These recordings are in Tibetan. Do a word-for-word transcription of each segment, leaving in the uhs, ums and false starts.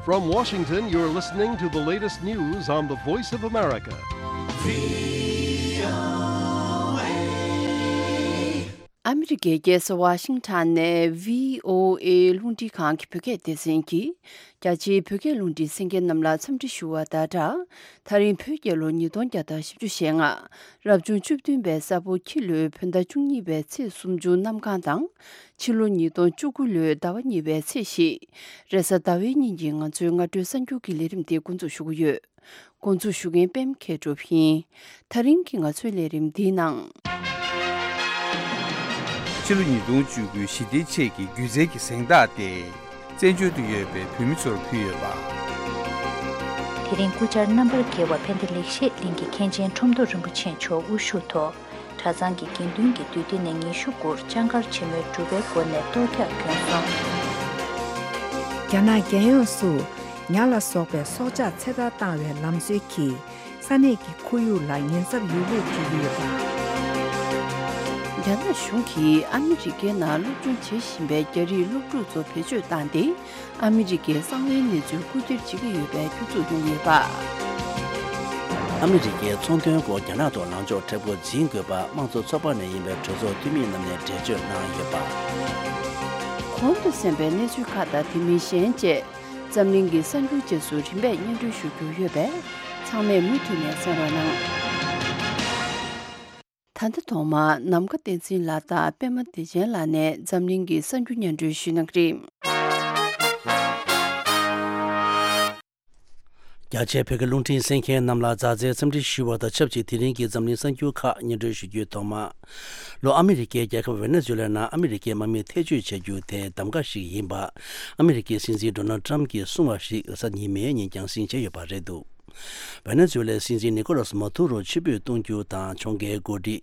From Washington, you're listening to the latest news on the Voice of America. ཨ་མི་རི་ཀའི་རྒྱལ་ས་ཝ་ཤིང་ཊོན་ནས་བྷི་ཨོ་ཨེ་རླུང་འཕྲིན་ཁང་གི་བོད་སྐད་སྡེ་ཚན་གྱིས། རྒྱ་ཆེའི་བོད་སྐད་རླུང་འཕྲིན་གསན་མཁན་རྣམས་ལ་འཚམས་འདྲི་ཞུ་བ་དང་སྦྲགས། ད་རིང་བོད་རྒྱལ་ལོ་ཉིས་སྟོང་བརྒྱ་དང་བཞི་བཅུ་ཞེ་ལྔ། རབ་བྱུང་བཅུ་བདུན་པའི་ས་ཕོ་ཁྱི་ལོའི་བོད་ཟླ་བཅུ་གཉིས་པའི་ཚེས་སུམ་ཅུ་གནམ་གང་དང་། ཕྱི་ལོ་ཉིས་སྟོང་བཅུ་དགུ་ལོའི་ཟླ་བ་གཉིས་པའི་ཚེས་བཞི། རེས་གཟའ་ཟླ་བའི་ཉིན་གྱི་ང་ཚོའི་སྔ་དྲོའི་གསར་འགྱུར་གྱི་ལས་རིམ་དེ་འགོ་འཛུགས་ཞུ་གི་ཡོད། འགོ་འཛུགས་ཞུ་མཁན་པད་མ་མཁས་གྲུབ་ཡིན། ད་རིང་གི་ང་ཚོའི་ལས་རིམ་འདིའི་ནང་། ཕྱི་ལོ་ཉིས་སྟོང་བཅུ་དགུའི་ཞི་བདེའི་ཆེད་ཀྱི་སྒྱུ་རྩལ་གྱི་གཟེངས་རྟགས་དེ། བཙན་བྱོལ་དུ་ཡོད་པའི་བོད་མི་ཚོར་ཕུལ་ཡོད་པ། དེ་རིང་སྐུ་བཅར་རྣམ་པར་རྒྱལ་བ་ཕན་བདེ་ལེགས་བཤད་གླིང་གི་མཁན་ཆེན་ཁྲོམ་ཐོག་རིན་པོ་ཆེ་མཆོག་དབུ་བཞུགས་ཐོག་གྲྭ་ཚང་གི་དགེ་འདུན་གྱི་འདུས་སྡེ་ནས་ཉི་ཤུ་དགུར་ལྕགས་མཁར་ཆེན་མོའི་སྒྲུབ་པའི་སྒོ་ནས་གཏོར་རྒྱག་བསྐྱོན་སོང་། རྒྱ་ནག་རྒྱལ་ཡོངས་སུ་ཉ་ལ་སོགས་པའི་སྲོག་ཆགས་ཚེ་ཐར་བཏང་བའི་ལམ་སྲོལ་གྱིས་ས་གནས་ཀྱི་ཁོར་ཡུག་ལ་ཉེན་ཚབས་ཡོད་ལུགས་བརྗོད་ཀྱི་ཡོད་པ། རྒྱ་ནག་གཞུང་གིས་ཨ་མི་རི་ཀའི་ནང་སློབ་སྦྱོང་བྱེད་བཞིན་པའི་རྒྱ་རིགས་སློབ་ཕྲུག་ཚོ་བེད་སྤྱོད་བཏང་སྟེ། ཨ་མི་རི་ཀའི་གསང་བའི་གནས་ཚུལ་རྐུ་འཁྱེར་བྱེད་ཀྱི་ཡོད་པའི་སྐྱོན་འཛུགས་གནང་ཡོད་པ། ཨ་མི་རི་ཀའི་ཚོང་དོན་སྐོར་རྒྱ་ནག་ཐོག་ལངས་ཕྱོགས་མཁྲེགས་པོ་འཛིན་དགོས་པ་དམངས་གཙོ་ཚོགས་པ་ནས་ཡིན་པའི་གྲོས་ཚོགས་འཐུས་མི་རྣམས་ནས་འགྲེལ་བརྗོད་གནང་ཡོད་པ། གོང་དུ་གསན་པའི་གནས་ཚུལ་ཁག་དང་དེ་མིན་གཞན་བཅས་འཛམ་གླིང་གི་གསར་འགྱུར་རྗེས་སུ་རིམ་པས་སྙན་སྒྲོན་ཞུ་རྒྱུ་ཡོད་པས་ཚང་མས་མུ་མཐུད་ནས་གསན་རོགས་གནང་། ད་ལྟ་ཐོག་མར་ནམ་མཁའ་བསྟན་འཛིན་ལགས་དང་པད་མ་བདེ་ཆེན་ལགས་ནས་འཛམ་གླིང་གི་གསར་འགྱུར་སྙན་སྒྲོན་ཞུ་གནང་གི་རེད། རྒྱ་ཆེའི་བོད་སྐད་རླུང་འཕྲིན་གསན་མཁན་རྣམས་ལ་མཛའ་བརྩེའི་འཚམས་འདྲི་ཞུ་བ་དང་ཆབས་ཅིག་དེ་རིང་གི་འཛམ་གླིང་གསར་འགྱུར་ཁག་སྙན་སྒྲོན་ཞུ་རྒྱུའི་ཐོག་མ། ལྷོ་ཨ་མི་རི་ཀའི་རྒྱལ་ཁབ་ཝེ་ནེ་ཛུ་ལའི་ནང་ཨ་མི་རི་ཀའི་དམག་མི་ཐེ་བྱུས་བྱ་རྒྱུ་དེ་གདམ་ག་ཞིག་ཡིན་པ། ཨ་མི་རི་ཀའི་སྲིད་འཛིན་ཌོ་ནལ་ཊམ་གྱིས་གསུངས་པ་ཞིག་རེས་གཟའ་ཉི་མའི་ཉིན་རྒྱང་སྲིང་བྱས་ཡོད་པ་རེད་འདུག་ཝེ་ནེ་ཛུ་ལའི་སྲིད་འཛིན་ནི་ཀོ་ལོ་སི་མ་དུ་རོ་ཕྱིར་འབུད་གཏོང་རྒྱུ་དང་། ཁྱོང་རྒྱལ་འགོ་ཁྲིད་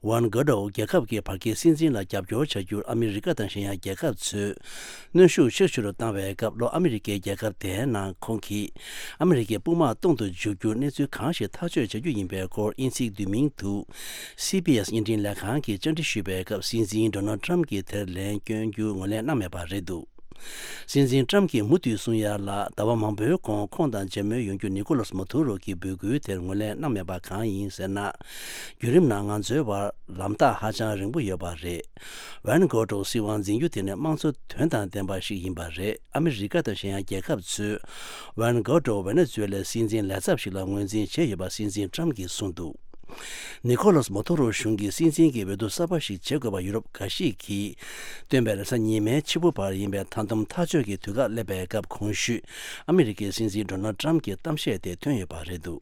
ཝན་གྷོ་ཌོ་རྒྱལ་ཁབ་ཀྱི་བར་བརྒལ་སྲིད་འཛིན་ལ་རྒྱབ་སྐྱོར་བྱ་རྒྱུར་ཨ་མི་རི་ཀ་དང་གཞན་ཡང་རྒྱལ་ཁབ་ཚོས་གནོན་ཤུགས་ཆེ་རུ་བཏང་བའི་སྐབས། ལྷོ་ཨ་མི་རི་ཀའི་རྒྱལ་ཁབ་དེའི་ནང་ཁོང་གིས་ཨ་མི་རི་ཀའི་དཔུང་དམག་གཏོང་དུ་འཇུག་རྒྱུར་གནས་ཚུལ་གང་ཞིག་ཐག་གཅོད་བྱ་རྒྱུ་ཡིན་པའི་སྐོར་དབྱིན་ཚིག་བསྡུས་མིང་དུ་སི་བྷི་ཨེས་བརྙན་འཕྲིན་ལས་ཁང་གིས་བཅར་འདྲི་ཞུས་པའི་སྐབས། སྲིད་འཛིན་ཌོ་ནལ་ཊམ་གྱིས་དེར་ལན་སྐྱོན་རྒྱུ་ངོས་ལེན་གནང་མེད་པ་རེད་འདུག་སྲིད་འཛིན་ཊམ་གྱིས་མུ་མཐུད་གསུང་ཡ་ལ། ཟླ་བ་མང་པོའི་གོང་ཁོང་དང་མཇལ་མོལ་ཡོང་རྒྱུ་ནི་ཀོ་ལོ་སི་མ་དུ་རོ་གི་འབོད་སྐུལ་དེར་ངོས་ལེན་གནང་མེད་པ་གང་ཡིན་ཟེར་ན། བརྒྱུད་རིམ་ནང་ང་ཚོའི་བར་ལམ་ཐག་ཧ་ཅང་རིང་པོ་ཡོད་པ་རེད། ཝན་གྷོ་ཌོ་སྲིད་དབང་འཛིན་རྒྱུ་དེ་ནི་དམངས་གཙོ་དོན་དང་ལྡན་པ་ཞིག་ཡིན་པ་རེད། ཨ་མི་རི་ཀ་དང་གཞན་ཡང་རྒྱལ་ཁབ་ཚོས་ཝན་གྷོ་ཌོ་ཝེ་ནེ་ཛུ་ལའི་སྲིད་འཛིན་ལས་ཚབ་ཞིག་ལ་ངོས་འཛིན་བྱས་ཡོད་པ་སྲིད་འཛིན་ཊམ་གྱིས་གསུངས་འདུག་ནི་ཀོ་ལོ་སི་མ་དུ་རོ་གཞུང་གིས་སྲིད་འཛིན་གྱི་འོས་བསྡུ་གསར་པ་ཞིག་བྱེད་དགོས་པ་ཡུ་རོབ་འགའ་ཞིག་གིས་བཏོན་པའི་རེས་གཟའ་ཉི་མའི་ཕྱི་པོ་བར་ཡིན་པའི་མཐའ་སྡོམ་ཐག་གཅོད་ཀྱི་དུས་བཀག་སླེབས་པའི་སྐབས། གོང་ཞུས་ཨ་མི་རི་ཀའི་སྲིད་འཛིན་ཌོ་ནལ་ཊམ་གྱི་གཏམ་བཤད་དེ་ཐོན་ཡོད་པ་རེད་འདུག་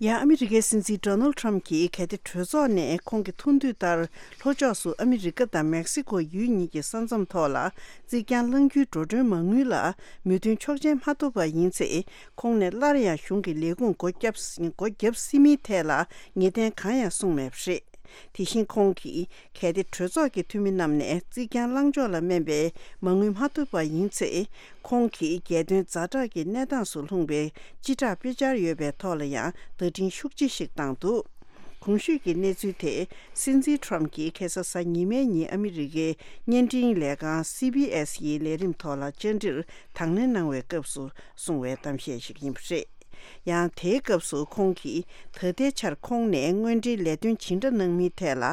ཡང་ཨ་མི་རི་ཀའི་སྲིད་འཛིན་ཌོ་ནལ་ཊམ་གྱིས་གལ་ཏེ་གྲོས་ཚོགས་ནས་ཁོང་གི་ཐུགས་འདུན་ལྟར་ལྷོ་ཕྱོགས་སུ་ཨ་མི་རི་ཀ་དང་མེག་སི་ཀོ་ཡུལ་གཉིས་ཀྱི་ས་མཚམས་ཐོག་ལ་རྩིག་གྱང་བསླང་རྒྱུའི་འགྲོ་གྲོན་མ་དངུལ་ལ་མོས་མཐུན་ཆོག་མཆན་མ་ཐོབ་པ་ཡིན་ཚེ། ཁོང་ནས་སླར་ཡང་གཞུང་གི་ལས་ཁུངས་སྒོ་བརྒྱབ་སྒོ་བརྒྱབ་སྲིད་མིན་ཐད་ལ་ངེས་གཏན་གང་ཡང་གསུངས་མེད་པ་རེད། དེ་བཞིན་ཁོང་གིས་གལ་ཏེ་གྲོས་ཚོགས་ཀྱི་འཐུས་མི་རྣམས་ནས་རྩིག་གྱང་བསླང་ཕྱོགས་ལ་སྨན་པའི་མ་དངུལ་མ་ཐོབ་པ་ཡིན་ཚེ། ཁོང་གིས་རྒྱལ་དོན་ཛ་དྲག་གི་གནས་སྟངས་སུ་ལྷུང་བའི་སྤྱི་བསྒྲགས་དཔེ་ཆ་ཡོད་པའི་ཐོག་ལ་ཡང་བརྡ་འཕྲིན་ཤུགས་ཆེ་ཞིག་བཏང་འདུག་གོང་ཞུས་ཀྱི་གནས་ཚུལ་དེ་སྲིད་འཛིན་ཊམ་གྱིས་ཁ་སང་གཟའ་ཉི་མའི་ཉིན་ཨ་མི་རི་ཀའི་བརྙན་འཕྲིན་ལས་ཁང་སི་བྷི་ཨེས་ཡི་ལས་རིམ་ཐོག་ལ་བཅར་འདྲིར་དང་ལེན་གནང་བའི་སྐབས་སུ་གསུངས་པའི་གཏམ་བཤད་ཞིག་ཡིན་པ་རེད། ཡང་དེའི་སྐབས་སུ་ཁོང་གིས་ད་ལྟའི་ཆར་ཁོང་ནས་དངོས་འབྲེལ་ལས་དོན་ཇི་འདྲ་གནང་མིན་ཐད་ལ་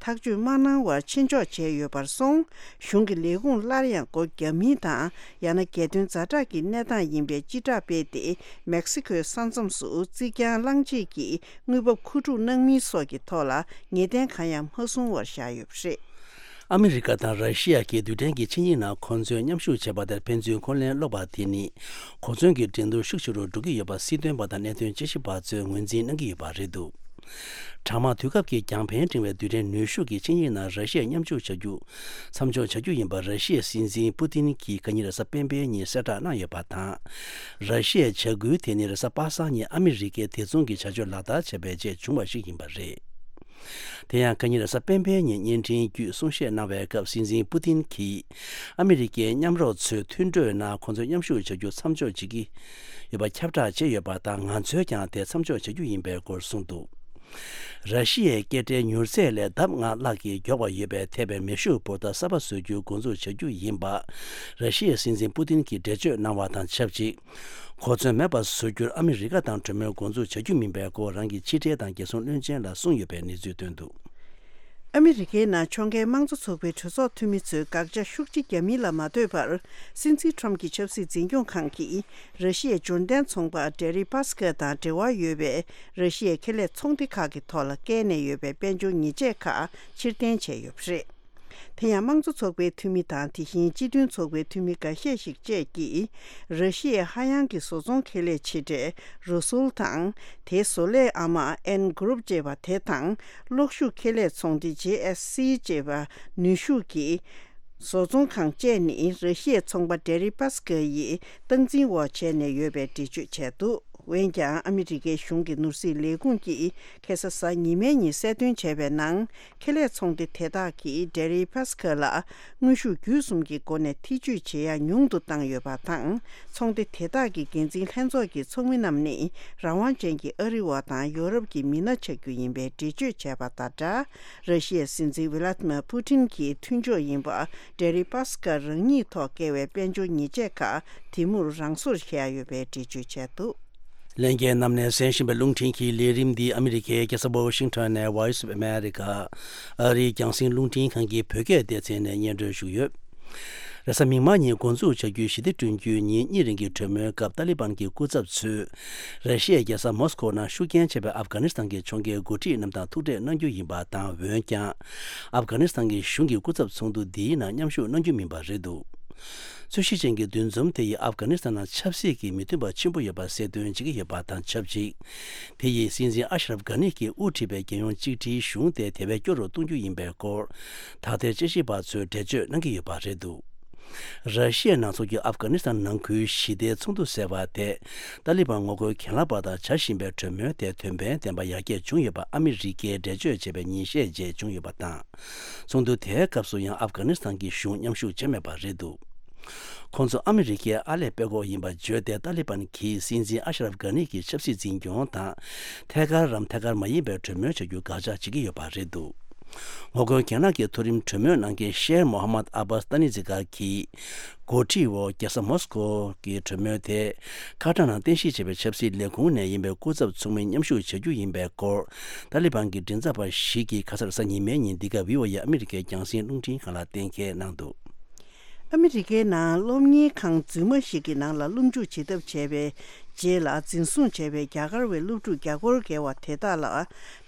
ཐག་གཅོད་མ་གནང་བར་ཕྱིར་འཇོག་བྱས་ཡོད་པར་སོང་། གཞུང་གི་ལས་ཁུངས་སླར་ཡང་སྒོ་བརྒྱབ་མིན་དང་། ཡང་ན་རྒྱལ་དོན་ཛ་དྲག་གི་གནས་སྟངས་ཡིན་པའི་སྤྱི་བསྒྲགས་སྤེལ་ཏེ། མེག་སི་ཁོའི་ས་མཚམས་སུ་རྩིག་གྱང་བསླངས་རྗེས་ཀྱི་དངུལ་འབབ་མཁོ་སྒྲུབ་གནང་མིན་སོགས་ཀྱི་ཐོག་ལ་ངེས་གཏན་གང་ཡང་མ་བཟུང་བར་བཞག་ཡོད་པ་རེད། ཨ་མི་རི་ཀ་དང་ར་ཤི་ཡ་གི་རྡུལ་ཕྲན་གྱི་ཆིངས་ཡིག་ནང་ཁོ་ཚོས་མཉམ་ཞུགས་བྱས་པ་དེར་ཕན་ཚུན་འཁོན་ལན་སློག་པ་དེ་ནི་གོ་མཚོན་གྱི་འགྲན་བསྡུར་ཤུགས་ཆེ་རུ་འགྲོ་གི་ཡོད་པ་སྲིད་དོན་པ་དང་གནད་དོན་དཔྱད་ཞིབ་པ་ཚོས་ངོས་འཛིན་གནང་གི་ཡོད་པ་རེད་འདུག་གྲང་དམག་དུས་སྐབས་ཀྱི་རྒྱང་འཕེན་འཕྲེང་བའི་རྡུལ་ཕྲན་ནུས་ཤུགས་ཀྱི་ཆིངས་ཡིག་ནང་ར་ཤི་ཡས་མཉམ་ཞུགས་བྱ་རྒྱུ་མཚམས་འཇོག་བྱ་རྒྱུ་ཡིན་པ་ར་ཤི་ཡའི་སྲིད་འཛིན་པུ་ཏིན་གྱིས་ཁ་ཉིན་རེས་གཟའ་སྤེན་པའི་ཉིན་གསལ་བསྒྲགས་གནང་ཡོད་པ་དང་། ར་ཤི་ཡའི་བྱ་འགུལ་དེ་ནི་རེས་གཟའ་པ་སངས་ཉིན་ཨ་མི་རི་ཀས་དེ་མཚུངས་ཀྱི་བྱ་སྤྱོད་ལག་བསྟར་བྱས་པའི་རྗེས་བྱུང་བ་ཞིག་ཡིན་པ་རེད། དེ་ཡང་ཁ་ཉིན་རེས་གཟའ་སྤེན་པའི་ཉིན་བརྙན་འཕྲིན་བརྒྱུད་གསུང་བཤད་གནང་བའི་སྐབས་སྲིད་འཛིན་པུ་ཏིན་གྱིས་ཨ་མི་རི་ཀའི་མཉམ་རོགས་ཚོས་མཐུན་གྲོས་ནང་ཁོང་ཚོས་མཉམ་ཞུགས་བྱ་རྒྱུ་མཚམས་འཇོག་བྱེད་ཀྱི་ཡོད་པ་ཁྱབ་བསྒྲགས་བྱས་ཡོད་པ་དང་། ང་ཚོས་ཀྱང་དེ་མཚམས་འཇོག་བྱ་རྒྱུ་ཡིན་པའི་སྐོར་གསུངས་འདུག་ར་ཤི་ཡའི་སྐད་སྒྲའི་མྱུར་ཚད་ལས་ལྡབ་ལྔ་ལྷག་གིས་མགྱོགས་པ་ཡོད་པའི་ཐེབས་པའི་མེ་ཤུགས་འབོར་ཐ་གསར་པ་བཟོ་རྒྱུའི་འགོ་འཛུགས་བྱ་རྒྱུ་ཡིན་པ། ར་ཤི་ཡའི་སྲིད་འཛིན་པུ་ཏིན་གྱིས་འགྲེལ་བརྗོད་གནང་བ་དང་ཆབས་ཅིག་གོ་མཚོན་མེད་པར་བཟོ་རྒྱུར་ཨ་མི་རི་ཀ་དང་གྲོས་མོལ་འགོ་འཛུགས་བྱ་རྒྱུ་མིན་པའི་སྐོར་རང་གི་ཕྱི་འབྲེལ་དང་རྒྱལ་སྲུང་བློན་ཆེན་ལ་གསུངས་ཡོད་པའི་གནས་ཚུལ་བཏོན་འདུག། ཨ་མི་རི་ཀའི་ནང་ཕྱོགས་འགལ་དམངས་གཙོ་ཚོགས་པའི་གྲོས་ཚོགས་འཐུས་མི་ཚོས་དགག་བྱ་ཤུགས་ཆེ་བརྒྱབ་མིན་ལ་མ་ལྟོས་པར། སྲིད་འཛིན་ཁྲོམ་གྱི་ཆབ་སྲིད་འཛིན་སྐྱོང་ཁང་གིས་ར་ཤི་ཡའི་འབྱོར་ལྡན་ཚོང་པ་ཌེ་རི་པཱ་སི་ཀར་དང་འབྲེལ་བ་ཡོད་པའི་ར་ཤི་ཡའི་ཁེ་ལས་ཚོང་སྡེ་ཁག་གི་ཐོག་ལ་བཀལ་ནས་ཡོད་པའི་དཔལ་འབྱོར་ཉེས་ཆད་ཁག་ཕྱིར་འཐེན་བྱས་ཡོད་པ་རེད། དེ་ཡང་དམངས་གཙོ་ཚོགས་པའི་འཐུས་མི་དང་དེ་བཞིན་སྤྱི་མཐུན་ཚོགས་པའི་འཐུས་མི་འགའ་ཤས་ཤིག་བཅས་ཀྱིས། ར་ཤི་ཡའི་ཧ་ཡང་གི་བཟོ་ཚོང་ཁེ་ལས་ཆེ་གྲས་རོ་སུལ་དང་། དེའི་བཟོ་ལས་ཨ་མ་ཨེན་གུ་རུབ་ཅེས་པ་དེ་དང་། གློག་ཤུགས་ཁེ་ལས་ཚོང་སྡེ་ཇེ་ཨེས་སི་ཅེས་པ་ནུས་ཤུགས་ཀྱི་བཟོ་ཚོང་ཁང་བཅས་ནི་ར་ཤི་ཡའི་ཚོང་པ་ཌེ་རི་པཱ་སི་ཀར་ཡིས་སྟངས་འཛིན་འོག་བྱས་ནས་ཡོད་པའི་འགྲེལ་བརྗོད་བྱས་འདུག། འོན་ཀྱང་ཨ་མི་རི་ཀའི་གཞུང་གི་ནོར་སྲིད་ལས་ཁུངས་ཀྱིས་ཁ་སང་གཟའ་ཉི་མའི་ཉིན་གསལ་སྟོན་བྱས་པའི་ནང་། ཁེ་ལས་ཚོང་སྡེ་དེ་དག་གིས་ཌེ་རི་པཱ་སི་ཀར་ལ་དངོས་ཤུགས་བརྒྱུད་གསུམ་གྱི་སྒོ་ནས་ཐེ་ཇུས་བྱེད་ཡ་ཉུང་དུ་བཏང་ཡོད་པ་དང་། ཚོང་སྡེ་དེ་དག་གི་འགན་འཛིན་ལྷན་ཚོགས་ཀྱི་ཚོགས་མི་རྣམས་ནི་རང་དབང་ཅན་གྱི་ཨ་རི་བ་དང་ཡོ་རོབ་ཀྱི་མི་སྣ་ཆགས་རྒྱུ་ཡིན་པའི་འགྲེལ་བརྗོད་བྱས་པ་དང་སྦྲགས། ར་ཤི་ཡའི་སྲིད་འཛིན་ཝི་ལ་ཏི་མར་པུ་ཏིན་གྱི་མཐུན་ཕྱོགས་ཡིན་པ་ཌེ་རི་པཱ་སི་ཀར་རང་ཉིད་ཐོག་བཀལ་བའི་དཔལ་འབྱོར་ཉེས་ཆད་ཁག་དེ་མུར་རང་སོར་བཞེས་ཡ་ཡོད་པའི་འགྲེལ་བརྗོད་བྱས་འདུག། ལྷན་རྒྱས་རྣམས་ནས་གསན་བཞིན་པའི་རླུང་འཕྲིན་གྱི་ལས་རིམ་འདི་ཨ་མི་རི་ཀའི་རྒྱལ་ས་ཝོ་ཤིང་ཊོན་ནས་Voice of America ཨ་རིའི་རྒྱང་སྲིང་རླུང་འཕྲིན་ཁང་གི་བོད་སྐད་སྡེ་ཚན་ནས་སྙན་སྒྲོན་ཞུས་ཡོད། རེས་གཟའ་མིག་དམར་ཉིན་འགོ་འཛུགས་བྱ་རྒྱུའི་ཞི་བདེ་བསྐྲུན་རྒྱུའི་ཉིན་གཉིས་རིང་གི་གྲོས་མོལ་སྐབས་ཏཱ་ལི་བན་གྱི་སྐུ་ཚབ་ཚོས། ར་ཤི་ཡའི་རྒྱལ་ས་མོ་སི་ཀོ་ནང་ཤུགས་རྐྱེན་ཆེ་བའི་ཨབ་གྷ་ནི་སི་ཐན་གྱི་ཕྱོགས་འགལ་འགོ་ཁྲིད་རྣམས་དང་ཐུག་འཕྲད་གནང་རྒྱུ་ཡིན་པ་དང་། འོན་ཀྱང་། ཨབ་གྷ་ནི་སི་ཐན་གྱི་གཞུང་གི་སྐུ་ཚབ་ཚོགས་འདུ་འདིའི་ནང་མཉམ་ཞུགས་གནང་རྒྱུ་མིན་པ་རེད་འདུག། རྩོད་གཞི་ཅན་གྱི་འདུ་འཛོམས་དེ་ཡིས་ཨབ་གྷ་ནི་སི་ཐན་ནང་ཆབ་སྲིད་ཀྱི་མི་མཐུན་པ་ཆེན་པོ་ཡོད་པ་གསལ་སྟོན་བྱེད་ཀྱི་ཡོད་པ་དང་ཆབས་ཅིག། དེ་ཡིས་སྲིད་འཛིན་ཨ་ཤ་རབ་གྷ་ནི་གིས་དབུ་ཁྲིད་པའི་རྒྱལ་ཡོངས་གཅིག་སྒྲིལ་གཞུང་དེ་དེ་བས་སྐྱོ་རུ་གཏོང་རྒྱུ་ཡིན་པའི་སྐོར། ད་ལྟའི་དཔྱད་ཞིབ་པ་ཚོས་འགྲེལ་བརྗོད་གནང་གི་ཡོད་པ་རེད་འདུག། ར་ཤི་ཡའི་ནང་ཚོགས་ཀྱི་ཨབ་གྷ་ནི་སི་ཐན་ནང་ཁུལ་ཞི་བདེའི་ཚོགས་འདུ་ཟེར་བ་དེ། ཏཱ་ལི་བན་ངོ་རྒོལ་གྱེན་ལངས་པ་དང་བྱ་བཞིན་པའི་གྲོས་མོལ་དེ་དོན་ཕན་ལྡན་པ་ཡར་རྒྱས་བྱུང་ཡོད་པ་ཨ་མི་རི་ཀས་འགྲེལ་བརྗོད་བྱས་པའི་ཉིན་ཤས་རྗེས་བྱུང་ཡོད་པ་དང་། ཚོགས་འདུ་དེའི་སྐབས་སུ་ཡང་ཨབ་གྷ་ནི་སི་ཐན་གྱི་གཞུང་མཉམ་ཞུགས་བྱས་མེད་པ་རེད་འདུག། ཁོང་ཚོ་ཨ་མི་རི་ཀའི་ཨར་ལས་སྤེལ་འགོག་ཡིན་པ་བརྗོད་དེ། ཏཱ་ལི་བན་གྱིས་སྲིད་འཛིན་ཨ་ཤ་རབ་གྷ་ནི་གྱི་ཆབ་སྲིད་འཛིན་སྐྱོང་དང་། ཐད་ཀར་རམ་ཐད་ཀར་མ་ཡིན་པའི་གྲོས་མོལ་བྱ་རྒྱུ་དགག་བྱ་བྱེད་ཀྱི་ཡོད་པ་རེད་འདུག། ངོ་རྒོལ་གྱེན་ལངས་ཀྱི་མཐོ་རིམ་གྲོས་མོལ་གནང་མཁན་ཤེར་མོ་ཧ་མད་ཨ་བྷ་སི་ཏཱ་ནི་ཛི་གར་གྱིས། འགོ་ཁྲིད་འོག་རྒྱལ་ས་མོ་སི་ཀོ་གི་གྲོས་མོལ་དེ། ཁ་ཏ་ནང་རྟེན་གཞི་བྱས་པའི་ཆབ་སྲིད་ལས་ཁུངས་ནས་ཡིན་པའི་སྐུ་ཚབ་ཚོགས་མི་མཉམ་ཞུགས་བྱ་རྒྱུ་ཡིན་པའི་སྐོར། ཏཱ་ལི་བན་གྱི་མགྲིན་ཚབ་པ་ཞིག་གིས་ཁ་སང་གཟའ་ཉི་མའི་ཉིན་འདི་ག་བྷི་ཨོ་ཨེ་ཨ་མི་རི་ཀའི་རྒྱང་སྲིང་རླུང་འཕྲིན་ཁང་ལ་གཏན་འཁེལ་གནང་འདུག། ཨ་མི་རི་ཀའི་ནང་སློབ་གཉེར་ཁང་རྫུན་མ་ཞིག་གི་ནང་ལ་སློབ་འཇུག་བྱེད་ཐབས་བྱས་པའི་རྗེས་ལ། འཛིན་བཟུང་བྱས་པའི་རྒྱ་གར་བའི་སློབ་ཕྲུག་བརྒྱ་སྐོར་བརྒལ་བ་དེ་དག་ལ་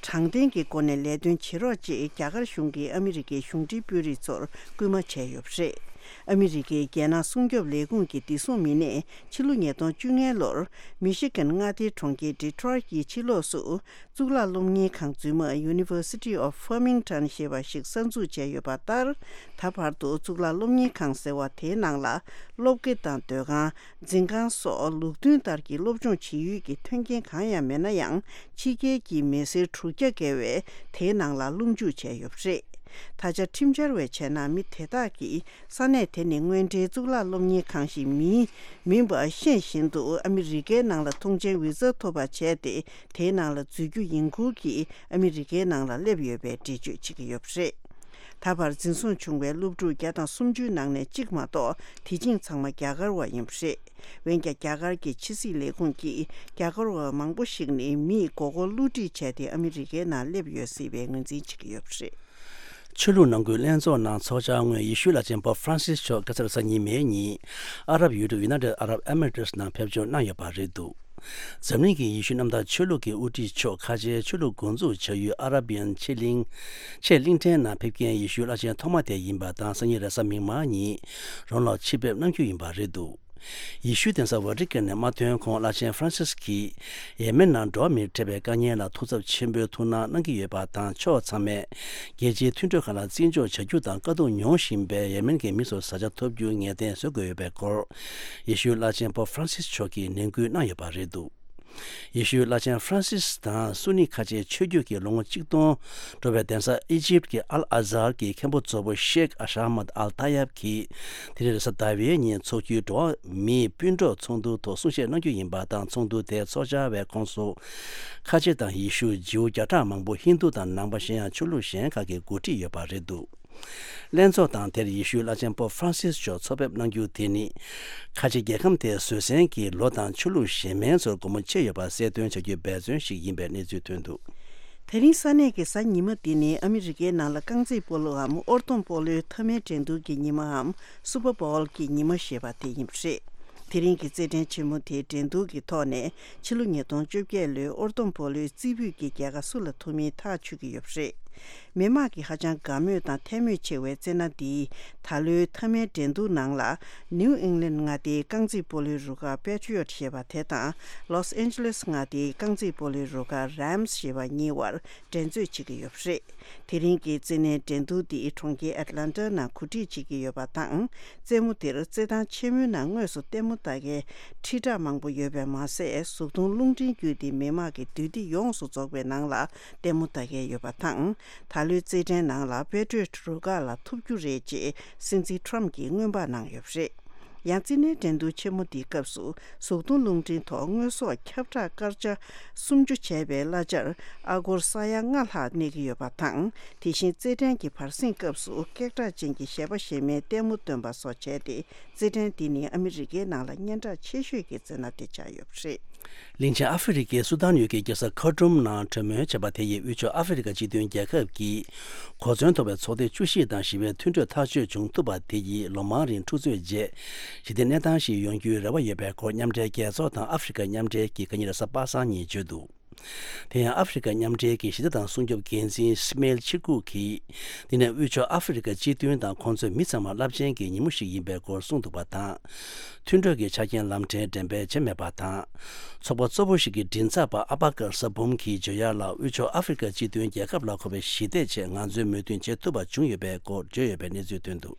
དྲང་བདེན་གྱི་སྒོ་ནས་ལས་དོན་བྱེད་རོགས་ཅེས་རྒྱ་གར་གཞུང་གིས་ཨ་མི་རི་ཀའི་གཞུང་འབྲེལ་དཔོན་རིགས་ཚོར་སྐུལ་མ་བྱས་ཡོད་པ་རེད། ཨ་མི་རི་ཀའི་རྒྱལ་ནང་སྲུང་སྐྱོབ་ལས་ཁུངས་ཀྱི་བདེ་སྲུང་མི་སྣས་ཕྱི་ལོ་ཉིས་སྟོང་བཅོ་ལྔ་ལོར་མི་ཤི་གན་མངའ་སྡེའི་གྲོང་ཁྱེར་ཌི་ཊོ་རོའི་ཊི་གི་ཕྱི་ལོགས་སུ། གཙུག་ལག་སློབ་གཉེར་ཁང་རྫུན་མ་University of Farmington ཞེས་པ་ཞིག་གསར་འཛུགས་བྱས་ཡོད་པ་ལྟར། ད་བར་དུ་གཙུག་ལག་སློབ་གཉེར་ཁང་ཟེར་བ་དེའི་ནང་ལ། སློབ་དགེ་དང་སྡོད་ཁང་། འཛིན་ཁང་སོགས་ལུགས་མཐུན་ལྟར་གྱི་སློབ་སྦྱོང་བྱེད་ཡུལ་གྱི་མཐུན་རྐྱེན་གང་ཡང་མེད་ན་ཡང་། ཕྱི་རྒྱལ་གྱི་མི་སེར་དྲུག་བརྒྱ་བརྒལ་བས་དེའི་ནང་ལ་སློབ་འཇུག་བྱས་ཡོད་པ་རེད། ད་ཆ་ཁྲིམས་འཆར་བས་བྱས་ན། མི་དེ་དག་གིས་ས་གནས་དེ་ནི་དངོས་འབྲེལ་གཙུག་ལག་སློབ་གཉེར་ཁང་ཞིག་མིན་མིན་པ་ཤེས་བཞིན་དུ། ཨ་མི་རི་ཀའི་ནང་ལ་ཐོངས་མཆན་ཝི་ཟ་ཐོབ་པ་བྱས་ཏེ། དེའི་ནང་ལ་འཛུལ་རྒྱུ་ཡིན་ཁུལ་གྱིས་ཨ་མི་རི་ཀའི་ནང་ལ་སླེབས་ཡོད་པའི་འགྲེལ་བརྗོད་བྱེད་ཀྱི་ཡོད་པ་རེད། ད་བར་འཛིན་བཟུང་བྱུང་བའི་སློབ་ཕྲུག་བརྒྱ་དང་སུམ་ཅུའི་ནང་ནས་གཅིག་མ་གཏོགས། དེ་བཞིན་ཚང་མ་རྒྱ་གར་བ་ཡིན་པ་རེད། འོན་ཀྱང་། རྒྱ་གར་གྱི་ཕྱི་སྲིད་ལས་ཁུངས་ཀྱིས། རྒྱ་གར་བ་མང་པོ་ཞིག་ནི་མིས་མགོ་སྐོར་བསླུ་བྲིད་བྱས་ཏེ། ཨ་མི་རི་ཀའི་ནང་སླེབས་ཡོད་སྲིད་པའི་ངོས་འཛིན་བྱེད་ཀྱི་ཡོད་པ་རེད། ཆོས་ལུགས་ནང་ཁུལ་ལྷན་ཚོགས་ནང་ཚོགས་བཅར་སྔོན། ཡེ་ཤུའི་བླ་ཆེན་པོབ་ཧྥ་རན་སིས་མཆོག་ཁ་སང་གཟའ་ཉི་མའི་ཉིན། ཨ་རབ་ཡུལ་གྲུ་United Arab Emirates ནང་ཕེབས་འབྱོར་གནང་ཡོད་པ་རེད་འདུག། འཛམ་གླིང་གི་ཡེ་ཤུ་གནམ་བདག་ཆོས་ལུགས་ཀྱི་དབུ་ཁྲིད་མཆོག་ཁ་ཆེའི་ཆོས་ལུགས་འགོ་འཛུགས་བྱ་ཡུལ་ཨ་ར་བི་ཡན་ཆེས་གླིང་། ཆེས་གླིང་ཕྲན་ནང་ཕེབས་མཁན་ཡེ་ཤུའི་བླ་ཆེན་ཐོག་མ་དེ་ཡིན་པ་དང་། སང་ཉིན་རེས་གཟའ་མིག་དམར་ཉིན་རང་ལ་ཕྱིར་ཕེབས་གནང་རྒྱུ་ཡིན་པ་རེད་འདུག། ཡེ་ཤུའི་གདན་ས་ཝ་ཏི་ཀན་ནས་མ་ཐོན་གོང་། བླ་ཆེན་ཧྥ་རན་སིས་ཀྱིས་ཡེ་མེན་ནང་འགྲོ་བ་མིར་འཕྲད་པའི་དཀའ་ངལ་ལ་ཐུགས་འཚབ་ཆེན་པོས་ཐུགས་སྣང་གནང་གི་ཡོད་པ་དང་། ཕྱོགས་ཚང་མས་རྒྱལ་སྤྱིའི་མཐུན་གྲོས་ཁག་ལ་བརྩི་འཇོག་བྱ་རྒྱུ་དང་། དཀའ་སྡུག་མྱོང་བཞིན་པའི་ཡེ་མེན་གྱི་མི་ཚོར་བཟའ་བཅའ་ཐོབ་རྒྱུ་ངེས་གཏན་བཟོ་དགོས་ཡོད་པའི་སྐོར། ཡེ་ཤུའི་བླ་ཆེན་པོབ་ཧྥ་རན་སིས་མཆོག་གིས་ནན་སྐུལ་གནང་ཡོད་པ་རེད་འདུག། ཡེ་ཤུའི་བླ་ཆེན་ཧྥ་རན་སིས་དང་སུ་ནི་ཁ་ཆེའི་ཆོས་བརྒྱུད་ཀྱི་ལོ་ངོ་གཅིག་སྟོང་འགྲོ་བའི་གདན་ས་ཨི་ཇིབ་ཀྱི་ཨལ་ཨ་ཛར་གྱི་མཁན་པོ་གཙོ་བོ་ཤེག་ཨ་ཤ་མད་ཨལ་ཏཱ་ཡབ་ཀྱིས། དེ་རིང་རེས་གཟའ་ཟླ་བའི་ཉིན་འཚོགས་རྒྱུའི་འགྲོ་བ་མིའི་སྤུན་གྲོགས་ཚོགས་འདུ་ཐོག་གསུང་བཤད་གནང་རྒྱུ་ཡིན་པ་དང་། ཚོགས་འདུ་དེའི་ཚོགས་བཅར་བའི་ཁོངས་སུ། ཁ་ཆེ་དང་ཡེ་ཤུ། ཇིའུ་བརྒྱ་ཕྲག་མང་པོ། ཧིན་དུ་དང་ནང་པ། གཞན་ཡང་ཆོས་ལུགས་གཞན་ཁག་གི་འགོ་ཁྲིད་ཡོད་པ་རེད་འདུག་ལྷན་ཚོགས་དང་དེར་ཡེ་ཤུའི་བླ་ཆེན་པོབ་ཧྥ་རན་སིས་མཆོག་ཚོགས་ཕེབས་གནང་རྒྱུ་དེ་ནི། ཁ་ཆེ་རྒྱལ་ཁམས་དེའི་བཟོད་བསྲན་གྱིས་ལོ་དང་ཆོས་ལུགས་གཞན་མིན་ཚོར་སྒོ་མོ་ཕྱེ་ཡོད་པ་གསལ་སྟོན་བྱ་རྒྱུའི་འབད་བརྩོན་ཞིག་ཡིན་པའི་གནས་ཚུལ་ཐོན་འདུག་དེ་རིང་ས་གནས་ཀྱི་གཟའ་ཉི་མ་འདི་ནི་ཨ་མི་རི་ཀའི་ནང་ལ་རྐང་རྩེད་སྤོ་ལོའམ་ཨོར་ཐོམ་སྤོ་ལོའི་མཐའ་མའི་འགྲན་བསྡུར་གྱི་ཉི་མའམ་སུ་པར་བོལ་གྱི་ཉི་མ་ཞེས་པ་དེ་ཡིན་པ་རེད། དེ་རིང་གི་རྩེད་འགྲན་ཆེན་མོ་དེའི་འགྲན་བསྡུར་གྱི་ཐོག་ནས་ཕྱི་ལོ་ཉིས་སྟོང་བཅོ་བརྒྱད་ལོའི་ཨོར་ཐོམ་སྤོ་ལོའི་རྩེ་ཕུད་ཀྱི་རྒྱལ་ཁ་སུ་ལ་ཐོབ་མིན་ཐག་ཆོད་ཀྱི་ཡོད་པ་རེད། མི་དམངས་ཀྱིས་ཧ་ཅང་དགའ་མོས་དང་ཐལ་མོ་ཆེ་བའི་རྩེད་སྣ་འདིས་ད་ལོའི་མཐའ་མའི་འགྲན་བསྡུར་ནང་ལ། ནིའུ་ཨིང་ལན་མངའ་སྡེའི་རྐང་རྩེད་སྤོ་ལོའི་རུ་ཁག་པེ་ཊི་རི་ཡོཊ་ཞེས་པ་དེ་དང་། ལོས་ཨན་ཇི་ལེས་མངའ་སྡེའི་རྐང་རྩེད་སྤོ་ལོའི་རུ་ཁག་རེམ་སི་ཞེས་པ་གཉིས་བར་འགྲན་རྩོད་བྱེད་ཀྱི་ཡོད་པ་རེད། དེ་རིང་གི་རྩེད་སྣའི་འགྲན་བསྡུར་འདི་གྲོང་ཁྱེར་ཨེཊ་ལན་ཊ་ནང་གོ་སྒྲིག་བྱེད་ཀྱི་ཡོད་པ་དང་། རྩེད་མོ་འདིར་རྩེད་ཐང་ཆེན་མོའི་ནང་དངོས་སུ་ལྟད་མོ་ལྟ་མཁན་ཁྲི་ཕྲག་མང་པོ་ཡོད་པས་མ་ཟད། གཟུགས་མཐོང་རླུང་འཕྲིན་བརྒྱུད་དེ་མི་དམངས་ཀྱི་འདུས་སྡེ་ཡོངས་སུ་རྫོགས་པའི་ནང་ལ་ལྟད་མོ་ལྟ་མཁན་ཡོད་པ་དང་། ད་ལོའི་རྩེད་འགྲན་ནང་ལ་པེ་ཊི་རི་ཡོཊ་རུ་ཁག་ལ་ཐོབ་རྒྱུ་རེད་ཅེས་སྲིད་འཛིན་ཊྲམ་གྱིས་སྔོན་དཔག་གནང་ཡོད་པ་རེད། ཡང་རྩེད་འགྲན་འགྲན་བསྡུར་ཆེན་མོ་འདིའི་སྐབས་སུ་གཟུགས་མཐོང་རླུང་འཕྲིན་ཐོག་དངོས་ཟོག་ཁྱབ་བསྒྲགས་སྐར་ཆ་སུམ་ཅུ་བྱས་པའི་གླ་ཆར་ཨ་སྒོར་ས་ཡ་ལྔ་ལྷག་གནས་ཀྱི་ཡོད་པ་དང་། དེ་བཞིན་རྩེད་འགྲན་གྱི་བར་གསེང་སྐབས་སུ་སྐད་གྲགས་ཅན་གྱི་གཞས་པ་གཞས་མའི་ལྟད་མོ་སྟོན་པ་སོགས་བྱས་ཏེ། རྩེད་འགྲན་འདི་ནི་ཨ་མི་རི་ཀའི་ནང་ལ་སྙན་གྲགས་ཆེ་ཤོས་ཀྱི་རྩེད་སྣ་དེ་ཆགས་ཡོད་པ་རེད། གླིང་ཆེན་ཨ་ཧྥེ་རི་ཀའི་སུ་དཱན་ཡུལ་གྱི་རྒྱལ་ས་ཁར་ཊུམ་ནང་གྲོས་མོལ་བྱས་པ་དེ་ཡིས་དབུས་ཕྱོགས་ཨ་ཧྥེ་རི་ཀ་སྤྱི་མཐུན་རྒྱལ་ཁབ་ཀྱི་གོ་མཚོན་མཐོ་བའི་ཚོགས་སྡེ་བཅུ་བཞི་དང་ཞི་བའི་མཐུན་གྲོས་ཐག་གཅོད་བྱུང་ཐུབ་པ་དེ་ཡིས་ལོ་མང་རིང་འཁྲུག་རྩོད་རྗེས་ཞི་བདེ་གནས་སྟངས་ཤིག་ཡོང་རྒྱུའི་རེ་བ་ཡོད་པའི་སྐོར། མཉམ་འབྲེལ་རྒྱལ་ཚོགས་དང་ཨ་ཧྥེ་རི་ཀ་མཉམ་འབྲེལ་གྱིས་ཁ་ཉིན་རེས་གཟའ་པ་སངས་ཉིན་བརྗོད་འདུག་དེ་ཡང་ཨ་ཧྥེ་རི་ཀ་མཉམ་འབྲེལ་གྱི་ཞི་བདེ་དང་སྲུང་སྐྱོབ་འགན་འཛིན་སི་མེལ་ཆི་ཀུག་གིས། འདི་ནི་དབུས་ཕྱོགས་ཨ་ཧྥེ་རི་ཀ་སྤྱི་མཐུན་དང་ཁོང་ཚོའི་མི་ཚང་མ་རླབས་ཆེན་གྱི་ཉིན་མོ་ཞིག་ཡིན་པའི་སྐོར་གསུངས་འདུག་པ་དང་། མཐུན་གྲོས་ཀྱི་ཆ་རྐྱེན་ལམ་འཕྲལ་འགྲེམས་སྤེལ་བྱས་མེད་པ་དང་། ཚོགས་པ་གཙོ་བོ་ཞིག་གི་མགྲིན་ཚབ་པ་ཨ་པ་ཀར་ས་བུམ་གྱིས་བརྗོད་ཡག་ལ། དབུས་ཕྱོགས་ཨ་ཧྥེ་རི་ཀ་སྤྱི་མཐུན་རྒྱལ་ཁབ་ལ་མཁོ་བའི་ཞི་བདེའི་ཆེད་ང་ཚོས་མོས་མཐུན་བྱེད་ཐུབ་པ་བྱུང་ཡོད་པའི་སྐོར་བརྗོད་ཡོད་པའི་གནས་ཚུལ་ཐོན་འདུག་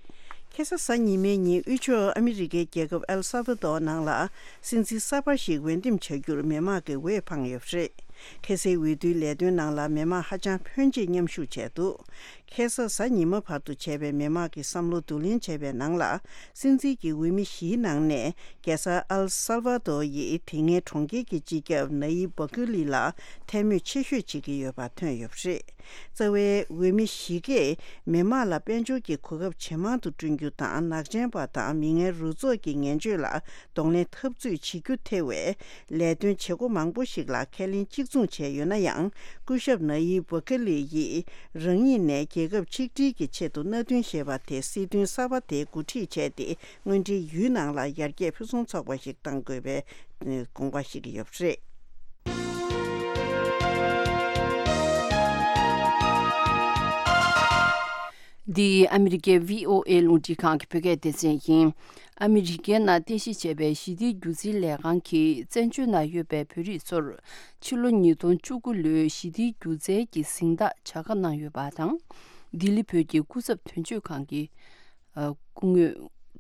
ཁ་སང་གཟའ་ཉི་མའི་ཉིན་དབུས་ཕྱོགས་ཨ་མི་རི་ཀའི་རྒྱལ་ཁབ་ཨེལ་སཱ་བ་དོར་ནང་ལ་སྲིད་འཛིན་གསར་པ་ཞིག་འོས་འདེམས་བྱ་རྒྱུར་མི་དམངས་ཀྱི་འོས་འཕངས་ཡོད་པ་རེད། ཁ་སའི་འོས་བསྡུའི་ལས་དོན་ནང་ལ་མི་དམངས་ཧ་ཅང་ཕོན་ཆེ་མཉམ་ཞུགས་བྱས་འདུག་ཁ་སང་གཟའ་ཉི་མ་བར་དུ་བྱས་པའི་མི་དམངས་ཀྱི་བསམ་བློ་བསྡུ་ལེན་བྱས་པའི་ནང་ལ། སྲིད་འཛིན་གྱི་འོས་མི་བཞིའི་ནང་ནས་རྒྱལ་ས་ཨེལ་སཱལ་ཝ་དོ་ཡིས་དེ་སྔའི་གྲོང་ཁྱེར་གྱི་སྤྱི་ཁྱབ་ན་ཡིབ་བོ་ཀི་ལི་ལ་ཐལ་མོ་ཆེ་ཤོས་བྱེད་ཀྱི་ཡོད་པ་ཐོན་ཡོད་པ་རེད། རྩ་བའི་འོས་མི་བཞི་གས་མི་དམངས་ལ་དཔལ་འབྱོར་གྱི་གོ་སྐབས་ཇེ་མང་དུ་བསྐྲུན་རྒྱུ་དང་། ནག་ཅན་པ་དང་མི་ངན་རུ་ཚོགས་ཀྱི་ངན་སྤྱོད་ལ་གདོང་ལེན་འཐབ་རྩོད་བྱེད་རྒྱུ་ཐེ་བའི་ལས་དོན་བྱེད་སྒོ་མང་པོ་ཞིག་ལ་ཁས་ལེན་གཅིག་མཚུངས་བྱས་ཡོད་ན་ཡང་། སྐུ་ཞབས་ན་ཡིབ་བོ་ཀི་ལི་ཡིས་རང་ཉིད་ནས་རྒྱལ་ཁབ་ཆིག་སྒྲིལ་གྱི་ཆེད་དུ་མནའ་མཐུན་ཞེས་པ་དེ་སྲིད་དོན་གསར་པ་དེ་འགོ་ཁྲིད་བྱས་ཏེ། དངོས་འབྲེལ་ཡུལ་ནང་ལ་ཡར་རྒྱས་ཕུན་སུམ་ཚོགས་པ་ཞིག་གཏང་དགོས་པའི་དགོངས་པ་བཞེས་ཀྱི་ཡོད་པ་རེད། འདི་ཨ་མི་རི་ཀའི་བྷི་ཨོ་ཨེ་རླུང་འཕྲིན་ཁང་གི་བོད་སྐད་སྡེ་ཚན་ཡིན། ཨ་མི་རི་ཀའི་ནང་རྟེན་གཞི་བྱས་པའི་ཞི་བདེའི་སྒྱུ་རྩལ་ལས་ཁང་གིས་བཙན་བྱོལ་ནང་ཡོད་པའི་བོད་རིགས་ཚོར་ཕྱི་ལོ་ཉིས་སྟོང་བཅུ་དགུ་ལོའི་ཞི་བདེའི་སྒྱུ་རྩལ་གྱི་གཟེངས་རྟགས་བྱ་དགའ་གནང་ཡོད་པ་དང་། ལྡི་ལི་བོད་ཀྱི་སྐུ་ཚབ་དོན་གཅོད་ཁང་གི་སྐུ་ངོས་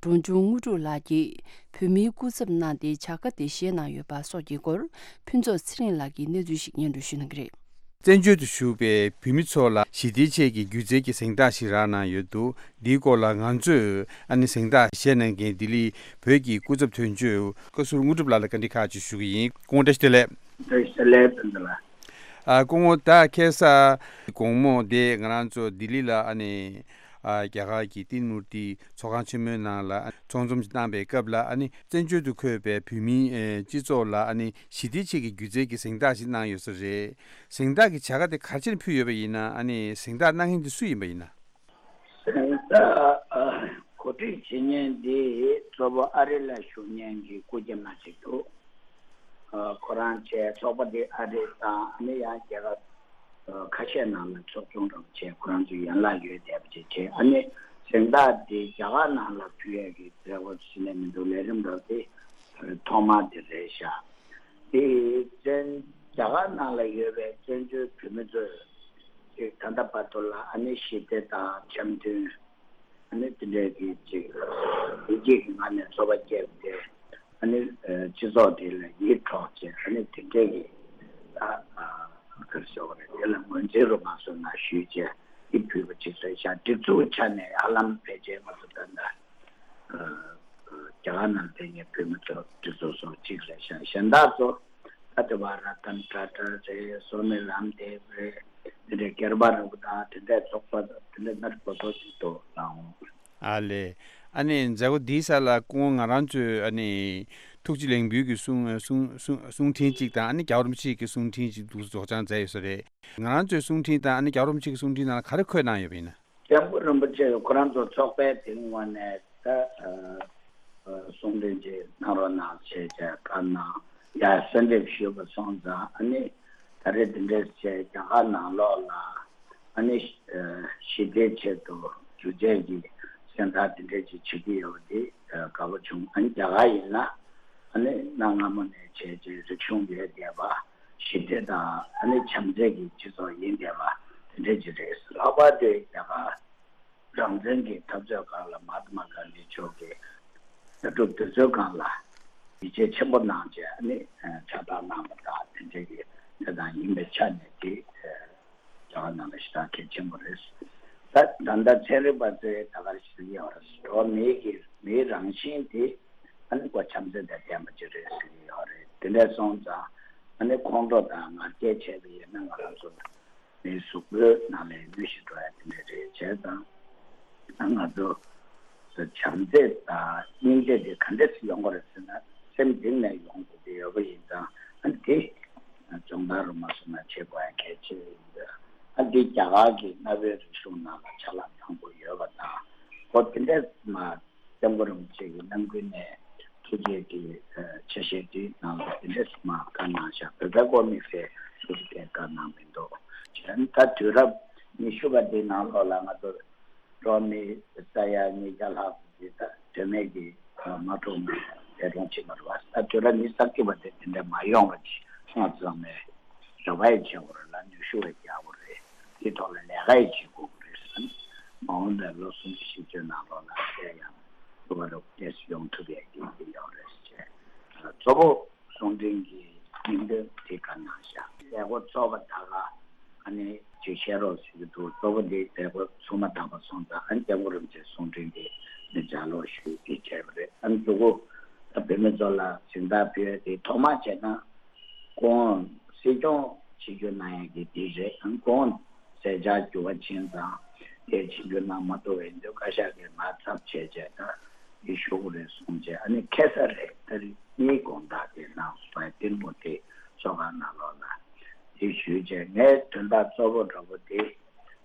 འབྲོང་ཆུང་དངོས་གྲུབ་ལགས་ཀྱིས་བོད་མིའི་སྐུ་ཚབ་གནང་སྟེ་བྱ་དགའ་དེ་བཞེས་གནང་ཡོད་པ་སོགས་ཀྱི་སྐོར་ཕུན་ཚོགས་ཚེ་རིང་ལགས་ཀྱིས་གནས་ཚུལ་ཞིག་སྙན་སྒྲོན་ཞུ་གནང་གི་རེད། བཙན་བྱོལ་དུ་བཞུགས་པའི་བོད་མི་ཚོ་ལ་ཞི་བདེའི་ཆེད་ཀྱི་སྒྱུ་རྩལ་གྱི་གཟེངས་རྟགས་ཤིག་རག་གནང་ཡོད་འདུག་འདིའི་སྐོར་ལ་ང་ཚོས་ཨ་ནི་གཟེངས་རྟགས་བཞེས་གནང་མཁན་ལྡི་ལི་བོད་ཀྱི་སྐུ་ཚབ་དོན་གཅོད་བཀའ་ཟུར་དངོས་གྲུབ་ལགས་ལ་བཀའ་འདྲི་ཁག་ཅིག་ཞུ་གི་ཡིན། སྐུ་ངོ་བཀྲ་ཤིས་བདེ་ལེགས། བཀྲ་ཤིས་བདེ་ལེགས་ཕུན་ཚོགས་ལགས། ཨ་སྐུ་ངོ། ད་ཁ་སང་དགོང་མོ་དེ་ང་རང་ཚོ་ལྡི་ལི་ལ་ཨ་ནི་ཨ་རྒྱ་གར་གྱི་ཏིན་མུར་ཏི་ཚོགས་ཁང་ཆེན་མོའི་ནང་ལ་ཚོགས་འཛོམས་ཤིག་བཏང་པའི་སྐབས་ལ། ཨ་ནི་བཙན་བྱོལ་དུ་འཁོད་པའི་བོད་མིའི་ཨེ་སྤྱི་ཚོགས་ལ་ཨ་ནི་ཞི་བདེའི་ཆེད་ཀྱི་སྒྱུ་རྩལ་གྱི་གཟེངས་རྟགས་ཤིག་གནང་ཡོད་ས་རེད། གཟེངས་རྟགས་ཀྱི་བྱ་དགའ་དེ་ག་རེ་བྱས་ནས་ཕུལ་ཡོད་པ་ཡིན་ན། ཨ་ནི་གཟེངས་རྟགས་གནང་མཁན་དེ་སུ་ཡིན་པ་ཡིན་ན། གཟེངས་རྟགས་གོ་སྒྲིག་བྱེད་མཁན་དེ་གཙོ་བོ་ཨ་རི་ལ་བཞུགས་མཁན་གྱི་སྐུ་མཁྱེན་མ་ཞིག་འདུག་ཁོ་རང་བྱས་ཚོགས་པ་དེ་ཨ་རི་དང་ཨ་ནི་ཡང་རྒྱལ་ཁབ་ཁ་ཤས་ནང་ལ་ཚོགས་ཆུང་འདྲ་པོ་བྱས། ཁོ་རང་ཚོའི་ཡན་ལག་ཡོད་བསྡད་པ་ཅིག་བྱས། ཨ་ནི་གཟེངས་རྟགས་དེ་རྒྱ་གར་ནང་ལ་ཕུལ་ཡས་ཀྱི་རེ་བ་ཟེར་ནས་མི་འདུག་ལས་རིམ་འདྲ་པོ་དེ་ཐོག་མ་དེ་རེད་ཤག་དེ་བཙན་རྒྱ་གར་ནང་ལ་ཡོད་པའི་བཙན་བྱོལ་བོད་མི་ཚོས་ཅིག་ད་ལྟ་བར་དུ་ལ་ཨ་ནི་ཞི་བདེ་དང་འཆམ་མཐུན། ཨ་ནི་དེ་འདྲའི་གི་ཅིག་བདེ་སྐྱིད་ཀྱི་ངང་ནས་འཚོ་བ་སྐྱེལ་ཏེ། ཨ་ནི་སྤྱི་ཚོགས་དེ་ལ་ཡིད་འཕྲོག་བྱས། ཨ་ནི་དེ་འདྲའི་གི་ད་ག་རེ་ཟེར་དགོས་རེད། དེ་ལ་ངོས་འཛིན་རུ་མ་སོང་ན་ཞུས་བྱས་ཡིད་ཕུལ་བ་ཅིག་རེད་ཤག་སྒྲིག་འཛུགས་ཆ་ནས་ཧ་ལམ་ཕལ་ཆེར་ང་ཚོ་ད་ལྟ་རྒྱ་གར་ནང་བསྡད་མཁན་བོད་མི་ཚོ་སྒྲིག་འཛུགས་སོགས་གཅིག་རེད་ཤག་གཞན་དག་ཚོ་ད་ལྟ་བ་ར་ཏན་ཊ་ཊ་རེད། སོ་མི་རམ་དེབ་རེད། དེ་འདྲའི་སྒེར་པ་རིན་པོ་ཆེ་དང་དེ་འདྲའི་ཚོགས་པ་དེ་འདྲའི་སྣ་ཁ་སོ་སོ་ཞིག་འདུག་ལགས། ཨ་ལས། ཨ་ནི་མཛད་སྒོ་འདིའི་ས་ལ་སྐུ་ངོ་ང་རང་ཚོའི་ཨ་ནི་ཐུགས་རྗེ་ལེགས་འབུལ་གྱི་གསུང་གསུང་གསུང་གསུང་འཕྲིན་གཅིག་དང་། ཨ་ནི་རྒྱལ་བ་རིན་པོ་ཆེ་གི་གསུང་འཕྲིན་གཅིག་འདུག་སེ་སྒྲོག་སྦྱང་མཛད་ཡོད་ས་རེད། ང་རང་ཚོའི་གསུང་འཕྲིན་དང་ཨ་ནི་རྒྱལ་བ་རིན་པོ་ཆེ་གི་གསུང་འཕྲིན་ནང་ལ་ག་རེ་འཁོད་གནང་ཡོད་པ་ཡིན་ན། སྐྱབས་མགོན་རིན་པོ་ཆེ་ཁོ་རང་ཚོ་ཚོགས་པའི་དེ་སྔོན་ནས་ད་ཨ་ཨ་གསུང་འཕྲིན་ཅིག་གནང་རོགས་གནང་བྱས་བྱས་བཀའ་གནང་ཡ་གསོལ་འདེབས་ཞུས་པ་སོང་ཙང་། ཨ་ནི་ད་རེས་འདི་འདྲས་བྱས་རྒྱ་གར་ནང་ལོགས་ལ་ཨ་ནི་ཨ་ཞི་བདེའི་ཆེད་དུ་སྒྱུ་རྩལ་གྱི་གཟེངས་རྟགས་འདི་འདྲས་ཅིག་བྱེད་ཀྱི་ཡོད་པ་འདི་ཨ་དགའ་པོ་བྱུང་། ཨ་ནི་རྒྱ་གར་ཡིན་ན་ཨ་ནི་གནའ་སྔ་མོ་ནས་བྱས་རྗེས་རིག་གཞུང་ཡོད་བསྡད་པ། ཞི་བདེ་དང་ཨ་ནི་བྱམས་བརྩེ་གི་སྤྱི་ཚོགས་ཡིན་བསྡད་པ་དེ་འདྲ་ཅིག་རེད། ལྷག་པར་དུ་རྒྱ་གར་རང་བཙན་གྱི་འཐབ་རྩོད་སྒང་ལ་མ་ཧཱ་ཏ་མ་གྷན་དྷི་མཆོག་གིས་ལྟ་གྲུབ་དེ་ཚོའི་སྒང་ལ་ཡིད་ཆེས་ཆེན་པོ་གནང་བྱས་ཨ་ནི་ཕྱག་རྟགས་གནང་བ་དང་དེ་འདྲ་གི་དེ་དང་ཡིན་པའི་ཆ་ནས་དེ་རྒྱ་གར་ནང་ལ་ཞེ་དྲག་གལ་ཆེན་པོ་རེད། ད་ད་ལྟ་ཚན་རིག་པ་ཚོས་ད་ག་རེ་ཞིག་ཡོད་རེད། འགྲོ་བ་མིའི་གི་མིའི་རང་བཞིན་དེ་ཨ་ནི་ཁོ་བྱམས་བརྩེ་དང་ལྡན་པ་ཅིག་རེད་ཟེར་གྱི་ཡོད་རེད། དེ་འདྲ་སོང་ཙང་ཨ་ནི་ཁོང་ཁྲོ་དང་ང་རྒྱལ་བྱས་པ་ཡིན་ན་ང་རང་ཚོ་མིའི་གཟུགས་པོའི་ནང་ལ་གནོད་གཞི་འགྲོ་ཡ་དེ་འདྲ་རེད། བྱས་ཙང་ང་ཚོ་བྱམས་བརྩེ་དང་སྙིང་རྗེ་དེ་ག་འདྲས་སེ་ཡོང་གི་རེད་ཟེར་ན། སེམས་གཏིང་ནས་ཡོང་དགོས་ཀྱི་ཡོད་པ་ཡིན་ཙང་ཨ་ནི་དེ་སྦྱོང་བརྡར་རུ་མ་སོང་ན་བྱེད་དགོས་ཡ་གལ་ཆེ་ཡིན་པས། ཨ་འདི་རྒྱ་གར་གྱི་གནའ་བོའི་རིག་གཞུང་ནང་ལ་ཆ་ལག་མང་པོ་ཡོད་པ་དང་། ཁོ་དེ་འདྲས་མ་སྐྱབས་མགོན་རིན་པོ་ཆེ་གི་རྣམ་ཀུན་ནས་ཐུགས་རྗེ་གི་ཆ་ཤས་དེའི་ནང་ལ་དེ་འདྲས་མ་བཀའ་གནང་བཞག་བོད་པའི་སྐོར་དམིགས་བསལ་ཐུགས་རྗེ་བཀའ་གནང་མི་འདུག་བྱས་ད་དུས་རབས་ཉི་ཤུ་པ་འདིའི་ནང་ལོགས་ལ་ང་ཚོ་འགྲོ་བ་མི་ས་ཡ་ཉིས་བརྒྱ་ལྷག་ཙམ་ཅིག་ད་དོན་མེད་ཀྱི་དམག་འཁྲུག་ནང་འདས་གྲོངས་ཕྱིན་པ་རེད་བ། ད་དུས་རབས་ཉི་ཤུ་རྩ་གཅིག་པ་དེ་དེ་འདྲ་མ་ཡོང་བ་ཅིག་སྔ་ཙམ་ནས་རེ་བ་ཡང་བྱེད་དགོས་རེད་ལ། ནུས་ཤུགས་ཡང་རྒྱག་དགོས་རེད། དེའི་ཐོག་ལ་ལས་ཀ་ཡང་བྱེད་དགོས་རེད་བསམ། མ་འོངས་པའི་ལོ་སུམ་ཅུ་བཞི་བཅུ་ནང་ལོགས་ལ་དེ་ཡང་ལོ་བ་རོགས་ཏེས་ཡོང་ཐུབ་ཡག་གི་ཡོད་རེད་ཅེས། གཙོ་བོ་གསུང་འཕྲིན་གྱི་སྙིང་དོན་དེ་ག་ནང་བཞག་མཛད་སྒོ་ཚོགས་པ་དག་ལ་ཨ་ནི་ཅིག་བཤད་རོགས་ཟེར་གྱི་འདུག་གཙོ་བོ་འདི་མཛད་སྒོ་ཚུགས་མ་ཐག་པ་སོང་ཙང་ཨ་ནི་སྐྱབས་མགོན་རིན་པོ་ཆེའི་གསུང་འཕྲིན་དེ་ནི་ལྗགས་ཀློག་ཞུས་ཏེ་བྱས་པ་རེད། ཨ་ནི་མཛུབ་གུ་ད་བོད་མི་ཚོ་ལ་གཟེངས་རྟགས་ཕུལ་ཡ་དེ་ཐོག་མ་བྱས་ན། སྐུ་ངོ་སྲིད་སྐྱོང་ཆིབས་བསྒྱུར་གནང་ཡག་གི་དེ་རེད། ཨང་སྐུ་ངོ་མཛད་འཆར་འགྱུར་བ་ཕྱིན་ཙང་དེ་ཆིབས་བསྒྱུར་གནང་མ་ཐུབ་པ་ཡིན་དུས་བཀའ་ཤག་གིས་ང་ཚབ་བྱས་བྱས་ད་དེ་ཞུ་དགོས་རེད་གསུངས་བྱས། ཨ་ནི་ཁ་སང་རེད། ཏ་རིག་གཉིས་དགོང་དག་དེ་གནང་སོང་། ཏིལ་མོ་དེ་ཚོགས་ཁང་ནང་ལོགས་ལ་དེ་ཞུས་བྱས་ངའི་དོན་དག་གཙོ་བོ་འདྲ་པོ་དེ་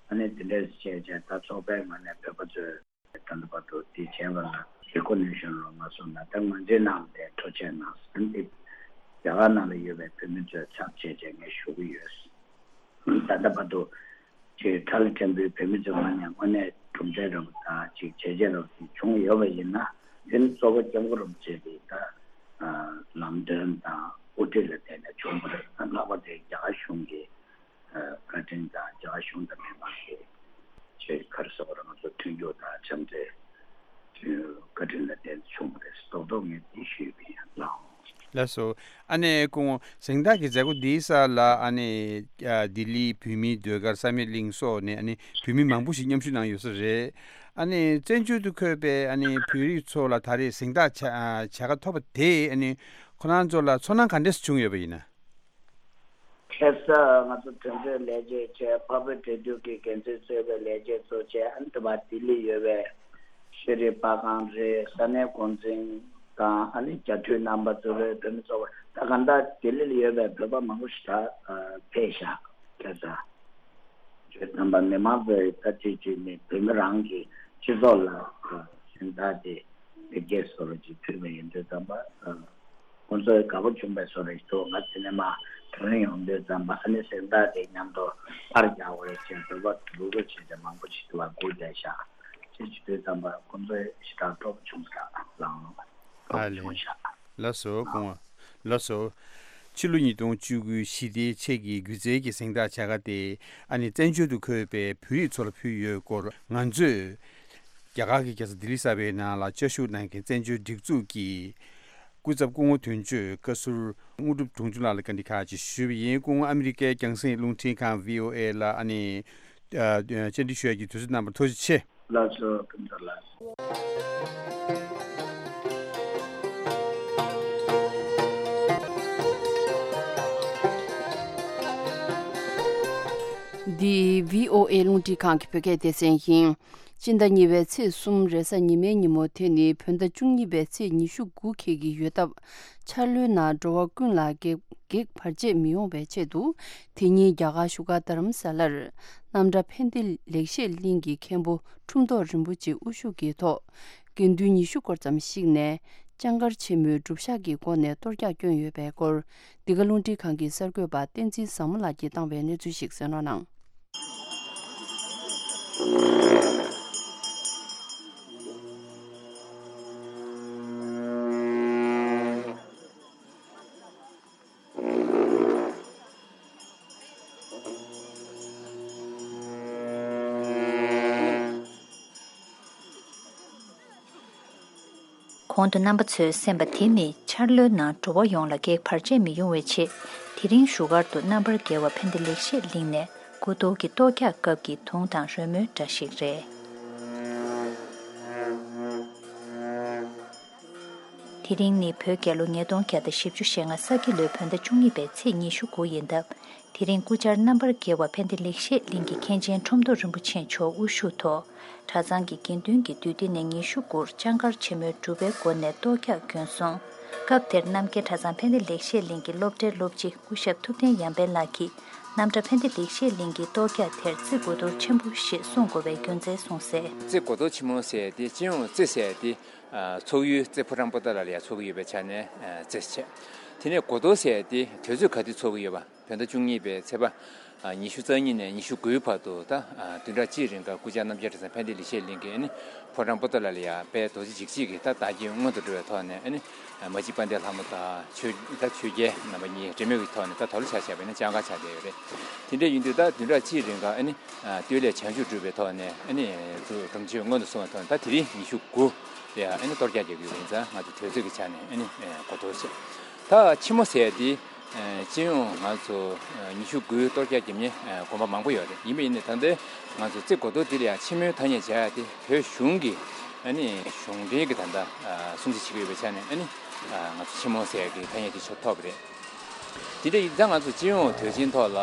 ཨ་ནི་དེ་འདྲས་བྱས་བྱས་ད་ཚོགས་པའི་ངོས་ནས་བོད་པ་ཚོས་ད་ལྟ་བར་དུ་འདི་བྱས་པ་ལ་རེ་ཀོ་ནེ་ཤན་རོགས་མ་སོང་ན་ད་ང་ཚོའི་ནང་ལ་ཐུགས་རྗེ་གནང་ཟེར་འདི་རྒྱ་གར་ནང་ལ་ཡོད་པའི་བོད་མི་ཚོས་ཚབ་བྱས་བྱས་ངས་ཞུ་གི་ཡོད། ད་ལྟ་བར་དུ་ཅིག་ཁྲ་ལ་ཕྲན་བུའི་བོད་མི་ཚོའི་ངོས་ནས་དངོས་གནས་གྲུབ་འབྲས་རབ་དང་ཅིག་བྱས་རྗེས་རབ་ཅིག་བྱུང་ཡོད་པ་ཡིན་ན་དེ་ནི་གཙོ་བོ་སྐྱབས་མགོན་རིན་པོ་ཆེ་གིས་ད་ལམ་སྟོན་དང་དབུ་ཁྲིད་ལ་བརྟེན་ནས་བྱུང་བ་རེད། ལྷག་པར་དུ་རྒྱ་གར་གཞུང་གིས་བཀའ་དྲིན་དང་རྒྱ་གར་གཞུང་དང་མི་མང་གི་ཆེས་ག་རེ་ཟེར་དགོས་རེད། ང་ཚོ་མཐུན་འགྱུར་དང་འཆམ་མཐུན་བཀའ་དྲིན་ལ་བརྟེན་བྱུང་བ་རེད། རྡོག་རྡོག་ངས་འདི་ཞུས་པ་ཡིན། ལགས་འོང་། ལགས་སོ། ཨ་ནེ་སྐུ་ངོ་གཟེངས་རྟགས་ཀྱི་མཛད་སྒོ་འདིའི་ས་ལ་ཨ་ནེ་ལྡི་ལི་བོད་མིའི་ཟློས་གར་བསམ་ཡས་གླིང་སོགས་ནས་ཨ་ནེ་བོད་མི་མང་པོ་ཞིག་མཉམ་ཞུགས་གནང་ཡོད་ས་རེད། ཨ་ནེ་བཙན་བྱོལ་དུ་འཁོད་པའི་ཨ་ནེ་བོད་རིགས་ཚོ་ལ་ད་རེས་གཟེངས་རྟགས་བྱ་བྱ་དགའ་ཐོབ་པ་དེས་ཨ་ནེ་ཁོ་རང་ཚོ་ལ་ཚོར་སྣང་ག་འདྲས་བྱུང་ཡོད་པ་ཡིན་ན། ཁ་སང་ང་ཚོ་དོན་གཅོད་ལས་བྱེད་བྱས། འཕགས་བོད་འབྲེལ་མཐུད་ཀྱི་འགན་འཛིན་གཙོས་པའི་ལས་བྱེད་ཚོ་བྱས། ཨ་ནི་དེ་བར་ལྡི་ལི་ཡོད་པའི་ཤེས་རིག་པར་ཁང་རེད། ས་གནས་འགོ་འཛིན་དང་ཨ་ནི་རྒྱ་འཐུས་རྣམ་པ་ཚོ་རེད། བོད་མི་ཚོ་ད་གང་ལྟར་ལྡི་ལི་ལ་ཡོད་པའི་བོད་པ་མང་པོ་ཞིག་ད་ཕེབས་ཤག་ཁ་སང་ཁྱོད་རྣམ་པ་མི་མང་ཚོས་ད་ཅིག་ཅིག་ནི་བོད་མི་རང་གི་སྤྱི་ཚོགས་ལ་གཟེངས་རྟགས་དེ་བེད་སྐྱེལ་བཟོ་འདྲ་ཅིག་ཕུལ་བ་ཡིན་དུས་ཙམ་པ། ཁོང་ཚོས་དགའ་པོ་བྱུང་བའི་བཟོ་འདྲ་ཞིག་འདུག་ང་དེ་ནས་མར་དྲན་ཡོང་དུས་ཙམ་པ་ཨ་ནི་གཟེངས་རྟགས་དེ་མཉམ་དུ་པར་རྒྱག་དགོས་ཅེས་འབོད་པ་འབོད་སྐུལ་བྱས་ཏེ་མང་པོ་ཞིག་འདུག་པ་སྒུག་བསྡད་ཤག་ཅེས་བྱེད་དུས་ཙམ་པ་ཁོང་ཚོས་ཞེ་དྲག་སྤྲོ་པོ་བྱུང་ཤག་ལགས་འོང་། སྤྲོ་ཨ་པོ་ལེ། བྱུང་ཤག་ལགས་སོ་སྐུ་ངོ། ལགས་སོ། ཕྱི་ལོ་ཉིས་སྟོང་བཅུ་དགུའི་ཞི་བདེའི་ཆེད་ཀྱི་སྒྱུ་རྩལ་གྱི་གཟེངས་རྟགས་བྱ་དགའ་དེ་ཨ་ནི་བཙན་བྱོལ་དུ་འཁོད་པའི་བོད་རིགས་ཚོ་ལ་ཕུལ་ཡོད་སྐོར་ང་ཚོས་རྒྱ་གར་གྱི་རྒྱལ་ས་ལྡི་ལི་གསར་པའི་ནང་ལ་བཅའ་བཞུགས་གནང་མཁན་བཙན་བྱོལ་སྒྲིག་འཛུགས་ཀྱི་ སྐུ་ཚབ་སྐུ་ངོ་དོན་གཅོད་བཀའ་ཟུར་དངོས་གྲུབ་དྲུང་ཆུང་ལགས་ལ་བཀའ་འདྲི་ཁག་ཅིག་ཞུས་པ་ཡིན། སྐུ་ངོ་ཨ་མི་རི་ཀའི་རྒྱང་སྲིང་རླུང་འཕྲིན་ཁང་བྷི་ཨོ་ཨེ་ལ་ཨ་ནི་ཨ་བཅར་འདྲི་ཞུ་ཡག་གི་དུས་ཚོད་གནང་བར་ཐུགས་རྗེ་ཆེ། ལགས་སོ། སྐུ་ཚབ་ལགས། འདི་བྷི་ཨོ་ཨེ་རླུང་འཕྲིན་ཁང་གི་བོད་སྐད་སྡེ་ཚན་ཡིན། སྤྱི་ཟླ་གཉིས་པའི་ཚེས་གསུམ་རེས་གཟའ་ཉི་མའི་ཉིན་མོ། དེ་ནི་བོད་ཟླ་བཅུ་གཉིས་པའི་ཚེས་ཉི་ཤུ་དགུ་འཁེལ་གྱི་ཡོད་སྟབས། འཆར་ལོའི་ནང་འགྲོ་བ་ཀུན་ལ་གེགས་གེགས་བར་ཆད་མི་ཡོང་བའི་ཆེད་དུ། དེ་ཉིན་རྒྱ་གར་བཞུགས་སྒར་རྡ་རམ་ས་ལར་རྣམ་གྲྭ་ཕན་བདེ་ལེགས་བཤད་གླིང་གི་མཁན་པོ་ཁྲུམས་ཐོག་རིན་པོ་ཆེ་དབུ་བཞུགས་ཀྱི་ཐོག་དགེ་འདུན་ཉི་ཤུ་སྐོར་ཙམ་ཞིག་ནས་ལྕང་མཁར་ཆེན་མོའི་སྒྲུབ་ཞག་གི་སྒོ་ནས་གཏོར་རྒྱག་བསྐྱོན་ཡོད་པའི་སྐོར། འདི་ག་རླུང་འཕྲིན་ཁང་གི་གསར་འགོད་པ་བསྟན་འཛིན་བཟང་མོ་ལགས་ཀྱིས་བཏང་བའི་གནས་ཚུལ་ཞིག་གསན་རོགས་གནང་། གོང་དུ་རྣམ་པ་ཚོས་གསན་པ་དེ་ནི་འཆར་ལོའི་ནང་འགྲོ་བ་ཡོངས་ལ་གེགས་བར་ཆད་མི་ཡོང་བའི་ཆེད། དེ་རིང་བཞུགས་སྒར་དུ་རྣམ་པར་རྒྱལ་བ་ཕན་བདེ་ལེགས་བཤད་གླིང་ནས་སྐུ་གཏོར་གྱི་གཏོར་རྒྱག་སྐབས་ཀྱི་དུང་དང་རོལ་མོའི་སྒྲ་ཞིག་རེད། དེ་རིང་ནི་བོད་རྒྱལ་ལོ་ཉིས་སྟོང་བརྒྱ་དང་བཞི་བཅུ་ཞེ་ལྔ་ས་ཁྱི་ལོའི་བོད་ཟླ་བཅུ་གཉིས་པའི་ཚེས་ཉི་ཤུ་དགུ་ཡིན་སྟབས། དེ་རིང་སྐུ་བཅར་རྣམ་པར་རྒྱལ་བ་ཕན་བདེ་ལེགས་བཤད་གླིང་གི་མཁན་ཆེན་ཁྲོམ་ཐོག་རིན་པོ་ཆེ་མཆོག་དབུ་བཞུགས་ཐོག་གྲྭ་ཚང་གི་དགེ་འདུན་གྱིས་དུས་འདི་ནས་ཉི་ཤུ་དགུར་ལྕང་མཁར་ཆེན་མོའི་སྒྲུབ་པའི་སྒོ་ནས་གཏོར་རྒྱག་བསྐྱོན་སོང་། སྐབས་དེར་རྣམ་རྒྱལ་གྲྭ་ཚང་ཕན་བདེ་ལེགས་བཤད་གླིང་གི་སློབ་གྲྭའི་སློབ་སྤྱི་སྐུ་ཞབས་ཐུབ་བསྟན་ཡར་འཕེལ་ལགས་ཀྱིས་རྣམ་གྲྭ་ཕན་བདེ་ལེགས་བཤད་གླིང་གི་གཏོར་རྒྱག་དེར་རྩེ་དགུ་གཏོར་ཆེན་པོ་ཞེས་གསུང་དགོས་པའི་རྒྱུ་མཚན་གསུངས་གསལ། རྩེ་དགུ་གཏོར་ཆེན་མོ་ཟེར་ཏེ་སྤྱི་ཡོངས་རྩེ་ཟེར་ཏེ། ཨ། ཚོགས་ཡུལ་རྩེ་ཕོ་བྲང་པོ་ཏ་ལ་ལ་ཡ་ཚོགས་ཀྱི་ཡོད་པའི་ཆ་ནས། ཨ། རྩེ་བྱས། དེ་ནས་དགུ་གཏོར་ཟེར་ཏེ་དུས་ཚོད་ག་དུས་ཚོགས་ཀྱི་ཡོད་པ། བོད་ཟླ་བཅུ་གཉིས་པའི་ཚེས་པ། ཨ། ཉི་ཤུ་རྩ་གཉིས་ནས་ཉི་ཤུ་དགུའི་བར་དུ་ད། ཨ། བདུན་ཕྲག་གཅིག་རིང་ག་སྐུ་བཅར་རྣམ་རྒྱལ་གྲྭ་ཚང་ཕན་བདེ་ལེགས་བཤད་གླིང་གི་ཨ་ནི་ཕོ་བྲང་པོ་ཏ་ལ་ལ་ཡ་དཔལ་རྡོ་རྗེ་འཇིགས་བྱེད་ཀྱི་ད་བདག་རྐྱེན་མངོན་དུ་འགྲོ་བའི་ཐོག་ནས་ཨ་ནི། མ་གཅིག་དཔལ་ལྡན་ལྷ་མོ་དང་ཆོས་ད་ཆོས་རྒྱལ་རྣམ་པ་གཉིས་འབྲེལ་མོལ་གྱི་ཐོག་ནས་ད་དོ་ལོ་ཆ་བཞག་པ་ཡིན་ན་ལྕང་མཁར་ཆགས་བསྡད་ཡོད་རེད། དེ་འདྲ་ཡིན་དུས་ད་བདུན་ཕྲག་གཅིག་རིང་ག་ཨ་ནི། ཨ། སྟོད་ལས་བྱང་ཆུབ་སྒྲུབ་པའི་ཐོག་ནས་ཨ་ནི་སྒྲུབ་མཆོད་སྔོན་དུ་སོང་བའི་ཐོག་ནས་ད་དེ་རིང་ཉི་ཤུ་དགུ་ལ་ཡ་ཨ་ནི་གཏོར་རྒྱག་རྒྱག་གི་ཡོད་པ་ཡིན་ཙང་ང་ཚོ་དུས་ཚོད་ཀྱི་ཆ་ནས་ཨ་ནི་དགུ་གཏོར་བྱས། ད་ཆེན་མོ་ཟེར་ཡ་དེ་སྤྱི་ཡོངས་ང་ཚོ་ཉི་ཤུ་དགུའི་གཏོར་རྒྱག་རྒྱབ་མཁན་དགོན་པ་མང་པོ་ཡོད་རེད། ཡིན་པ་ཡིན་ནའི་ད་ལྟའི་ང་ཚོ་རྩེ་དགུ་གཏོར་འདི་ལ་ཡ་ཆེན་མོའི་ཐ་སྙད་བྱ་ཡ་དེ་བོད་གཞུང་གི་ཨ་ནི་གཞུང་འབྲེལ་གྱི་ད་ལྟ་སྲུང་བརྩི་བྱེད་ཀྱི་ཡོད་པའི་ཆ་ནས་ཨ་ནི་ང་ཚོ་ཆེན་མོ་ཟེར་ཡ་གི་ཐ་སྙད་དེ་ཆོག་ཐོབ་པ་རེད། དེ་འདྲ་ཡིན་ཙང་ང་ཚོ་སྤྱི་ཡོངས་དུས་ཆེན་ཐོག་ལ་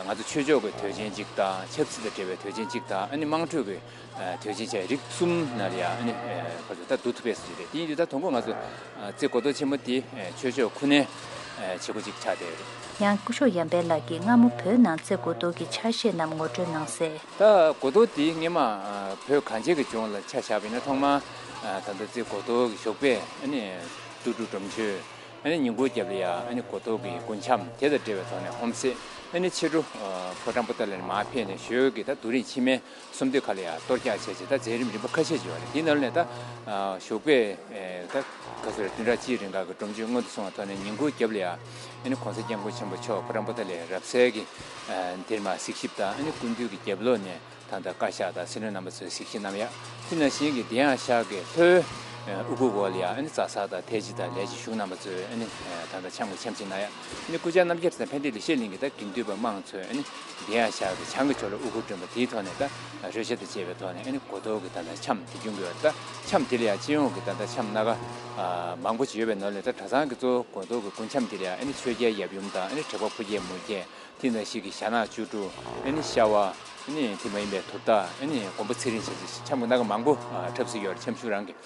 ང་ཚོ་ཆོས་ཕྱོགས་ཀྱི་དུས་ཆེན་གཅིག་དང་ཆབ་སྲིད་དང་འབྲེལ་བའི་དུས་ཆེན་གཅིག་དང་ཨ་ནི་དམངས་ཁྲོད་ཀྱི་དུས་ཆེན་བཅས་རིགས་གསུམ་ནང་ལ་ཡང་ཨ་ནི་ཁོ་ཚོ་ད་བསྡུ་ཐུབ་པས་ཟེར་གྱི་རེད། དེ་ཡིན་དུས་ད་དང་པོ་ང་ཚོ་རྩེ་དགུ་གཏོར་ཆེན་མོ་དེ་ཆོས་ཕྱོགས་ཁུ་ནའི་བྱེད་སྒོ་གཅིག་ཆགས་བསྡད་ཡོད་རེད། ཡང་སྐུ་ཞབས་ཡར་འཕེལ་ལགས་ཀྱིས་སྔ་མོ་བོད་ནང་རྩེ་དགུ་གཏོར་གྱི་ཆ་ཤས་རྣམས་ངོ་སྤྲོད་གནང་གསལ། ད་དགུ་གཏོར་དེ་སྔོན་མ་བོད་གངས་ཅན་གྱི་ལྗོངས་ལ་ཆ་བཞག་པ་ཡིན་ན་ཐོག་མར་ད་ལྟ་རྩེ་དགུ་གཏོར་གྱི་ཞོགས་པས་ཨ་ནི་ཏུ་ཀྲུ་སྒྲུབ་མཆོད། ཨ་ནི་ཉིན་གུང་རྒྱབ་ལ་ཡང་ཨ་ནི་དགུ་གཏོར་གྱི་རྒུན་འཁྱམས་དེ་དང་འབྲེལ་བའི་ཐོག་ནས་ཧོམ་སེ་ཨ་ནི་ཕྱི་དྲོ་ཕོ་བྲང་པོ་ཏ་ལ་ནས་མར་ཕེབས་ནས་ཞོལ་གྱི་ད་རྡོ་རིང་ཕྱི་མའི་སུམ་མདོ་ཁ་ལ་ཡང་གཏོར་རྒྱག་བྱས་རྗེས་ད་མཛད་རིམ་རིམ་པ་ཁ་ཤས་ཅིག་ཡོད་རེད། དེའི་ནང་ནས་ད་ཞོགས་པའི་ད་ག་ཚོད་རེད་བདུན་ཕྲག་གཅིག་རིང་ག་གི་སྒྲུབ་མཆོད་སྔོན་དུ་སོང་བའི་ཐོག་ནས་ཉིན་གུང་རྒྱབ་ལ་ཡང་ཨ་ནི་གོང་ས་སྐྱབས་མགོན་ཆེན་པོ་མཆོག་ཕོ་བྲང་པོ་ཏ་ལའི་རབ་གསལ་གྱི་འདིར་མར་གཟིགས་ཞིབ་དང་ཨ་ནི་སྐུ་མདུན་གྱི་རྒྱབ་ལོགས་ནས། ད་ལྟ་བཀའ་ཤག་དང་སྲིད་བློན་རྣམ་པ་ཚོས་གཟིགས་ཞིབ་གནང་ཡ། དེ་ནང་བཞིན་གྱི་དེ་ཡང་ཤག་གི་ལྷོའི་དབུ་གུར་འོག་ལ་ཡང་ཨ་ནི་རྩ་གསར་དང་ཐའི་ཇི་དང་ལས་བྱེད་གཞུང་རྣམ་པ་ཚོས་ཨ་ནི་ད་ལྟ་འཆམ་གྱི་འཆམ་གཅིག་གནང་ཡ། ཨ་ནི་སྐུ་བཅར་རྣམ་རྒྱལ་དང་ཕན་བདེ་ལེགས་བཤད་གླིང་གི་ད་དགེ་འདུན་པ་དམངས་ཚོས་ཨ་ནི་དེ་ཡང་ཤག་གི་བྱང་གི་ཕྱོགས་ལ་དབུ་གུར་སྒྲོན་པ་དེའི་ཐོག་ནས་ད་རོལ་ཆ་དང་བཅས་པའི་ཐོག་ནས་ཨ་ནི་དགུ་གཏོར་གྱི་ད་ལྟ་འཆམ་དེ་སྐྱོང་གི་ཡོད་རེད། ད་འཆམ་དེ་ལ་ཡང་སྤྱི་ཡོངས་ཀྱི་ད་ལྟ་འཆམ་སྣ་ཁ་མང་པོ་ཅིག་ཡོད་པའི་ནང་ལས་ད་གྲྭ་ཚང་གི་གཙོ་བོ་དགུ་གཏོར་གྱི་རྒུན་འཁྱམས་དེ་ལ་ཡང་ཨ་ནི་ཆོས་རྒྱལ་ཡབ་ཡུམ་དང་ཨ་ནི་དྲེགས་པ་ཕོ་རྒྱས་མོ་རྒྱས། དེ་ནང་བཞིན་གྱི་ཞྭ་ནག་བཅུ་དྲུག་ཨ་ནི་ཤ་བ། ཨ་ནི་དེ་མ་ཡིན་པའི་དུར་བདག་ཨ་ནི་མགོན་པོ་ཚེ་རིང་བྱས་ཙང་འཆམ་གྱི་སྣ་ཁ་མང་པོ་འཁྲབ་སྲོལ་ཡོད་རེད། འཆམ་གཞུང་རང་གི།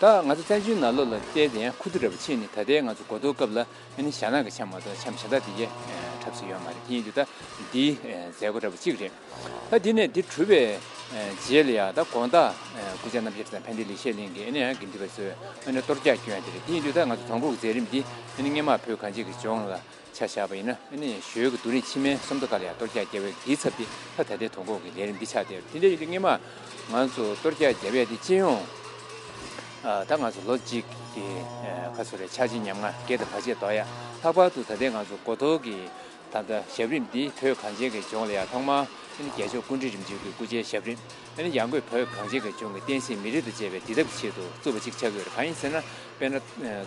ད་ང་ཚོ་བཙན་བྱོལ་ནང་ལོགས་ལ་བལྟས་ཏེ་ཡང་ཁུ་བསྡུ་འདྲ་པོ་ཕྱིན་ནས་ད་ལྟའི་ང་ཚོ་དགུ་གཏོར་སྐབས་ལ་ཨ་ནི་ཞྭ་ནག་གི་འཆམ་མ་གཏོགས་འཆམ་གཞན་དག་དེ་གས་འཁྲབ་སྲོལ་ཡོད་མ་རེད། དེ་ཡིན་དུས་ད་འདིའི་མཛད་སྒོ་འདྲ་པོ་གཅིག་རེད། ད་འདི་ནས་འདི་གྲུབ་པའི་རྗེས་ལ་ཡང་ད་དགོང་དག་སྐུ་བཅར་རྣམ་རྒྱལ་དང་ཕན་བདེ་ལེགས་བཤད་གླིང་གི་ཨ་ནི་ཡང་དགེ་འདུན་པ་ཚོས་ཨ་ནི་གཏོར་རྒྱག་སྐྱོན་ཡ་དེ་རེད། དེ་ཡིན་དུས་ད་ང་ཚོ་དོན་གོ་གི་མཛད་རིམ་འདི་ཨ་ནི་སྔོན་མ་བོད་གངས་ཅན་གྱི་ལྗོངས་ལ། ཆ་བཞག་པ་ཡིན་ན་ཨ་ནི་ཞོལ་གྱི་རྡོ་རིང་ཕྱི་མའི་སུམ་མདོ་ཁ་ལ་ཡང་གཏོར་རྒྱག་རྒྱབ་པའི་དེའི་ཚབ་དེ་ད་ད་ལྟའི་དོན་གོ་གི་ལས་རིམ་འདི་ཆགས་བསྡད་ཡོད། དེ་འདྲ་ཡིན་དུས་སྔོན་མ་ང་ཚོ་གཏོར་རྒྱག་རྒྱབ་ཡ་དེ་སྤྱི་ཡོངས་ཨ་ད་ང་ཚོ་ལོ་གཅིག་གི་ཨ་ག་ཚོད་རེད་ཆག་སྐྱིད་ཉམ་ང་བརྒལ་དང་བར་ཆད་དོག་ཡ། ལྷག་པར་དུ་ད་ལྟའི་ང་ཚོ་དགུ་གཏོར་གྱི་ད་ལྟ་ཞབས་རིམ་འདི་བོད་གངས་ཅན་གྱི་ལྗོངས་ལ་ཡང་ཐོག་མར་ ཨ་ནི་རྒྱལ་མཆོག་སྐུ་ཕྲེང་རིམ་བྱོན་གྱི་སྐུ་ཕྱྭའི་ཞབས་རིམ། ཨ་ནི་ཡང་སྒོས་བོད་གངས་ཅན་གྱི་ལྗོངས་ཀྱི་བསྟན་སྲིད་མི་རིགས་དང་བཅས་པའི་བདེ་ཐབས་ཀྱི་ཆེད་དུ་བཙུགས་པ་ཅིག་ཆགས་ཀྱི་ཡོད་རེད། གང་ཡིན་ཟེར་ན། དཔེར་ན།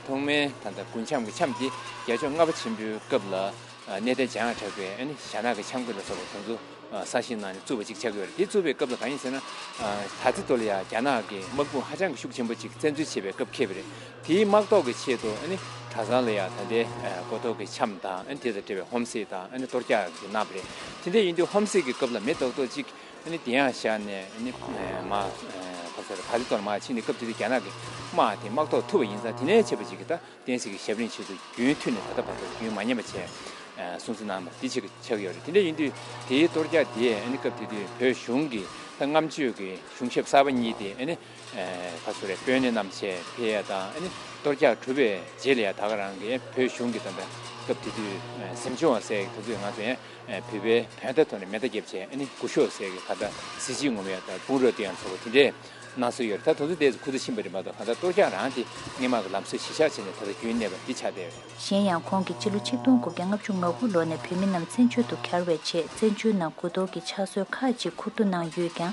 ཐོག་མའི་ད་ལྟ་དགུན་འཆམ་གྱི་འཆམ་དེ་རྒྱལ་མཆོག་ལྔ་པ་ཆེན་པོའི་སྐབས་ལ། གནས་བརྟན་འཇམ་དབྱངས་གྲགས་པས་ཨ་ནི་ཞྭ་ནག་གི་འཆམ་གོས་ལ་སོགས་པ་དེ་ཚོ་གསར་བཞེངས་གནང་ནས་བཙུགས་པ་ཅིག་ཆགས་ཀྱི་ཡོད་རེད། དེ་བཙུགས་པའི་སྐབས་ལ་གང་ཡིན་ཟེར་ན། ད་ལྟའི་ཐོག་ལ་ཡང་རྒྱ་ནག་གི་དམག་དཔུང་ཧ་ཅང་གི་ཤུགས་ཆེན་པོ་ཅིག་བཙན་འཛུལ་བྱེད་པའི་སྐབས་འཁེལ་བ་རེད། དེའི་དམག་ཐོག་གི་ཆེད་དུ་ཨ་ནི་གྲྭ་ཚང་ལ་ཡང་ད་ལྟའི་གོ་ཐོག་གི་འཆམ་དང་། ཨ་ནི་དེ་དང་འབྲེལ་བའི་ཧོམ་སེ་དང་། ཨ་ནི་གཏོར་རྒྱག་གི་གནང་བ་རེད། དེ་འདྲ་ཡིན་དུས་ཧོམ་སེ་གི་སྐབས་ལ་མི་རྡོག་རྡོག་ཅིག་ཨ་ནི་དེ་ཡང་བཞག་ནས། ཨ་ནི་མ་ག་ཚོད་རེད། ད་ལྟའི་ཐོག་ལ་མར་ཕྱིན་ནས། སྐབས་དེ་དུས་རྒྱ་ནག་གི་དམག་དེ་དམག་ཐོག་ཐུག་པ་ཡིན་ཙང་། དེ་ནས་བྱས་པ་ཅིག་གིས་ད་བསྟན་སྲིད་ཀྱི་ཞབས་རིམ་ཆེད་དུ་རྒྱུན་མཐུད་ནས་ད་ལྟ་བར་རྒྱུན་མ་ཉམས་པ་བྱས་སྲུང་བརྩི་གནང་བ་འདི་ཆགས་ཆགས་ཡོད་རེད། དེ་འདྲ་ཡིན་དུས་དེའི་གཏོར་རྒྱག་དེ་ཨ་ནི་སྐབས་དེ་དུས་བོད་གཞུང་གི་ད་སྔ་མ་ཆོས་ཀྱི་གཞུང་ཞབས་གསར་པ་གཉིས་དེ་ཨ་ནི་ཁ་སོ་རེ་དཔོན་གནས་རྣམས་བྱས་ཕེབས་ཡ་དང་། ཨ་ནི་གཏོར་རྒྱག་གྲུབ་པའི་རྗེས་ལ་ཡ་ད་ག་རང་གི་བོད་གཞུང་གི་ད་ལྟ་སྐབས་དེ་དུས་གཟིམ་ཆུང་བ་ཟེར་གྱི་དེ་ཚོས་ང་ཚོ་ཡང་བོད་པའི་བོད་ཟླ་ཐོག་ནས་མེ་མདའ་བརྒྱབ་བྱས། ཨ་ནི་སྐུ་ཞབས་ཟེར་གྱི་ད་ལྟ་གཟི་བརྗིད་ངོམ་ཡ་དང་དཔུང་རོགས་སྟོན་ཡ་ཚོ་དེ་འདྲས་གནང་སྲོལ་ཡོད་རེད། ད་དེ་ཚོ་དེ་ཚོ་ཁུ་ཚུར་ཕྱིན་པ་རེད་མ་གཏོགས། གང་ལྟར་གཏོར་རྒྱག་རང་དེ་སྔས་མ་གི་ལམ་སྲོལ་གཞིར་བཞག་བྱས་ནས་ད་ལྟ་རྒྱུན་གནས་པ་འདི་ཆགས་བསྡད་ཡོད་རེད། གཞན་ཡང་ཁོང་གིས་ཕྱི་ལོ་ཆིག་སྟོང་དགུ་བརྒྱ་ལྔ་བཅུ་ང་དགུ་ལོ་ནས་བོད་མི་རྣམས་བཙན་བྱོལ་དུ་གྱར་བའི་རྗེས། བཙན་བྱོལ་ནང་དགུ་གཏོར་གྱི་ཕྱག་སྲོལ་ཁག་ཅིག་འཁུར་འདོན་གནང་ཡོད་ཀྱང་།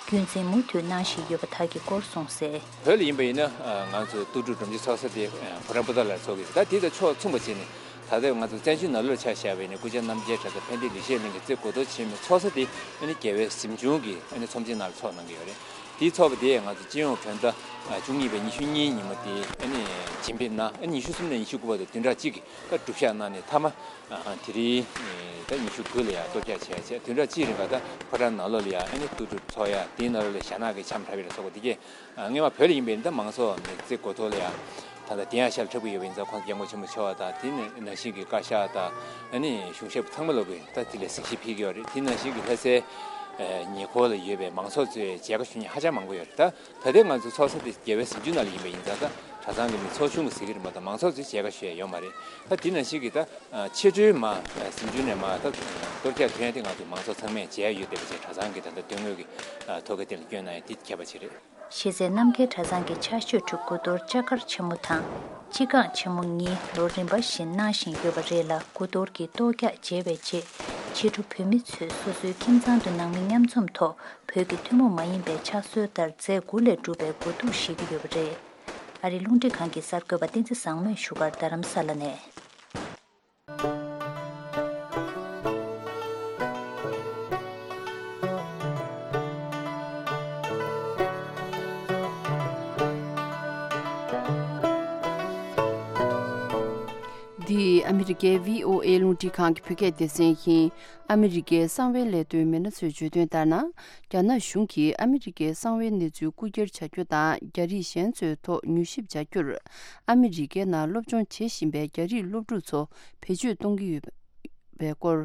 རྒྱུན་འཛིན་མུ་མཐུད་གནང་བཞིན་ཡོད་པ་དག་གི་སྐོར་གསུངས་གསལ། བོད་ལ་ཡིན་པ་ཡིན་ན། ང་ཚོ་སྟོད་འབྲུག་སྒྲོམ་གཞི་ཚོགས་ས་དེ་ཕོ་བྲང་པོ་ཏ་ལར་ཚོགས་ཀྱི་རེད། ད་དེ་དང་ཕྱོགས་མཚུངས་པ་བྱས་ནས་ད་ལྟ་ང་ཚོ་བཙན་བྱོལ་ནང་ལོགས་ཆ་བཞག་པ་ཡིན་ན། སྐུ་ཕྱྭ་རྣམ་རྒྱལ་གྲྭ་ཚང་ཕན་བདེ་ལེགས་བཤད་གླིང་གི་རྩེ་དགུ་གཏོར་ཆེན་མོའི་ཚོགས་ས་དེ་ཨ་ནི་རྒྱལ་བའི་གཟིམ་ཆུང་གི་ཨ་ནི་ཚོམས་ཆེན་ནང་ལ་ཚོགས་གནང་གི་ཡོད་རེད། དེའི་ཚོགས་པ་དེ་ང་ཚོ་སྤྱི་ཡོངས་བོད་ཟླ་བཅུ་གཉིས་པའི་ཉི་ཤུ་གཉིས་ཉིན་མོ་དེ་ཨ་ནི་བྱེད་འབེབས་གནང་། ཨ་ནི་ཉི་ཤུ་གསུམ་ནས་ཉི་ཤུ་དགུ་བར་དུ་བདུན་ཕྲག་གཅིག་གི་ད་སྒྲུབ་བཞག་གནང་ནས། མཐའ་མ་དེ་རིང་ད་ཉི་ཤུ་དགུ་ལ་ཡང་གཏོར་རྒྱག་བྱས་བྱས། བདུན་ཕྲག་གཅིག་རིང་ག་ད་ཕོ་བྲང་ནང་ལོགས་ལ་ཡང་ཨ་ནི་སྟོད་འབྲུག་ཚོགས་ཡ། དེའི་ནང་ལོགས་ལ་ཞྭ་ནག་གི་འཆམ་འཁྲབ་ཡ་ལ་སོགས་པ་དེ་གས། སྔོན་མ་བོད་ལ་ཡིན་པའི་ད་མང་ཚོགས་མི་རྩེ་དགུ་ཐོག་ལ་ཡང་ད་ལྟ་དེ་ཡང་ཤར་འཁྲབ་ཀྱི་ཡོད་པ་ཡིན་ཙང་། ཁོང་སྐྱབས་མགོན་ཆེན་པོ་མཆོག་དང་། དེ་ནས་ནང་བཞིན་གྱི་བཀའ་ཤག་དང་། ཨ་ནི་གཞུང་ཞབས་ཚང་མ་ལོག་གིས་ད་དེ་ལ་གཟིགས་ཞིབ་ཕེབས་ཀྱི་ཡོད་རེད། དེ་ནང་བཞིན་གྱི་ལྷ་སའི་ཉེ་འཁོར་ལ་ཡོད་པའི་མང་ཚོགས་ཚོས་མཇལ་ཁ་ཞུ་མཁན་ཧ་ཅང་མང་པོ་ཡོད་རེད། ད་ད་ལྟའི་ང་ཚོ་ཚོགས་ས་དེ་རྒྱལ་བའི་གཟིམ་ཆུང་ནང་ལ་ཡིན་པ་ཡིན་ཙང་། ད་གྲྭ་ཚང་གི་མི་ཚོགས་ཆུང་གིས་གཟིགས་ཀྱི་རེད་མ་གཏོགས། མང་ཚོགས་ཚོས་མཇལ་ཁ་ཞུ་ཡ་ཡོད་མ་རེད། ད་དེ་ནང་བཞིན་གྱི་ད་ཕྱི་དྲོའི་མ་གཟིམ་ཆུང་ནས་མ་ད་གཏོར་རྒྱག་ཐོན་ཡ་དེ་ང་ཚོ་མང་ཚོགས་ཚང་མས་མཇལ་ཡ་ཡོད་བསྡད་པ་བྱས། གྲྭ་ཚང་གི་ད་ལྟ་དོན་དངོས་ཀྱི་ཐོ་ག་དེ་ལ་བསྐྱོན་གནང་ཡ་དེ་ཁྱད་པར་ཅིག་རེད། གཞི་རྩའི་རྣམ་རྒྱལ་གྲྭ་ཚང་གི་ཕྱག་མཆོད་ཁྲི་དགུ་གཏོར་ལྕགས་མཁར་ཆེན་མོ་དང་སྤྱི་ཁང་ཆེན་མོ་གཉིས་ལོ་རིམ་པ་བཞིན་གནང་བཞིན་ཡོད་པ་རེད་ལ། དགུ་གཏོར་གྱི་གཏོར་རྒྱག་མཇལ་བའི་རྗེས། ཕྱི་དྲོ་བོད་མི་ཚོས་སོ་སོའི་ཁྱིམ་ཚང་དུ་ནང་མི་མཉམ་འཛོམས་ཐོག་བོད་ཀྱི་ཐུན་མོང་མ་ཡིན་པའི་ཕྱག་སྲོལ་ལྟར་རྫས་དགུ་ལས་གྲུབ་པའི་གོས་ཐུང་བཞེས་ཀྱི་ཡོད་པ་རེད། ཨ་རིའི་རླུང་འཕྲིན་ཁང་གི་གསར་འགོད་པ་བསྟན་འཛིན་བཟང་མོས་བཞུགས་སྒར་རྡ་རམ་ས་ལ་ནས། འདི་ཨ་མི་རི་ཀའི་བྷི་ཨོ་ཨེ་རླུང་འཕྲིན་ཁང་གི་བོད་སྐད་སྡེ་ཚན་ཡིན། ཨ་མི་རི་ཀའི་གསང་བའི་ལས་དོན་མི་སྣ་ཚོས་བརྗོད་དོན་ལྟར་ན། རྒྱ་ནག་གཞུང་གིས་ཨ་མི་རི་ཀའི་གསང་བའི་གནས་ཚུལ་རྐུ་འཁྱེར་བྱ་རྒྱུ་དང་། རྒྱ་རིགས་གཞན་ཚོའི་ཐོག་མྱུལ་ཞིབ་བྱ་རྒྱུར། ཨ་མི་རི་ཀའི་ནང་སློབ་སྦྱོང་བྱེད་བཞིན་པའི་རྒྱ་རིགས་སློབ་ཕྲུག་ཚོ་བེད་སྤྱོད་གཏོང་གི་ཡོད་པའི་སྐོར།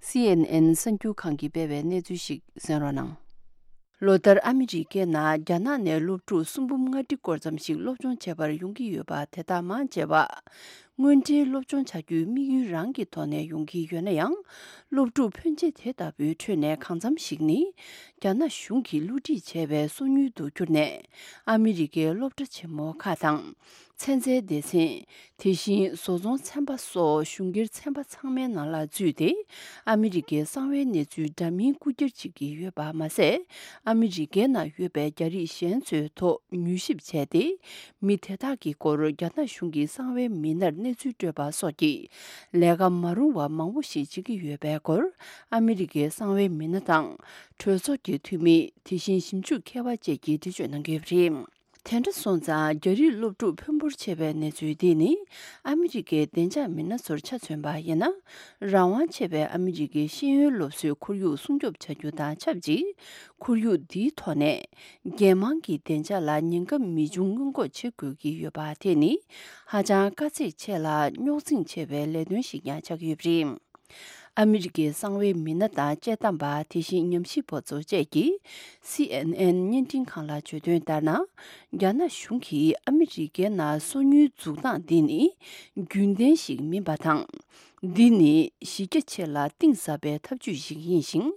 སི་ཨེན་ཨེན་གསར་འགྱུར་ཁང་གིས་སྤེལ་བའི་གནས་ཚུལ་ཞིག་གསན་རོགས་གནང་། ལོ་ལྟར་ཨ་མི་རི་ཀའི་ནང་རྒྱ་ནག་ནས་སློབ་ཕྲུག་སུམ་འབུམ་ལྔ་ཁྲི་སྐོར་ཙམ་ཞིག་སློབ་སྦྱོང་བྱེད་པར་ཡོང་གི་ཡོད་པ། དེ་དག་མང་ཆེ་བ་དངོས་འབྲེལ་སློབ་སྦྱོང་བྱ་རྒྱུའི་དམིགས་ཡུལ་རང་གི་ཐོག་ནས་ཡོང་གི་ཡོད་ན་ཡང་། སློབ་ཕྲུག་ཕོན་ཆེ་དེ་ལྟ་བུའི་ཁྲོད་ནས་གང་འཚམ་ཞིག་ནི། རྒྱ་ནག་གཞུང་གིས་བསླུ་བྲིད་བྱས་པའི་སོ་ཉུལ་དུ་གྱུར་ནས། ཨ་མི་རི་ཀའི་སློབ་གྲྭ་ཆེན་མོ་ཁག་དང་། ཚན་རྩལ་སྡེ་ཚན། དེ་བཞིན་བཟོ་ཚོང་ཚན་པ་སོགས་གཞུང་སྒེར་ཚན་པ་ཚང་མའི་ནང་ལ་འཛུལ་ཏེ། ཨ་མི་རི་ཀའི་གསང་བའི་གནས་ཚུལ་འདྲ་མིན་རྐུ་འཁྱེར་བྱེད་ཀྱི་ཡོད་པ་མ་ཟད། ཨ་མི་རི་ཀའི་ནང་ཡོད་པའི་རྒྱ་རིགས་གཞན་ཚོའི་ཐོག་མྱུལ་ཞིབ་བྱས་ཏེ། མི་དེ་དག་གི་སྐོར་རྒྱ་ནག་གཞུང་གི་གསང་བའི་མི་སྣར་གནས་ཚུལ་སྤྲོད་པ་སོགས་ཀྱི་ལས་ཀ་མ་རུང་བ་མང་པོ་ཞིག་བྱེད་ཀྱི་ཡོད་པའི་སྐོར། ཨ་མི་རི་ཀའི་གསང་བའི་མི་སྣ་དང་། གྲོས་ཚོགས་ཀྱི་འཐུས་མི། དེ་བཞིན་ཞིབ་འཇུག་མཁས་པ་བཅས་ཀྱིས་འགྲེལ་བརྗོད་གནང་གི་ཡོད་པ་རེད། དེ་འདྲ་སོང་ཙང་། རྒྱ་རིགས་སློབ་ཕྲུག་ཕོན་འབོར་ཆེ་བའི་གནས་ཚུལ་འདི་ནི། ཨ་མི་རི་ཀའི་བདེ་འཇགས་མི་སྣ་ཚོར་ཆ་མཚོན་པ་ཡིན་ན། རང་དབང་ཆེ་བའི་ཨ་མི་རི་ཀའི་ཤེས་ཡོན་སློབ་གསོའི་ཁོར་ཡུག་སྲུང་སྐྱོབ་བྱ་རྒྱུ་དང་ཆབས་ཅིག་ཁོར་ཡུག་འདིའི་ཐོག་ནས། རྒྱལ་དམངས་ཀྱི་བདེ་འཇགས་ལ་ཉེན་ཁ་མི་འབྱུང་སྔོན་འགོག་བྱེད་དགོས་ཀྱི་ཡོད་པ་དེ་ནི། ཧ་ཅང་དཀའ་ཚེགས་ཆེ་ལ་རྙོག་འཛིང་ཆེ་བའི་ལས་དོན་ཞིག་ཀྱང་ཆགས་ཀྱི་ཡོད་པ་རེད། ཨ་མི་རི་ཀའི་གསང་བའི་མི་སྣ་དང་དཔྱད་གཏམ་པ། དེ་བཞིན་ཉམས་ཞིབ་པ་ཚོ་བཅས་ཀྱིས་སི་ཨེན་ཨེན་བརྙན་འཕྲིན་ཁང་ལ་བརྗོད་དོན་ལྟར་ན། རྒྱ་ནག་གཞུང་གིས་ཨ་མི་རི་ཀའི་ནང་སོ་ཉུལ་འཛུགས་སྟངས་འདི་ནི་རྒྱུན་ལྡན་ཞིག་མིན་པ་དང་། འདི་ནི་གཞི་རྒྱ་ཆེ་ལ་གཏིང་ཟབ་པའི་ཐབས་ཇུས་ཤིག་ཡིན་ཞིང་།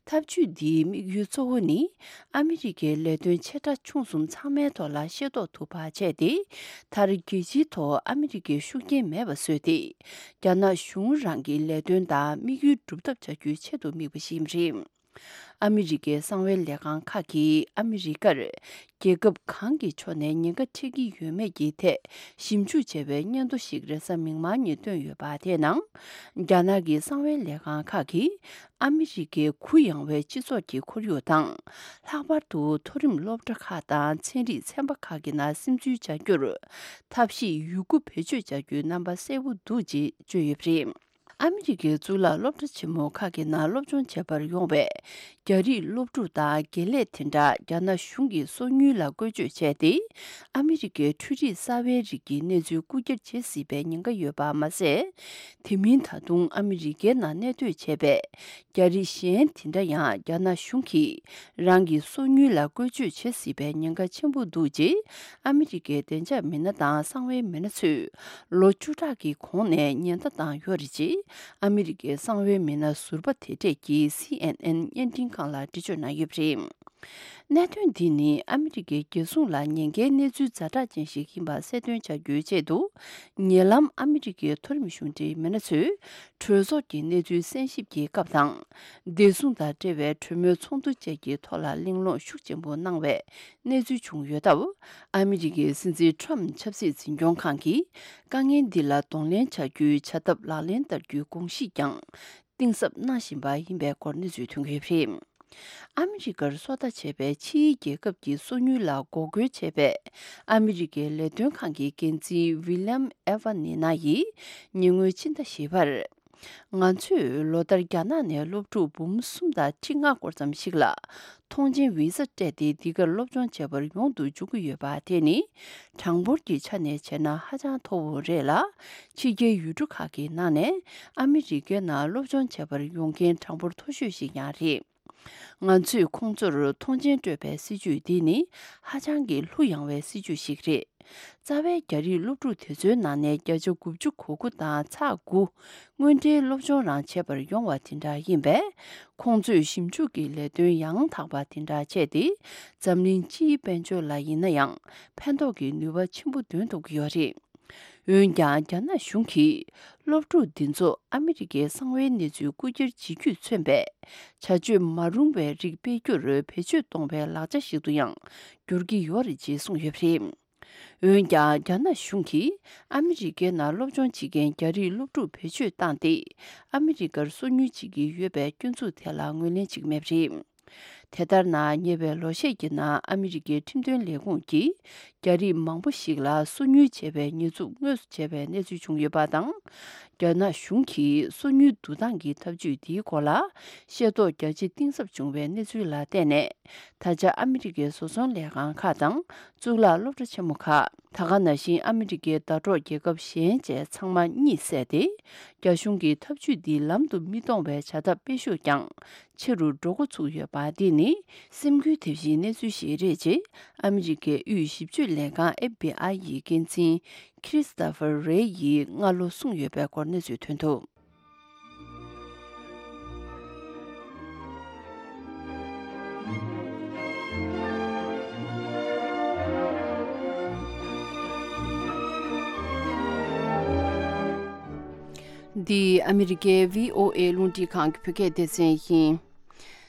ཐབས་ཇུས་འདིའི་དམིགས་ཡུལ་གཙོ་བོ་ནི། ཨ་མི་རི་ཀའི་ལས་དོན་ཆེ་ཕྲ་ཆུང་གསུམ་ཚང་མའི་ཐོག་ལ་ཤེས་རྟོགས་ཐུབ་པ་བྱས་ཏེ། མཐར་རྒྱལ་སྤྱིའི་ཐོག་ཨ་མི་རི་ཀའི་ཤུགས་རྐྱེན་མེད་པ་བཟོས་ཏེ། རྒྱ་ནག་གཞུང་རང་གི་ལས་དོན་དང་དམིགས་ཡུལ་སྒྲུབ་ཐབས་བྱ་རྒྱུའི་ཆེད་དུ་དམིགས་པ་ཞིག་ཡིན་པ་རེད། ཨ་མི་རི་ཀའི་གསང་བའི་ལས་ཁང་ཁག་གིས་ཨ་མི་རི་ཀར་རྒྱལ་ཁབ་གང་གི་ཕྱོགས་ནས་ཉེན་ཁ་འཕྲད་ཀྱི་ཡོད་མེད་ཀྱི་ཐད་ཞིབ་འཇུག་བྱས་པའི་སྙན་ཐོ་ཞིག་རེས་གཟའ་མིག་དམར་ཉིན་བཏོན་ཡོད་པ་དེའི་ནང་། རྒྱ་ནག་གི་གསང་བའི་ལས་ཁང་ཁག་གིས་ཨ་མི་རི་ཀའི་གུ་ཡངས་པའི་སྤྱི་ཚོགས་ཀྱི་ཁོར་ཡུག་དང་། ལྷག་པར་དུ་མཐོ་རིམ་སློབ་གྲྭ་ཁག་དང་ཚན་རིག་ཚན་པ་ཁག་གི་ནང་སིམ་འཛུལ་བྱ་རྒྱུར་ཐབས་ཤེས་ཡོད་རྒུ་བེད་སྤྱོད་བྱ་རྒྱུའི་རྣམ་པ་གསལ་པོ་འདུག་ཅེས་བརྗོད་ཡོད་པ་རེད། ཨ་མི་རི་ཀའི་གཙུག་ལག་སློབ་གྲྭ་ཆེན་མོ་ཁག་གི་ནང་སློབ་སྦྱོང་བྱེད་པར་ཡོང་བའི་རྒྱ་རིགས་སློབ་ཕྲུག་དང་དགེ་ལས་དེ་འདྲ་རྒྱ་ནག་གཞུང་གིས་སོ་ཉུལ་ལ་བཀོལ་སྤྱོད་བྱས་ཏེ། ཨ་མི་རི་ཀའི་འཕྲུལ་རིག་གསར་བའི་རིགས་ཀྱི་གནས་ཚུལ་རྐུ་འཁྱེར་བྱེད་སྲིད་པའི་ཉེན་ཁ་ཡོད་པ་མ་ཟད། དེ་མིན་ད་དུང་ཨ་མི་རི་ཀའི་ནང་གནས་སྡོད་བྱས་པའི་རྒྱ་རིགས་གཞན་དེ་འདྲ་ཡང་རྒྱ་ནག་གཞུང་གིས་རང་གི་སོ་ཉུལ་ལ་བཀོལ་སྤྱོད་བྱེད་སྲིད་པའི་ཉེན་ཁ་ཆེན་པོ་འདུག་ཅེས་ཨ་མི་རི་ཀའི་བདེ་འཇགས་མི་སྣ་དང་གསང་བའི་མི་སྣ་ཚོས་ལོ་བཅུ་ཕྲག་གི་གོང་ནས་ཉེན་བརྡ་བཏང་ཡོད་རེད་ཅེས་ཨ་མི་རི་ཀའི་གསང་བའི་མི་སྣ་ཟུར་པ་དེ་གྲས་ཀྱིས་སི་ཨེན་ཨེན་བརྙན་འཕྲིན་ཁང་ལ་འགྲེལ་བརྗོད་གནང་ཡོད་པ་རེད། གནད་དོན་འདི་ནི་ཨ་མི་རི་ཀའི་རྒྱལ་སྲུང་ལ་ཉེན་ཁའི་གནས་ཚུལ་ཛ་དྲག་ཅན་ཞིག་ཡིན་པ་གསལ་སྟོན་བྱ་རྒྱུའི་ཆེད་དུ། ཉེ་ལམ་ཨ་མི་རི་ཀའི་མཐོ་རིམ་གཞུང་འབྲེལ་མི་སྣ་ཚོས་གྲོས་ཚོགས་ཀྱི་གནས་ཚུལ་གསན་ཞིབ་ཀྱི་སྐབས་དང་། བདེ་སྲུང་དང་འབྲེལ་བའི་གྲོས་མོལ་ཚོགས་འདུ་བཅས་ཀྱི་ཐོག་ལ་གླེང་སློང་ཤུགས་ཆེན་པོ་གནང་བའི་གནས་ཚུལ་བྱུང་ཡོད་སྟབས། ཨ་མི་རི་ཀའི་སྲིད་འཛིན་ཁྲོམ་ཆབ་སྲིད་འཛིན་སྐྱོང་ཁང་གིས་དཀའ་ངལ་འདི་ལ་གདོང་ལེན་བྱ་རྒྱུའི་བྱ་ཐབས་ལག་ལེན་བསྟར་རྒྱུའི་དགོངས་གཞི་ཀྱང་གཏིང་ཟབ་གནང་བཞིན་པ་ཡིན་པའི་སྐོར་གནས་ཚུལ་ཐོན་གྱི་ཡོད་པ་རེད། ཨ་མི་རི་ཀར་སོ་ལྟ་བྱས་པའི་ཕྱིའི་རྒྱལ་ཁབ་ཀྱི་སོ་ཉུལ་ལ་འགོག་རྒོལ་བྱས་པའི་ཨ་མི་རི་ཀའི་ལས་དོན་ཁང་གི་འགན་འཛིན་ཝི་ལི་ཡམ་ཨེ་ཝ་ནི་ན་ཡིས་ཉེ་སྔོན་ཕྱི་ཟླ་བཞི་པར། ང་ཚོས་ལོ་ལྟར་རྒྱ་ནག་ནས་སློབ་ཕྲུག་འབུམ་གསུམ་དང་ཁྲི་ལྔ་སྐོར་ཙམ་ཞིག་ལ་ཐོངས་མཆན་བི་ཟ་སྤྲད་དེ་འདི་གར་སློབ་སྦྱོང་བྱེད་པར་ཡོང་དུ་འཇུག་གི་ཡོད་པ་དེ་ནི་གྲངས་འབོར་གྱི་ཆ་ནས་བྱས་ན་ཧ་ཅང་མཐོ་བོ་རེད་ལ། ཕྱི་རྒྱལ་ཡུལ་གྲུ་ཁག་གི་ནང་ནས་ཨ་མི་རི་ཀའི་ནང་སློབ་སྦྱོང་བྱེད་པར་ཡོང་མཁན་གྲངས་འབོར་མཐོ་ཤོས་ཤིག་ཡང་རེད། ང་ཚོས་ཁོང་ཚོར་ཐོངས་མཆན་སྤྲོད་པའི་སྲིད་ཇུས་འདི་ནི་ཧ་ཅང་གི་གླུ་ཡངས་པའི་སྲིད་ཇུས་ཤིག་རེད། རྩ་བའི་རྒྱ་རིགས་སློབ་ཕྲུག་དེ་ཚོའི་ནང་ནས་བརྒྱ་ཆ་དགུ་བཅུ་གོ་དགུ་དང་ཚེག་དགུ་དངོས་འབྲེལ་སློབ་སྦྱོང་རང་བྱེད་པར་ཡོང་བ་དེ་འདྲ་ཡིན་པས། ཁོང་ཚོས་ཞིབ་འཇུག་གི་ལས་དོན་ཡང་དག་པ་དེ་འདྲ་བྱས་ཏེ། འཛམ་གླིང་སྤྱིའི་དཔལ་འབྱོར་ལ་ཡིན་ན་ཡང་ཕན་ཐོགས་ཀྱི་ནུས་པ་ཆེན་པོ་འདོན་ཐུབ་ཀྱི་ཡོད་རེད། འོན་ཀྱང་། རྒྱ་ནག་གཞུང་གིས་སློབ་ཕྲུག་འདི་ཚོ་ཨ་མི་རི་ཀའི་གསང་བའི་གནས་ཚུལ་རྐུ་འཁྱེར་བྱེད་རྒྱུས་མཚོན་པའི་བྱ་སྤྱོད་མ་རུང་བའི་རིགས་སྤེལ་རྒྱུར་བེད་སྤྱོད་གཏོང་བའི་ལག་ཆ་ཞིག་ཏུ་ཡང་འགྱུར་གྱི་ཡོད་རེད་ཅེས་གསུངས་ཡོད་པ་རེད། འོན་ཀྱང་། རྒྱ་ནག་གཞུང་གིས་ཨ་མི་རི་ཀའི་ནང་སློབ་སྦྱོང་བྱེད་མཁན་རྒྱ་རིགས་སློབ་ཕྲུག་བེད་སྤྱོད་བཏང་སྟེ། ཨ་མི་རི་ཀར་སོ་ཉུལ་བྱེད་ཀྱི་ཡོད་པའི་སྐྱོན་འཛུགས་དེ་ལ་ངོས་ལེན་བྱེད་ཀྱི་མེད་པ་རེད། དེ་ལྟར་ན། ཉེ་བའི་ལོ་ཤས་ཀྱི་ནང་ཨ་མི་རི་ཀའི་ཁྲིམས་དོན་ལས་ཁུངས་ཀྱིས་རྒྱ་རིགས་མང་པོ་ཞིག་ལ་སོ་ཉུལ་བྱས་པའི་ཉེས་འཛུགས་དངོས་སུ་བྱས་པའི་གནས་ཚུལ་བྱུང་ཡོད་པ་དང་། རྒྱ་ནག་གཞུང་གིས་སོ་ཉུལ་བསྡུ་སྟངས་ཀྱི་ཐབས་ཇུས་འདིའི་སྐོར་ལ་ཤེས་རྟོགས་རྒྱ་ཆེ་གཏིང་ཟབ་བྱུང་བའི་གནས་ཚུལ་ལ་བརྟེན་ནས། ད་ཆ་ཨ་མི་རི་ཀའི་བཟོ་ཚོང་ལས་ཁང་ཁག་དང་གཙུག་ལག་སློབ་གྲྭ་ཆེན་མོ་ཁག་ད་ག་ནང་བཞིན་ཨ་མི་རི་ཀའི་ཟླ་གྲོགས་རྒྱལ་ཁབ་གཞན་བཅས་ཚང་མ་གཉིད་སད་དེ། རྒྱ་གཞུང་གིས་ཐབས་ཇུས་འདི་ལམ་དུ་མི་གཏོང་བའི་བྱ་ཐབས་སྤེལ་ཤུགས་ཀྱང་ཆེ་རུ་འགྲོ་འགོ་ཚུགས་ཡོད་པ་འདི་ནི་སེམས་འགུལ་ཐེབས་གཞིའི་གནས་ཚུལ་ཞིག་རེད་ཅེས་ཨ་མི་རི་ཀའི་དབུས་ཞིབ་དཔྱོད་ལས་ཁང་ཨེཕ་བྷི་ཨའི་ཡི་འགན་འཛིན་ཁྲི་སི་ཏོ་ཕར་རེ་ཡིས་སྔ་ལོ་གསུངས་ཡོད་པའི་སྐོར་གནས་ཚུལ་ཐོན་འདུག། འདི་ཨ་མི་རི་ཀའི་བྷི་ཨོ་ཨེ་རླུང་འཕྲིན་ཁང་གི་བོད་སྐད་སྡེ་ཚན་ཡིན།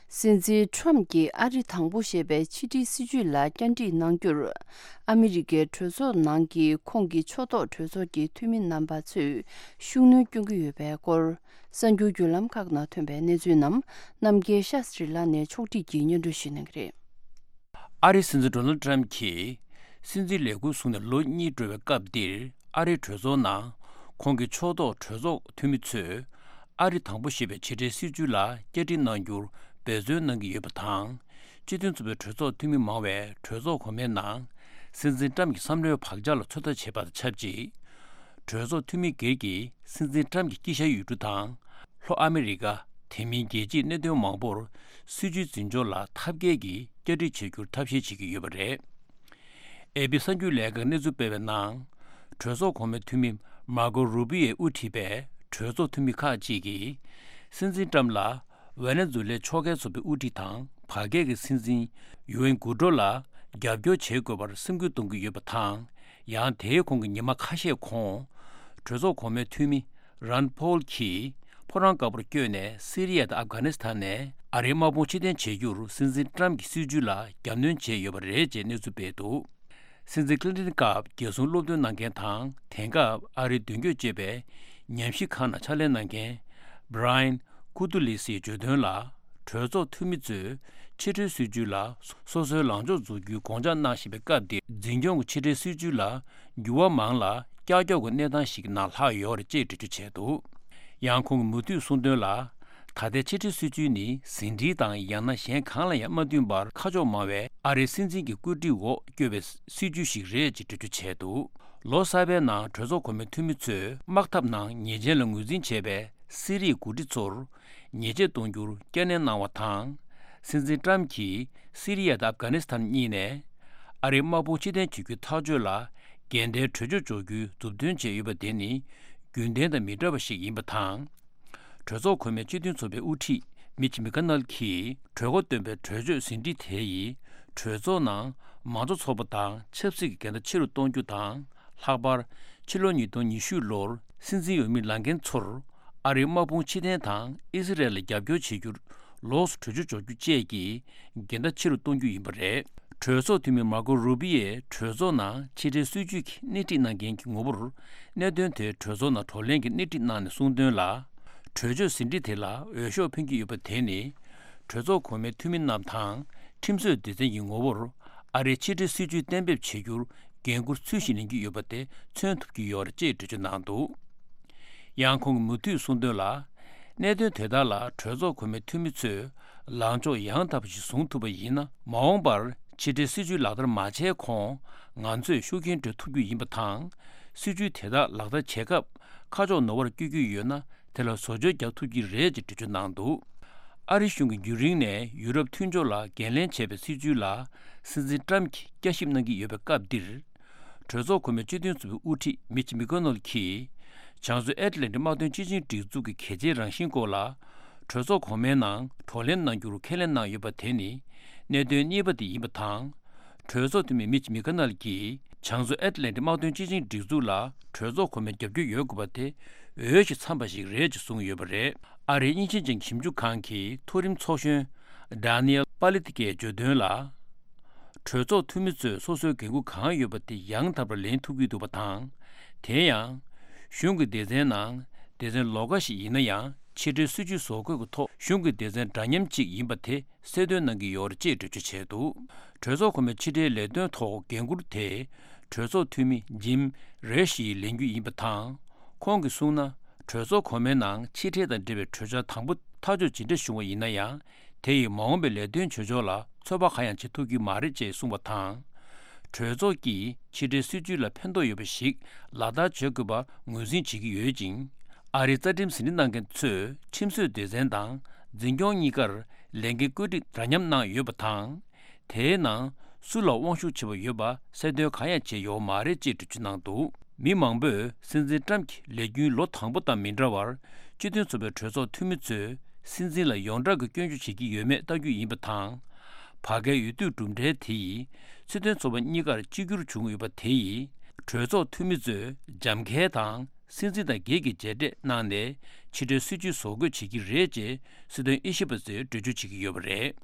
སྲིད་འཛིན་ཁྲོམ་གྱིས་ཨ་རི་དང་པོ་ཞེས་པའི་ཕྱི་འབྲེལ་སྲིད་ཇུས་ལ་བསྐྱར་སྒྲིག་གནང་རྒྱུར། ཨ་མི་རི་ཀའི་གྲོས་ཚོགས་ནང་གི་ཁོང་གི་ཕྱོགས་གཏོགས་གྲོས་ཚོགས་ཀྱི་འཐུས་མི་རྣམ་པ་ཚོས་ཤུགས་སྣོན་སྐྱོན་གྱི་ཡོད་པའི་སྐོར། གསར་འགྱུར་བརྒྱུད་ལམ་ཁག་ནང་ཐོན་པའི་གནས་ཚུལ་རྣམས་རྣམ་རྒྱལ་ཤཱ་སྟྲི་ལགས་ནས་ཕྱོགས་སྒྲིག་གིས་སྙན་སྒྲོན་ཞུ་གནང་གི་རེད། ཨ་རིའི་སྲིད་འཛིན་ཌོ་ནལ་ཌི་ཊརམ་ཕི་གྱིས་སྲིད་འཛིན་ལས་འཁུར་བཟུང་ནས་ལོ་གཉིས་འགྲོ་བའི་སྐབས་འདིར། ཨ་རིའི་གྲོས་ཚོགས་ནང་ཁོང་གི་ཕྱོགས་གཏོགས་གྲོས་ཚོགས་འཐུས་མི་ཚོས། ཨ་རི་དང་པོ་ཞེས་པའི་ཕྱི་འབྲེལ་སྲིད་ཇུས་ལ་བསྐྱར་སྒྲིག་གནང་རྒྱུར་འབད་བརྩོན་གནང་གི་ཡོད་པ་དང་། སྤྱི་མཐུན་ཚོགས་པའི་གྲོས་ཚོགས་འཐུས་མི་མང་བས་གྲོས་ཚོགས་གོང་མའི་ནང་། སྲིད་འཛིན་ཊརམ་གྱི་བསམ་བློའི་བག་ཆགས་ལ་ཚོད་ལྟ་བྱེད་པ་དང་ཆབས་ཅིག། གྲོས་ཚོགས་འཐུས་མི་སྒེར་གྱིས་སྲིད་འཛིན་ཊརམ་གྱི་དཀྱིལ་ཤར་ཡུལ་གྲུ་དང་། ལྷོ་ཨ་མི་རི་ཀ། དེ་མིན་རྒྱལ་སྤྱིའི་གནད་དོན་མང་པོར་སྲིད་ཇུས་འཛིན་སྐྱོང་ལ་ཐབས་མཁས་ཀྱིས་བསྐྱར་སྒྲིག་བྱེད་རྒྱུར་ཐབས་ཤེས་བྱེད་ཀྱི་ཡོད་པ་རེད། ཨེ་པི་གསར་འགྱུར་ལས་ཁང་གནས་ཚུལ་སྤེལ་བའི་ནང་། གྲོས་ཚོགས་གོང་མའི་འཐུས་མི་མར་ཀོ་རུ་པི་ཡོས་དབུ་ཁྲིད་པའི་གྲོས་ཚོགས་འཐུས་མི་ཁག་ཅིག་གིས། སྲིད་འཛིན་ཊརམ་ལ་ཝེ་ནེ་ཛུ་ལའི་ཕྱོགས་འགལ་ཚོགས་པའི་དབུ་ཁྲིད་དང་བར་བརྒལ་གྱི་སྲིད་འཛིན་ཡུ་ཨེན་གུ་ཏྲོ་ལ་རྒྱབ་སྐྱོར་བྱེད་དགོས་པར་སེམས་འགུལ་གཏོང་གི་ཡོད་པ་དང་། ཡང་དེའི་གོང་གི་ཉི་མ་ཁ་ཤས་གོང་། གྲོས་ཚོགས་གོང་མའི་འཐུས་མི་རཱན་ཕོལ་གྱིས། ཕོ་བྲང་དཀར་པོར་བསྐྱོད་ནས་སི་རི་ཡ་དང་ཨབ་གྷ་ནི་སི་ཐན་ནས་ཨ་རིའི་དམག་དཔུང་ཕྱིར་འཐེན་བྱེད་རྒྱུར་སྲིད་འཛིན་ཏྲམ་གྱི་སྲིད་ཇུས་ལ་རྒྱབ་སྣོན་བྱས་ཡོད་པ་རེད་ཅེས་གནས་ཚུལ་སྤེལ་འདུག། སྲིད་འཛིན་ཀླིན་ཏན་སྐབས་རྒྱལ་སྲུང་སློབ་སྟོན་གནང་མཁན་དང་དེང་སྐབས་ཨ་རིའི་མདུན་སྐྱོད་ཅེས་པའི་ཉམས་ཞིབ་ཁང་ནང་ཕྱག་ལས་གནང་མཁན་Brian Katulis ཡིས་བརྗོད་དོན་ལ། གྲོས་ཚོགས་འཐུས་མི་ཚོས་ཕྱི་འབྲེལ་སྲིད་ཇུས་ལ་སོ་སོའི་ལངས་ཕྱོགས་འཛུགས་རྒྱུའི་དགོངས་འཆར་གནང་བཞིན་པའི་སྐབས་འདིར་འཛིན་སྐྱོང་གི་ཕྱི་འབྲེལ་སྲིད་ཇུས་ལ་འགྱུར་བ་མང་ལ་ཀྱག་ཀྱོག་གི་གནས་སྟངས་ཤིག་ནང་ལྷག་ཡོད་རེད་ཅེས་འགྲེལ་བརྗོད་བྱས་འདུག། ཡང་ཁོང་གིས་མུ་མཐུད་གསུངས་དོན་ལ། ད་ལྟའི་ཕྱི་འབྲེལ་སྲིད་ཇུས་ནི་ཟིན་བྲིས་དང་ཡང་ན་གཞན་གང་ལ་ཡང་མ་མཐུན་པར་ཁ་ཕྱོགས་མང་བའི་ཨ་རིའི་སྲིད་འཛིན་གྱི་བཀོད་སྒྲིག་འོག་བསྐྱོད་པའི་སྲིད་ཇུས་ཤིག་རེད་ཅེས་འགྲེལ་བརྗོད་བྱས་འདུག། ལོ་གསར་པའི་ནང་གྲོས་ཚོགས་གོང་མའི་འཐུས་མི་ཚོས་དམག་འཐབ་ནང་ཉེས་ཅན་ལ་ངོས་འཛིན་བྱས་པའི་སི་རིའི་འགོ་ཁྲིད་ཚོར་ཉེས་ཆད་གཏོང་རྒྱུར་བསྐྱར་ནན་གནང་བ་དང་། སྲིད་འཛིན་ཏྲམ་གྱིས་སི་རི་ཡ་དང་ཨབ་གྷ་ནི་སི་ཐན་གཉིས་ནས་ཨ་རིའི་དམག་དཔུང་ཕྱིར་འཐེན་བྱེད་རྒྱུའི་ཐག་གཅོད་ལ་འགལ་ཟླའི་གྲོས་ཆོད་འཇོག་རྒྱུའི་མཛུབ་སྟོན་བྱས་ཡོད་པ་དེ་ནི་རྒྱུན་ལྡན་དང་མི་འདྲ་བ་ཞིག་ཡིན་པ་དང་། གྲོས་ཚོགས་གོང་མའི་སྤྱི་མཐུན་ཚོགས་པའི་དབུ་ཁྲིད་མིཆ་མི་ཀ་ནལ་གྱིས་གྲོས་འགོ་བཏོན་པའི་གྲོས་ཆོད་ཟིན་བྲིས་དེ་ཡིས་གྲོས་ཚོགས་ནང་མང་གཙོ་ཚོགས་པ་དང་ཆབ་སྲིད་ཀྱི་འགལ་ཟླ་ཆེ་རུ་གཏོང་རྒྱུ་དང་། ལྷག་པར་ཕྱི་ལོ་ཉིས་སྟོང་ཉི་ཤུ་ལོར་སྲིད་འཛིན་འོས་མི་ལངས་མཁན་ཚོར་ཨ་རིའི་དམག་དཔུང་ཕྱིར་འཐེན་དང་ཨི་སི་རལ་ལ་རྒྱབ་སྐྱོར་བྱེད་རྒྱུར་ལོགས་སུ་གྲོས་ཆོད་འཇོག་རྒྱུ་བཅས་ཀྱི་འགལ་ཟླ་ཆེ་རུ་གཏོང་རྒྱུ་ཡིན་པ་རེད། གྲོས་ཚོགས་འཐུས་མི་མར་ཀོ་རུ་བི་ཡས་གྲོས་ཚོགས་ནང་ཕྱི་འབྲེལ་སྲིད་ཇུས་ཀྱི་སྣེ་ཁྲིད་གནང་མཁན་གྱི་ངོ་བོར་གནད་དོན་དེ་གྲོས་ཚོགས་ནང་བགྲོ་གླེང་གི་སྣེ་ཁྲིད་གནང་ནས་གསུངས་དོན་ལ། གྲོས་ཆོད་ཟིན་བྲིས་དེ་ལ་འོས་ཤོག་འཕེན་གྱི་ཡོད་པ་དེ་ནི་གྲོས་ཚོགས་གོང་མའི་འཐུས་མི་རྣམས་དང་ཁྲིམས་བཟོའི་སྡེ་ཚན་གྱི་ངོ་བོར་ཨ་རིའི་ཕྱི་འབྲེལ་སྲིད་ཇུས་གཏན་འབེབས་བྱེད་རྒྱུར་འགན་འཁུར་ཚུལ་བཞིན་ལེན་གྱི་ཡོད་པ་དེ་མཚོན་ཐུབ་ཀྱི་ཡོད་རེད་ཅེས་འགྲེལ་བརྗོད་གནང་འདུག། ཡང་ཁོང་གིས་མུ་མཐུད་གསུངས་དོན་ལ། གནད་དོན་དེ་དག་ལ་གྲོས་ཚོགས་གོང་མའི་འཐུས་མི་ཚོས་ལངས་ཕྱོགས་ཡང་དག་པ་ཞིག་བཟུང་ཐུབ་པ་ཡིན་ན། མ་འོངས་པར་ཕྱི་འབྲེལ་སྲིད་ཇུས་ལག་བསྟར་མ་བྱས་གོང་ང་ཚོས་ཤུགས་རྐྱེན་སྤྲོད་ཐུབ་རྒྱུ་ཡིན་པ་དང་། སྲིད་ཇུས་དེ་དག་ལག་བསྟར་བྱེད་སྐབས་ཁ་ཕྱོགས་ནོར་བར་བསྐྱོད་རྒྱུ་ཡོད་ན། དེ་ལ་བཟོ་བཅོས་རྒྱག་ཐུབ་ཀྱི་རེད་ཅེས་འགྲེལ་བརྗོད་གནང་འདུག། ཨ་རི་གཞུང་གིས་རྒྱུན་རིང་ནས་ཡུ་རོབ་མཐུན་ཕྱོགས་ལ་འགན་ལེན་བྱས་པའི་སྲིད་ཇུས་ལ་སྲིད་འཛིན་ཏྲམ་གྱིས་བསྐྱར་ཞིབ་གནང་གི་ཡོད་པའི་སྐབས་འདིར། གྲོས་ཚོགས་གོང་མའི་སྤྱི་མཐུན་ཚོགས་པའི་དབུ་ཁྲིད་མིཆ་མི་ཀོ་ནལ་གྱིས་བྱང་མཚོ་ཨེཊ་ལན་ཊིག་དམག་དོན་སྤྱི་ཆིངས་སྒྲིག་འཛུགས་ཀྱི་གལ་ཆེའི་རང་བཞིན་སྐོར་ལ་གྲོས་ཚོགས་གོང་མའི་ནང་བགྲོ་གླེང་གནང་རྒྱུར་ཁས་ལེན་གནང་ཡོད་པ་དེ་ནི་གནད་དོན་གཉིས་པ་དེ་ཡིན་པ་དང་། གྲོས་ཚོགས་འཐུས་མི་མིཆ་མི་ཀ་ནལ་གྱིས་བྱང་མཚོ་ཨེཊ་ལན་ཊིག་དམག་དོན་སྤྱི་ཆིངས་སྒྲིག་འཛུགས་ལ་གྲོས་ཚོགས་གོང་མའི་རྒྱབ་སྐྱོར་ཡོད་དགོས་པ་དེ་འོས་ཤིང་འཚམས་པ་ཞིག་རེད་ཅེས་གསུངས་ཡོད་པ་རེད། ཨ་རིའི་དབྱིན་ཇི་ཅན་ཞིབ་འཇུག་ཁང་གི་མཐོ་རིམ་ཚོགས་གཞོན་Daniel Pallotti གིས་བརྗོད་དོན་ལ། གྲོས་ཚོགས་འཐུས་མི་ཚོས་སོ་སོའི་འགན་འཁུར་གང་ཡོད་པ་དེ་ཡང་དག་པར་ལེན་ཐུབ་ཀྱི་འདུག་པ་དང་། དེ་ཡང་། གཞུང་གི་སྡེ་ཚན་ནང་སྡེ་ཚན་ལོགས་ཀ་ཞིག་ཡིན་ན་ཡང་ཕྱི་འབྲེལ་སྲིད་ཇུས་བཟོ་འགོད་ཀྱི་ཐོག་གཞུང་གི་སྡེ་ཚན་འདྲ་མཉམ་གཅིག་ཡིན་པ་དེ་གསལ་སྟོན་གནང་གི་ཡོད་རེད་ཅེས་འགྲེལ་བརྗོད་བྱས་འདུག། གྲོས་ཚོགས་གོང་མའི་ཕྱི་འབྲེལ་ལས་དོན་ཐོག་འགན་འཁུར་དེ་གྲོས་ཚོགས་འཐུས་མི་Jim Risch ཡིས་ལེན་རྒྱུ་ཡིན་པ་དང་། ཁོང་གིས་གསུངས་ན། གྲོས་ཚོགས་གོང་མའི་ནང་ཕྱི་འབྲེལ་དང་འབྲེལ་བའི་གྲོས་འཆར་དང་པོ་ཐག་གཅོད་ཇི་འདྲ་བྱུང་བ་ཡིན་ན་ཡང་། དེ་ཡིས་མ་འོངས་པའི་ལས་དོན་བྱེད་ཕྱོགས་ལ་ཚོད་དཔག་གང་ཡང་བྱེད་ཐུབ་ཀྱི་མ་རེད་ཅེས་གསུངས་པ་དང་། གྲོས་ཚོགས་ཀྱིས་ཕྱི་འབྲེལ་སྲིད་ཇུས་ལ་ཕན་ཐོགས་ཡོད་པ་ཞིག་ལག་བསྟར་བྱེད་དགོས་པ་ངོས་འཛིན་བྱེད་ཀྱི་ཡོད་ཅིང་། ཨ་རིའི་རྩ་ཁྲིམས་ཟིན་བྲིས་གནང་མཁན་ཚོས་ཁྲིམས་བཟོའི་སྡེ་ཚན་དང་འཛིན་སྐྱོང་གཉིས་ཀར་ལས་འགན་བཀོད་སྒྲིག་འདྲ་མཉམ་གནང་ཡོད་པ་དང་། དེའི་ནང་སུ་ལ་དབང་ཤུགས་ཆེ་བ་ཡོད་པ་གསལ་སྟོན་གང་ཡང་བྱས་ཡོད་མ་རེད་ཅེས་འགྲེལ་བརྗོད་གནང་འདུག། མི་མང་པོས་སྲིད་འཛིན་ཏྲམ་གྱི་ལས་རྒྱུན་ལོ་དང་པོ་དང་མི་འདྲ་བར་སྤྱི་མཐུན་ཚོགས་པའི་གྲོས་ཚོགས་འཐུས་མི་ཚོས་སྲིད་འཛིན་ལ་ཡོངས་གྲགས་ཀྱི་སྐྱོན་བརྗོད་བྱེད་ཀྱི་ཡོད་མེད་ལྟ་རྒྱུ་ཡིན་པ་དང་། བར་བརྒལ་འོས་བསྡུ་གྲུབ་འབྲས་དེ་ཡིས་སྲིད་དོན་ཚོགས་པ་གཉིས་ཀར་གཅིག་གྱུར་བྱུང་ཡོད་པ་དེ་ཡིས་གྲོས་ཚོགས་འཐུས་མི་ཚོས་འཇམ་འཁལ་དང་། སྲིད་འཛིན་དང་སྒེར་གྱི་མཇལ་འཕྲད་གནང་ནས་ཕྱི་འབྲེལ་སྲིད་ཇུས་བཟོ་འགོད་བྱེད་ཀྱི་རེད་ཅེས་སྲིད་དོན་དབྱེ་ཞིབ་པ་ཚོས་འགྲེལ་བརྗོད་བྱེད་ཀྱི་ཡོད་པ་རེད།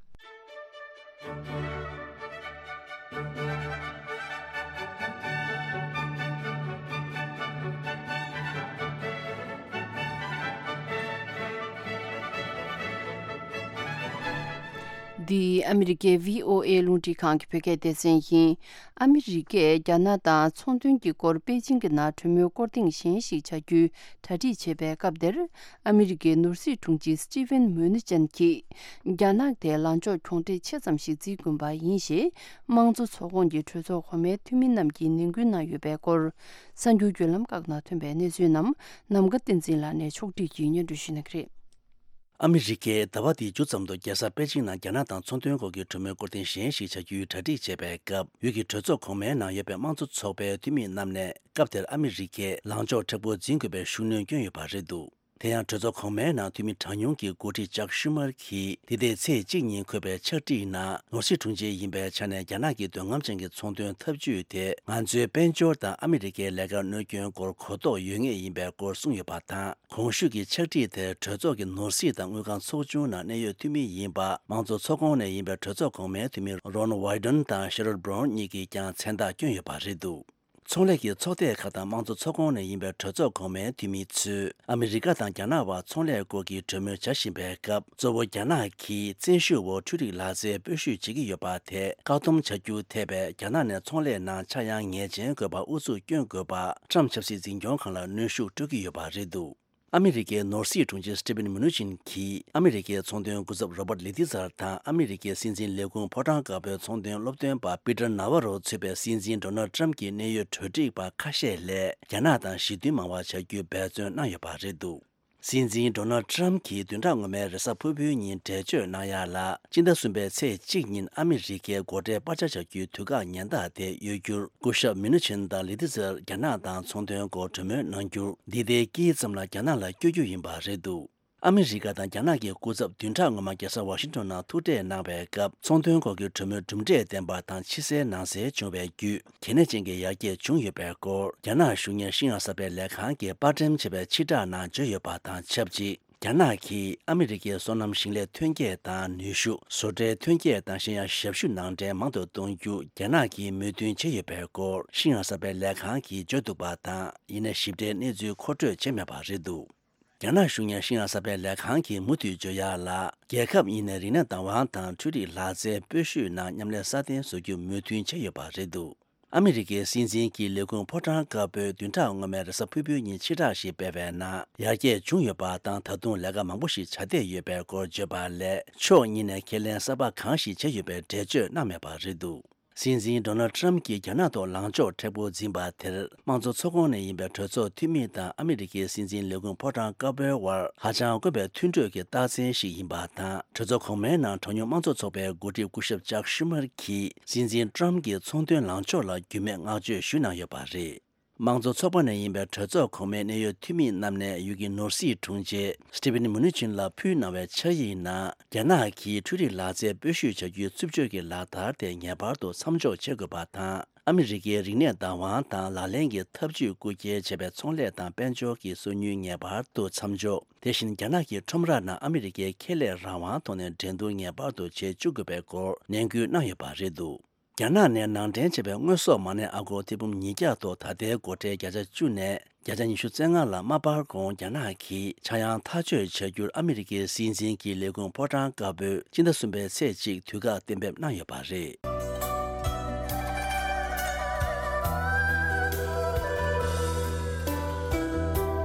འདི་ཨ་མི་རི་ཀའི་བྷི་ཨོ་ཨེ་རླུང་འཕྲིན་ཁང་གི་བོད་སྐད་སྡེ་ཚན་ཡིན། ཨ་མི་རི་ཀས་རྒྱ་ནག་དང་ཚོང་དོན་གྱི་སྐོར་པེ་ཅིང་གི་ནང་གྲོས་མོལ་སྐོར་ཐེངས་གཞན་ཞིག་བྱ་རྒྱུའི་གྲ་སྒྲིག་བྱེད་པའི་སྐབས་དེར། ཨ་མི་རི་ཀའི་ནོར་སྲིད་དྲུང་ཆེ་སི་ཊི་ཝེན་མུ་ནི་ཅན་གྱིས། རྒྱ་ནག་དེ་ལངས་ཕྱོགས་གྱོང་གྲས་ཆེ་ཙམ་ཞིག་བརྩི་དགོས་པ་ཡིན་ཞེས། དམངས་གཙོ་ཚོགས་ཁོངས་ཀྱི་གྲོས་ཚོགས་གོང་མའི་འཐུས་མི་རྣམས་ཀྱིས་ནན་སྐུལ་གནང་ཡོད་པའི་སྐོར། གསར་འགྱུར་བརྒྱུད་ལམ་ཁག་ནང་ཐོན་པའི་གནས་ཚུལ་རྣམས་ནམ་མཁའ་བསྟན་འཛིན་ལགས་ནས་ཕྱོགས་བསྒྲིགས་ཀྱིས་སྙན་སྒྲོན་ཞུ་གནང་གི་རེད། ཨ་མི་རི་ཀས་ཟླ་བ་འདིའི་མཇུག་ཙམ་དུ་རྒྱལ་ས་པེ་ཅིང་ནང་རྒྱ་ནག་དང་ཚོང་དོན་སྐོར་གྱི་གྲོས་མོལ་སྐོར་ཐེངས་གཞན་ཞིག་བྱ་རྒྱུའི་གྲ་སྒྲིག་བྱས་པའི་སྐབས། ཡུལ་གྱི་གྲོས་ཚོགས་གོང་མའི་ནང་ཡོད་པའི་དམངས་གཙོ་ཚོགས་པའི་འཐུས་མི་རྣམས་ནས་སྐབས་དེར་ཨ་མི་རི་ཀས་ལངས་ཕྱོགས་མཁྲེགས་པོ་འཛིན་དགོས་པའི་ཤུགས་སྣོན་བསྐྱོན་ཡོད་པ་རེད་འདུག། དེ་ཡང་གྲོས་ཚོགས་གོང་མའི་ནང་འཐུས་མི་གྲངས་ཉུང་གི་འགོ་ཁྲིད་ཅག་ཤུ་མར་གྱིས་འདི་ཟླའི་ཚེས་གཅིག་ཉིན་འཁོད་པའི་ཕྱག་བྲིས་ནང་ནོར་སྲིད་དྲུང་ཆེ་ཡིན་པའི་ཆ་ནས་རྒྱ་ནག་གི་འདོད་རྔམ་ཅན་གྱི་ཚོང་དོན་འཐབ་ཇུས་དེ་ང་ཚོའི་དཔལ་འབྱོར་དང་ཨ་མི་རི་ཀའི་ལས་ཀར་གནོད་སྐྱོན་སྐོར་གོ་རྟོགས་ཡོད་ངེས་ཡིན་པའི་སྐོར་གསུངས་ཡོད་པ་དང་། གོང་ཞུས་ཀྱི་ཕྱག་བྲིས་དེར་གྲོས་ཚོགས་ཀྱི་ནོར་སྲིད་དང་དངུལ་ཁང་ཚོགས་ཆུང་ནང་གནད་ཡོད་འཐུས་མི་ཡིན་པ་དམངས་གཙོ་ཚོགས་ཁོངས་ནས་ཡིན་པའི་གྲོས་ཚོགས་གོང་མའི་འཐུས་མི་Ron Wyden དང་Sherrod Brown གཉིས་ཀྱིས་ཀྱང་མཚན་རྟགས་བསྐྱོན་ཡོད་པ་རེད་འདུག་ཚོང་ལས་ཀྱི་ཚོགས་སྡེ་ཁག་དང་དམངས་གཙོ་ཚོགས་ཁོངས་ནས་ཡིན་པའི་གྲོས་ཚོགས་གོང་མའི་འཐུས་མི་ཚོས་ཨ་མི་རི་ཀ་དང་རྒྱ་ནག་བར་ཚོང་ལས་སྐོར་གྱི་གྲོས་མོལ་བྱ་བཞིན་པའི་སྐབས། གཙོ་བོ་རྒྱ་ནག་གིས་བཙན་ཤུགས་འོག་འཕྲུལ་རིག་ལག་རྩལ་སྤོ་བཤུད་བྱེད་ཀྱི་ཡོད་པ་དེ་བཀག་སྡོམ་བྱ་རྒྱུ་ཐེ་བའི་རྒྱ་ནག་ནས་ཚོང་ལས་ནང་ཆག་ཡང་ངེས་ཅན་དགོས་པར་ཨུ་ཚུགས་སྐྱོན་དགོས་པ་ཊམ་ཆབ་སྲིད་འཛིན་སྐྱོང་ཁང་ལ་གནོན་ཤུགས་སྤྲོད་ཀྱི་ཡོད་པ་རེད་འདུག་ཨ་མི་རི་ཀའི་ནོར་སྲིད་དྲུང་ཆེ་Steven Mnuchin གྱིས་ཨ་མི་རི་ཀའི་ཚོང་དོན་སྐུ་ཚབ་Robert Lighthizer དང་ཨ་མི་རི་ཀའི་སྲིད་འཛིན་ལས་ཁུངས་ཕོ་བྲང་དཀར་པོའི་ཚོང་དོན་སློབ་སྟོན་པ་Peter Navarro གཙོས་པའི་སྲིད་འཛིན་Donald Trump གྱི་གནད་ཡོད་གྲོས་སྒྲིག་པ་ཁ་ཤས་ལས་རྒྱ་ནག་དང་ཞི་མཐུན་མང་བ་བྱ་རྒྱུའི་འབད་བརྩོན་གནང་ཡོད་པ་རེད་འདུག་སྲིད་འཛིན་Donald Trump གྱིས་བདུན་ཕྲག་སྔོན་མའི་རེས་གཟའ་ཕུར་བུའི་ཉིན་འགྲེལ་བརྗོད་གནང་ཡ་ལ། སྤྱི་ཟླ་གསུམ་པའི་ཚེས་གཅིག་ཉིན་ཨ་མི་རི་ཀའི་སྒོ་ཁྲལ་སྤར་ཆ་བྱ་རྒྱུའི་དུས་བཀག་ཉེན་བརྡ་དེ་གཡོལ་རྒྱུར་སྐུ་ཞབས་Mnuchin དང་Lighthizer རྒྱ་ནག་དང་ཚོང་དོན་སྐོར་གྲོས་མོལ་གནང་རྒྱུར། འདི་ཟླའི་དཀྱིལ་ཙམ་ལ་རྒྱ་ནག་ལ་བསྐྱོད་རྒྱུ་ཡིན་པ་རེད་འདུག་ཨ་མི་རི་ཀ་དང་རྒྱ་ནག་གི་སྐུ་ཚབ་བདུན་ཕྲག་སྔོན་མ་རྒྱལ་ས་ཝ་ཤིང་ཊོན་ནང་ཐུག་འཕྲད་གནང་བའི་སྐབས། ཚོང་དོན་སྐོར་གྱི་གྲོས་མོལ་གྲུབ་འབྲས་ལྡན་པ་དང་ཕྱི་གསལ་ནང་གསལ་བྱུང་བའི་བརྒྱུད། གལ་གནད་ཅན་གྱི་ཡར་རྒྱས་བྱུང་ཡོད་པའི་སྐོར། རྒྱ་ནག་གཞུང་གཉེར་ཤིན་ཡང་གསར་པའི་ལས་ཁང་གིས་པར་འགྲེམས་བྱས་པའི་ཕྱིར་བསྒྲགས་ནང་བརྗོད་ཡོད་པ་དང་ཆབས་ཅིག་རྒྱ་ནག་གིས་ཨ་མི་རི་ཀའི་སོ་ནམ་ཞིང་ལས་ཐོན་སྐྱེད་དང་ནུས་ཤུགས། བཟོ་གྲྭའི་ཐོན་སྐྱེད་དང་གཞན་ཡང་ཞབས་ཞུ་ནང་འདྲེན་མང་དུ་གཏོང་རྒྱུ་རྒྱ་ནག་གིས་མོས་མཐུན་བྱས་ཡོད་པའི་སྐོར། ཤིན་ཡང་གསར་པའི་ལས་ཁང་གིས་བརྗོད་འདུག་པ་དང་། ཡིན་ནའི་ཞིབ་ཕྲའི་གནས་ཚུལ་མཁོ་སྤྲོད་བྱས་མེད་པ་རེད་འདུག་རྒྱ་ནག་གཞུང་གཉེར་ཤིན་ཡང་གསར་པའི་ལས་ཁང་གིས་མུ་མཐུད་བརྗོད་ཡག་ལ། རྒྱལ་ཁབ་གཉིས་ནས་རིག་གནས་བདག་དབང་དང་འཕྲུལ་རིག་ལག་རྩལ་སྤོ་བཤུད་ནང་མཉམ་ལས་སྲ་བརྟན་བཟོ་རྒྱུ་མོས་མཐུན་བྱས་ཡོད་པ་རེད་འདུག་ཨ་མི་རི་ཀའི་སྲིད་འཛིན་གྱི་ལས་ཁུངས་ཕོ་བྲང་དཀར་པོས་བདུན་ཕྲག་སྔོན་མའི་རེས་གཟའ་ཕུར་བུའི་ཉིན་ཕྱིར་བསྒྲགས་ཤིག་སྤེལ་བའི་ནང་། ཡར་རྒྱས་བྱུང་ཡོད་པ་དང་། ད་དུང་ལས་ཀ་མང་པོ་ཞིག་བྱ་བསྡད་ཡོད་པའི་སྐོར་བརྗོད་པ་ལས། ཕྱོགས་གཉིས་ནས་ཁས་ལེན་གསར་པ་གང་ཞིག་བྱས་ཡོད་པའི་འགྲེལ་བརྗོད་གནང་མེད་པ་རེད་འདུག་སྲིད་འཛིན་Donald Trump གྱིས་རྒྱ་ནག་ཐོག་ལངས་ཕྱོགས་མཁྲེགས་པོ་འཛིན་པ་དེར། དམངས་གཙོ་ཚོགས་ཁོངས་ནས་ཡིན་པའི་གྲོས་ཚོགས་འཐུས་མི་དང་ཨ་མི་རི་ཀའི་སྲིད་འཛིན་ལས་ཁུངས་ཕོ་བྲང་དཀར་པོའི་དབར་ཧ་ཅང་དཀོན་པའི་མཐུན་གྲོས་ཀྱི་རྟགས་མཚན་ཞིག་ཡིན་པ་དང་། གྲོས་ཚོགས་གོང་མའི་ནང་གྲངས་ཉུང་དམངས་གཙོ་ཚོགས་པའི་འགོ་ཁྲིད་སྐུ་ཞབས་ཅག་ཤུ་མར་གྱིས་སྲིད་འཛིན་Trump གྱི་ཚོང་དོན་ལངས་ཕྱོགས་ལ་རྒྱུས་མེད་བསྔགས་བརྗོད་ཞུས་གནང་ཡོད་པ་རེད། དམངས་གཙོ་ཚོགས་པ་ནས་ཡིན་པའི་གྲོས་ཚོགས་གོང་མའི་གནད་ཡོད་འཐུས་མི་རྣམས་ནས་ཡུལ་གྱི་ནོར་སྲིད་དྲུང་ཆེ་Steven Mnuchin ལ་ཕུལ་གནང་བའི་ཕྱག་ཡིག་ནང་། རྒྱ་ནག་གིས་འཕྲུལ་རིག་ལག་རྩལ་སྤོ་བཤུད་བྱ་རྒྱུའི་རྩུབ་སྤྱོད་ཀྱི་ལག་བསྟར་དེ་ངེས་པར་དུ་མཚམས་འཇོག་བྱེད་དགོས་པ་དང་། ཨ་མི་རི་ཀའི་རིག་གནས་བདག་དབང་དང་ལག་ལེན་གྱི་ཐབས་ཇུས་རྐུ་འཁྱེར་བྱས་པའི་ཚོང་ལས་དང་དཔལ་འབྱོར་གྱི་སོ་ཉུལ་ངེས་པར་དུ་མཚམས་འཇོག་དེ་བཞིན་རྒྱ་ནག་གི་ཁྲོམ་ར་ནང་ཨ་མི་རི་ཀའི་ཁེ་ལས་རང་དབང་ཐོག་ནས་འགྲན་བསྡུར་ངེས་པར་དུ་བྱེད་བཅུག་དགོས་པའི་སྐོར་ནན་སྐུལ་གནང་ཡོད་པ་རེད་འདུག་རྒྱ་ནག་ནས་ནང་འདྲེན་བྱས་པའི་དངོས་ཟོག་མ་ཎི་ཨ་སྒོར་ཐེར་འབུམ་ཉིས་བརྒྱ་ཐོག་ད་ལྟའི་སྒོ་ཁྲལ་བརྒྱ་ཆ་བཅུ་ནས་བརྒྱ་ཆ་ཉི་ཤུ་རྩ་ལྔ་ལ་མ་སྤར་གོང་རྒྱ་ནག་གིས་ཆག་ཡང་ཐག་གཅོད་བྱ་རྒྱུར་ཨ་མི་རི་ཀའི་སྲིད་འཛིན་གྱི་ལས་ཁུངས་ཕོ་བྲང་དཀར་པོས་སྤྱི་ཟླ་གསུམ་པའི་ཚེས་གཅིག་དུས་བཀག་གཏན་འབེབས་གནང་ཡོད་པ་རེད།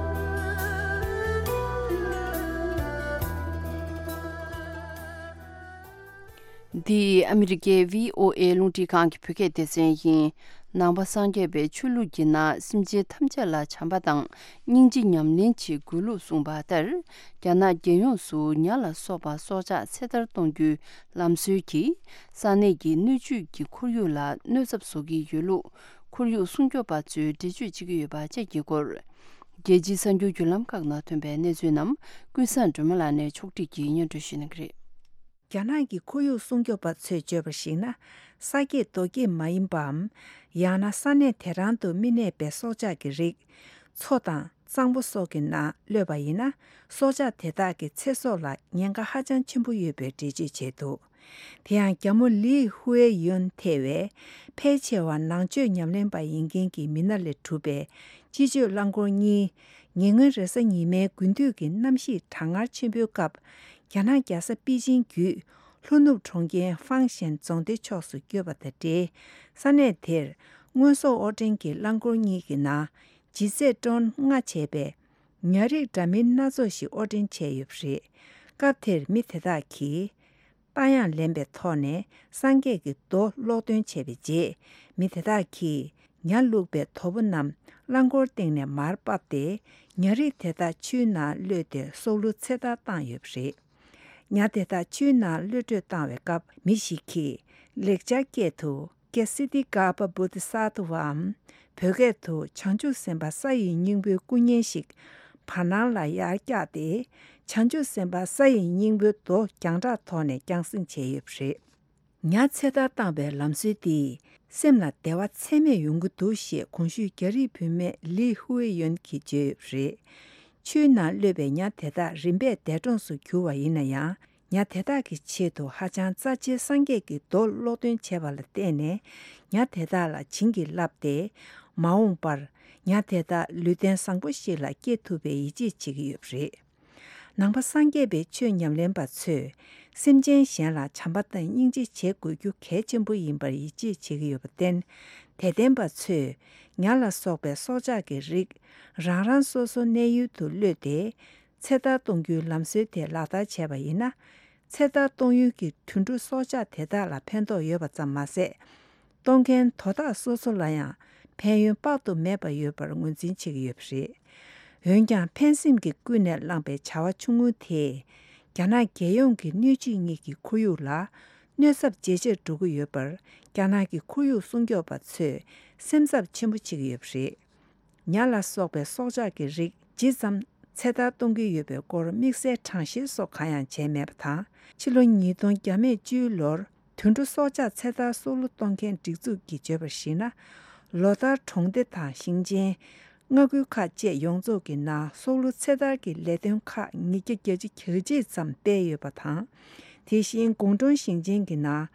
འདི་ཨ་མི་རི་ཀའི་བྷི་ཨོ་ཨེ་རླུང་འཕྲིན་ཁང་གི་བོད་སྐད་སྡེ་ཚན་ཡིན། ནང་པ་སངས་རྒྱས་པའི་ཆོས་ལུགས་ཀྱི་ནང་སེམས་ཅན་ཐམས་ཅད་ལ་བྱམས་པ་དང་སྙིང་རྗེ་ཉམས་ལེན་བྱེད་དགོས་ལུགས་གསུངས་པ་ལྟར། རྒྱ་ནག་རྒྱལ་ཡོངས་སུ་ཉ་ལ་སོགས་པ་སྲོག་ཆགས་ཚེ་ཐར་གཏོང་རྒྱུའི་ལམ་སྲོལ་གྱིས་ས་གནས་ཀྱི་སྣོད་བཅུད་ཀྱི་ཁོར་ཡུག་ལ་གནོད་ཚབས་བཟོ་གི་ཡོད་ལུགས། ཁོར་ཡུག་སྲུང་སྐྱོབ་པ་ཚོས་འགྲེལ་བརྗོད་བྱེད་ཀྱི་ཡོད་པ་བཅས་ཀྱི་སྐོར། རྒྱལ་སྤྱིའི་གསར་འགྱུར་བརྒྱུད་ལམ་ཁག་ནང་ཐོན་པའི་གནས་ཚུལ་རྣམས་ཀུན་བཟང་སྒྲོལ་མ་ལགས་ནས་ཕྱོགས་སྒྲིག་གིས་སྙན་སྒྲོན་ཞུ་གནང་གི་རེད། རྒྱ་ནག་གི་ཁོར་ཡུག་སྲུང་སྐྱོབ་པ་ཚོས་བརྗོད་པར་གཞིགས་ན། ས་སྐྱེས་རྡོ་སྐྱེས་མ་ཡིན་པའམ། ཡང་ན་ས་གནས་དེ་རང་དུ་མི་གནས་པའི་སྲོག་ཆགས་ཀྱི་རིགས། མཚོ་དང་གཙང་པོ་སོགས་ཀྱི་ནང་གློད་པ་ཡིན་ན། སྲོག་ཆགས་དེ་དག་གི་ཚེ་སྲོག་ལ་ཉེན་ཁ་ཧ་ཅང་ཆེན་པོ་ཡོད་པའི་འགྲེལ་བརྗོད་བྱས་འདུག་དེ་ཡང་རྒྱ་མོ་ལི་ཧུའེ་ཡོན་ཐེ་བའི་ཕལ་ཆེ་བ་ནང་ཆོས་ཉམས་ལེན་པ་ཡིན་མཁན་གྱི་མི་སྣ་ལས་གྲུབ་པའི་སྤྱི་སྤྱོད་རླངས་འཁོར་གཉིས། ཉེ་སྔོན་རེས་གཟའ་ཉི་མའི་དགུན་དུས་ཀྱི་གནམ་གཤིས་གྲང་ངར་ཆེན་པོའི་སྐབས། རྒྱ་ནག་རྒྱལ་ས་པེ་ཅིང་བརྒྱུད་ལྷོ་ནུབ་གྲོང་ཁྱེར་ཧྥང་ཞན་རྫོང་སྡེ་ཕྱོགས་སུ་བསྐྱོད་པ་དང་འབྲེལ། ས་གནས་དེར་དངོས་ཟོག་དབོར་འདྲེན་གྱི་རླངས་འཁོར་གཉིས་ཀྱི་ནང་ལྗིད་ཚད་ཏོན་ལྔ་བྱས་པའི་ཉ་རིགས་འདྲ་མིན་སྣ་ཚོགས་ཤིག་དབོར་འདྲེན་བྱས་ཡོད་པ་རེད། སྐབས་དེར་མི་དེ་དག་གིས། རྟ་གཡང་ལེན་པའི་ཐོག་ནས་སངས་རྒྱས་ཀྱི་མདོ་ཀློག་འདོན་བྱས་པའི་རྗེས། མི་དེ་དག་གིས་ཉ་བླུགས་པའི་དོ་པོ་རྣམས་རླངས་འཁོར་སྟེང་ནས་མར་ཕབ་སྟེ། ཉ་རིགས་དེ་དག་ཆུའི་ནང་གློད་དེ་སྲོག་བླུ་ཚེ་ཐར་བཏང་ཡོད་པ་རེད། ཉ་དེ་དག་ཆུའི་ནང་གློད་བཀྲོལ་བཏང་བའི་སྐབས། མི་ཞིག་གིས་ལེགས་སྦྱར་སྐད་དུ། ཀྱེ་སི་ཏི་ག་པ་བོ་དྷི་ས་ཏྭ་བའམ། བོད་སྐད་དུ། བྱང་ཆུབ་སེམས་དཔའ་ས་ཡི་སྙིང་པོའི་སྐུ་བརྙན་ཞིག་ བར་སྣང་ལ་ཡར་བཀྱགས་ཏེ། བྱང་ཆུབ་སེམས་དཔའ་ས་ཡི་སྙིང་པོའི་མདོ་རྒྱང་གྲགས་ཐོག་ནས་རྒྱང་སྲིང་བྱས་ཡོད་པ་རེད། ཉ་ཚེ་ཐར་བཏང་བའི་ལམ་སྲོལ་འདིས་སེམས་ལ་བདེ་བ་ཚད་མེད་ཡོང་གི་འདུག་ཞེས་གོང་ཞུས་རྒྱ་རིགས་བུད་མེད་ལི་ཧུའེ་ཡོན་གྱིས་བརྗོད་ཡོད་པ་རེད། ཆུའི་ནང་གློད་པའི་ཉ་དེ་དག་རིམ་པས་འདས་གྲོངས་སུ་གྱུར་བ་ཡིན་ན་ཡང་། ཉ་དེ་དག་གི་ཆེད་དུ་ཧ་ཅང་རྩ་ཆེའི་སངས་རྒྱས་ཀྱི་མདོ་ཀློག་འདོན་བྱས་པ་ལ་བརྟེན་ནས། ཉ་དེ་དག་ལ་བྱིན་གྱིས་བརླབས་ཏེ། མ་འོངས་པར་ཉ་དེ་དག་ལུས་རྟེན་བཟང་པོ་ཞིག་ལ་སྐྱེ་ཐུབ་པའི་ཡིད་ཆེས་བྱེད་ཀྱི་ཡོད་པ་རེད། ནང་པ་སངས་རྒྱས་པའི་ཆོས་ཉམས་ལེན་པ་ཚོས་སེམས་ཅན་གཞན་ལ་བྱམས་པ་དང་སྙིང་རྗེ་བྱེད་དགོས་རྒྱུ་གལ་ཆེན་པོ་ཡིན་པར་ཡིད་ཆེས་བྱེད་ཀྱི་ཡོད་པར་བརྟེན། དད་ལྡན་པ་ཚོས་ཉ་ལ་སོགས་པའི་སྲོག་ཆགས་ཀྱི་རིགས་རང་རང་སོ་སོ་གནས་ཡུལ་དུ་གློད་དེ། ཚེ་ཐར་གཏོང་རྒྱུའི་ལམ་སྲོལ་དེ་ལག་བསྟར་བྱས་པ་ཡིན་ན། ཚེ་ཐར་གཏོང་ཡུལ་གྱི་དུད་འགྲོ་སྲོག་ཆགས་དེ་དག་ལ་ཕན་ཐོགས་ཡོད་པ་ཙམ་མ་ཟད། གཏོང་མཁན་དོ་བདག་སོ་སོ་ལ་ཡང་ཕན་ཡོན་དཔག་ཏུ་མེད་པ་ཡོད་པར་ངོས་འཛིན་བྱེད་ཀྱི་ཡོད་པ་རེད། འོན་ཀྱང་ཕན་སེམས་ཀྱིས་ཀུན་ནས་བསླངས་པའི་བྱ་བ་ཆུང་ངུ་དེས། རྒྱ་ནག་རྒྱལ་ཡོངས་ཀྱི་སྣོད་བཅུད་གཉིས་ཀྱི་ཁོར་ཡུག་ལ་གནོད་ཚབས་ཇེ་ཆེར་འགྲོ་གི་ཡོད་པར། རྒྱ་ནག་གི་ཁོར་ཡུག་སྲུང་སྐྱོབ་པ་ཚོས་སེམས་འཚབ་ཆེན་པོ་བྱེད་ཀྱི་ཡོད་པ་རེད། ཉ་ལ་སོགས་པའི་སྲོག་ཆགས་ཀྱི་རིགས་ཇི་ཙམ་ཚེ་ཐར་གཏོང་གི་ཡོད་པའི་སྐོར་དམིགས་བསལ་གྲངས་བཤེར་སོགས་གང་ཡང་བྱས་མེད་པ་དང་། ཕྱི་ལོ་ཉིས་སྟོང་བཅུའི་ལོར་དུད་འགྲོ་སྲོག་ཆགས་ཚེ་ཐར་སྲོག་བླུ་གཏོང་མཁན་སྒྲིག་འཛུགས་ཀྱིས་བརྗོད་པར་གཞིགས་ན། ལོ་ལྟར་གྲོང་སྡེ་དང་ཞིང་ཆེན། མངའ་ཁུལ་ཁག་བཅས་ཡོངས་རྫོགས་ཀྱི་ནང་སྲོག་བླུ་ཚེ་ཐར་གྱི་ལས་དོན་ཁག་ཉིས་བརྒྱ་གྱ་གཅིག་ཙམ་སྤེལ་ཡོད་པ་དང་། དེ་བཞིན་གུང་ཀྲོང་ཞིང་ཆེན་གྱི་ནང་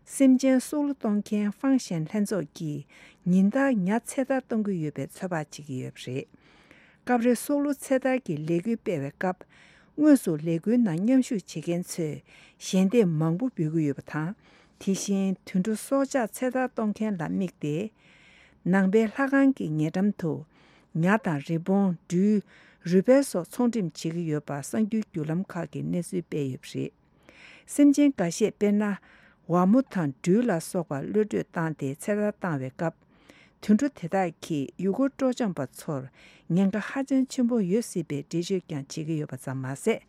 སེམས་ཅན་སྲོག་བླུ་གཏོང་མཁན་ཧྥང་ཞན་ལྷན་ཚོགས་ཀྱིས་ཉིན་ལྟར་ཉ་ཚེ་ཐར་གཏོང་གི་ཡོད་པའི་ཚོད་དཔག་བྱེད་ཀྱི་ཡོད་པ་རེད། སྐབས་རེ་སྲོག་བླུ་ཚེ་ཐར་གྱི་ལས་འགུལ་སྤེལ་བའི་སྐབས། དངོས་སུ་ལས་འགུལ་ནང་མཉམ་ཞུགས་བྱེད་མཁན་ཚོས་ཞལ་འདེབས་མང་པོ་འབུལ་གྱི་ཡོད་པ་དང་། དེ་བཞིན་དུད་འགྲོ་སྲོག་ཆགས་ཚེ་ཐར་གཏོང་མཁན་ལ་དམིགས་ཏེ། ནང་པའི་ལྷ་ཁང་གི་ཉེ་འགྲམ་དུ། ཉ་དང་རི་བོང་། སྦྲུལ། རུས་སྦལ་སོགས་ཚོང་འགྲེམས་བྱེད་ཀྱི་ཡོད་པ་གསར་འགྱུར་བརྒྱུད་ལམ་ཁག་གིས་གནས་ཚུལ་སྤེལ་ཡོད་པ་རེད། སེམས་ཅན་འགའ་ཤས་དཔེར་ན། ཝ་མོ་དང་སྦྲུལ་ལ་སོགས་པ་གློད་གྲོལ་བཏང་སྟེ་ཚེ་ཐར་བཏང་བའི་སྐབས། དུད་འགྲོ་དེ་དག་གིས་ཡུལ་སྐོར་སྤྲོ་འཆམ་པ་ཚོར་ཉེན་ཁ་ཧ་ཅང་ཆེན་པོ་ཡོད་སྲིད་པའི་འགྲེལ་བརྗོད་ཀྱང་བྱེད་ཀྱི་ཡོད་པ་ཙམ་མ་ཟད།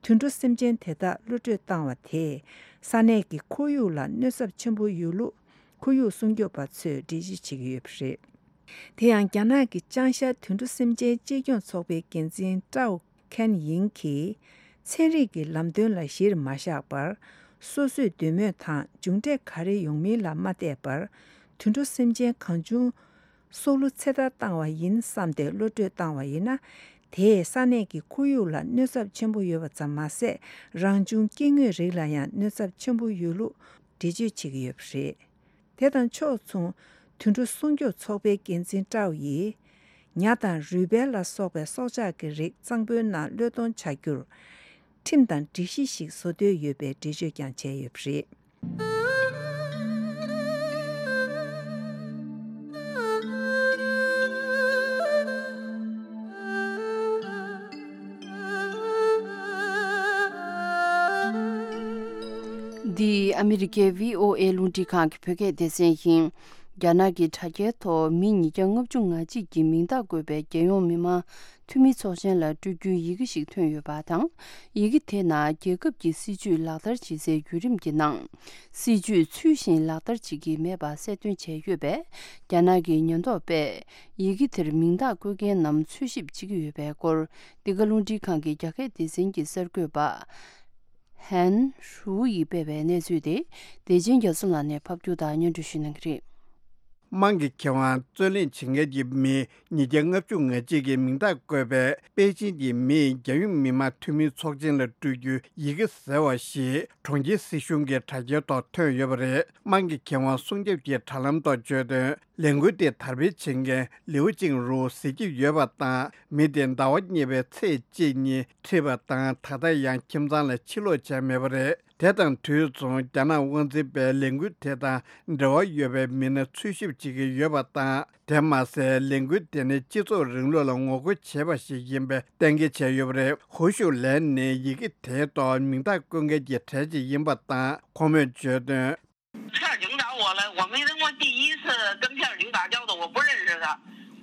དུད་འགྲོ་སེམས་ཅན་དེ་དག་གློད་གྲོལ་བཏང་བ་དེས་ས་གནས་ཀྱི་ཁོར་ཡུག་ལ་གནོད་ཚབས་ཆེན་པོ་ཡོད་ལུགས་ཁོར་ཡུག་སྲུང་སྐྱོབ་པ་ཚོས་འགྲེལ་བརྗོད་བྱེད་ཀྱི་ཡོད་པ་རེད། དེ་ཡང་རྒྱ་ནག་གི་ཅང་ཤར་དུད་འགྲོ་སེམས་ཅན་གཅེས་སྐྱོང་ཚོགས་པའི་འགན་འཛིན་ཀྲའོ་ཁན་ཡིང་གིས། ཚན་རིག་གི་ལམ་སྟོན་ལ་གཞིར་མ་བཞག་པར། སོ་སོས་འདོད་མོས་དང་མཇུག་འབྲས་ག་རེ་ཡོང་མིན་ལ་མ་བལྟས་པར། དུད་འགྲོ་སེམས་ཅན་གང་བྱུང་སྲོག་བླུ་ཚེ་ཐར་བཏང་བ་ཡིན་བསམ་སྟེ་གློད་གྲོལ་བཏང་བ་ཡིན་ན། དེས་ས་གནས་ཀྱི་ཁོར་ཡུག་ལ་གནོད་ཚབས་ཆེན་པོ་ཡོད་པ་ཙམ་མ་ཟད། རང་བྱུང་སྐྱེ་དངོས་རིགས་ལ་ཡང་གནོད་ཚབས་ཆེན་པོ་ཡོད་ལུགས་འགྲེལ་བརྗོད་བྱེད་ཀྱི་ཡོད་པ་རེད། དེ་དང་ཕྱོགས་མཚུངས། དུད་འགྲོ་སྲུང་སྐྱོབ་ཚོགས་པའི་འགན་འཛིན་ཀྲའོ་ཡིས། ཉ་དང་རུས་སྦལ་ལ་སོགས་པའི་སྲོག་ཆགས་ཀྱི་རིགས་གཙང་པོའི་ནང་གློད་གཏོང་བྱ་རྒྱུར། ཁྲིམས་དང་སྒྲིག་གཞི་ཞིག་བཟོ་འདོད་ཡོད་པའི་འགྲེལ་བརྗོད་ཀྱང་བྱས་ཡོད་པ་རེད། འདི་ཨ་མི་རི་ཀའི་བྷི་ཨོ་ཨེ་རླུང་འཕྲིན་ཁང་གི་བོད་སྐད་སྡེ་ཚན་ཡིན། རྒྱ་ནག་གི་དྲ་རྒྱའི་ཐོག་མི་ཉིས་བརྒྱ་ལྔ་བཅུ་ང་གཅིག་གི་མིང་རྟགས་བཀོད་པའི་རྒྱལ་ཡོངས་མི་དམངས་འཐུས་མི་ཚོགས་ཆེན་ལ་སྤྲོད་རྒྱུའི་ཡི་གེ་ཞིག་ཐོན་ཡོད་པ་དང་། ཡི་གེ་དེ་ནང་རྒྱལ་ཁབ་ཀྱི་སྲིད་ཇུས་ལག་བསྟར་བྱེད་སའི་བརྒྱུད་རིམ་གྱི་ནང་། སྲིད་ཇུས་ཚུལ་བཞིན་ལག་བསྟར་བྱེད་ཀྱི་མེད་པ་གསལ་སྟོན་བྱས་ཡོད་པས། རྒྱ་ནག་གི་ཉེན་རྟོག་པས་ཡི་གེ་དེར་མིང་རྟགས་བཀོད་མཁན་རྣམས་འཚོལ་ཞིབ་བྱེད་ཀྱི་ཡོད་པའི་སྐོར། འདི་ག་རླུང་འཕྲིན་ཁང་གི་རྒྱ་སྐད་སྡེ་ཚན་གྱི་གསར་འགོད་པ། ཧན་ཧྲུའུ་ཡིས་སྤེལ་བའི་གནས་ཚུལ་དེ། བདེ་ཆེན་རྒྱ་མཚོ་ལགས་ནས་ཕབ་སྒྱུར་དང་སྙན་སྒྲོན་ཞུ་གནང་གི་རེད། དམངས་ཀྱི་ཁེ་དབང་རྩོད་ལེན་བྱེད་མཁན་གྱི་མི་ཉིས་བརྒྱ་ལྔ་བཅུ་ང་གཅིག་གི་མིང་རྟགས་བཀོད་པའི་པེ་ཅིན་གྱི་མིས་རྒྱལ་ཡོངས་མི་དམངས་འཐུས་མི་ཚོགས་ཆེན་ལ་སྤྲོད་རྒྱུའི་ཡི་གེ་ཟེར་བ་ཞིག་གྲོང་ཁྱེར་སྲིད་གཞུང་གི་དྲ་རྒྱའི་ཐོག་ཐོན་ཡོད་པ་རེད། དམངས་ཀྱི་ཁེ་དབང་སྲུང་སྐྱོབ་ཀྱི་དྲ་ལམ་ཐོག་བརྗོད་དོན། ལས་འགུལ་དེ་དར་སྤེལ་བྱེད་མཁན་ལིའུ་ཅིང་རུའུ་ཟེར་གྱི་ཡོད་པ་དང་། མི་དེ་ཟླ་བ་གཉིས་པའི་ཚེས་གཅིག་ཉིན་ཁྲིད་པ་དང་། ད་ལྟ་ཡང་ཁྱིམ་ཚང་ལ་ཕྱིར་ལོག་བྱས་མེད་པ་རེད། དེ་དང་དུས་མཚུངས། རྒྱ་ནག་དབང་འཛིན་པས་ལས་འགུལ་དེ་དང་འབྲེལ་བ་ཡོད་པའི་མི་སྣ་འཚོལ་ཞིབ་བྱེད་ཀྱི་ཡོད་པ་དང་། དེ་མ་ཟད། ལས་འགུལ་དེ་ནི་སྤྱི་ཚོགས་རིང་ལུགས་ལ་ངོ་རྒོལ་བྱེད་པ་ཞིག་ཡིན་པའི་གཏན་འཁེལ་བྱས་ཡོད་པ་རེད། ཧུའུ་ཞུའུ་ལན་ནི་ཡི་གེ་དེའི་ཐོག་མིང་རྟགས་བཀོད་མཁན་གྱི་གྲས་ཤིག་ཡིན་པ་དང་། ཁོང་མོས་བརྗོད་དོན། 是领导我了，我没登过第一次跟片儿警打交道，我不认识他。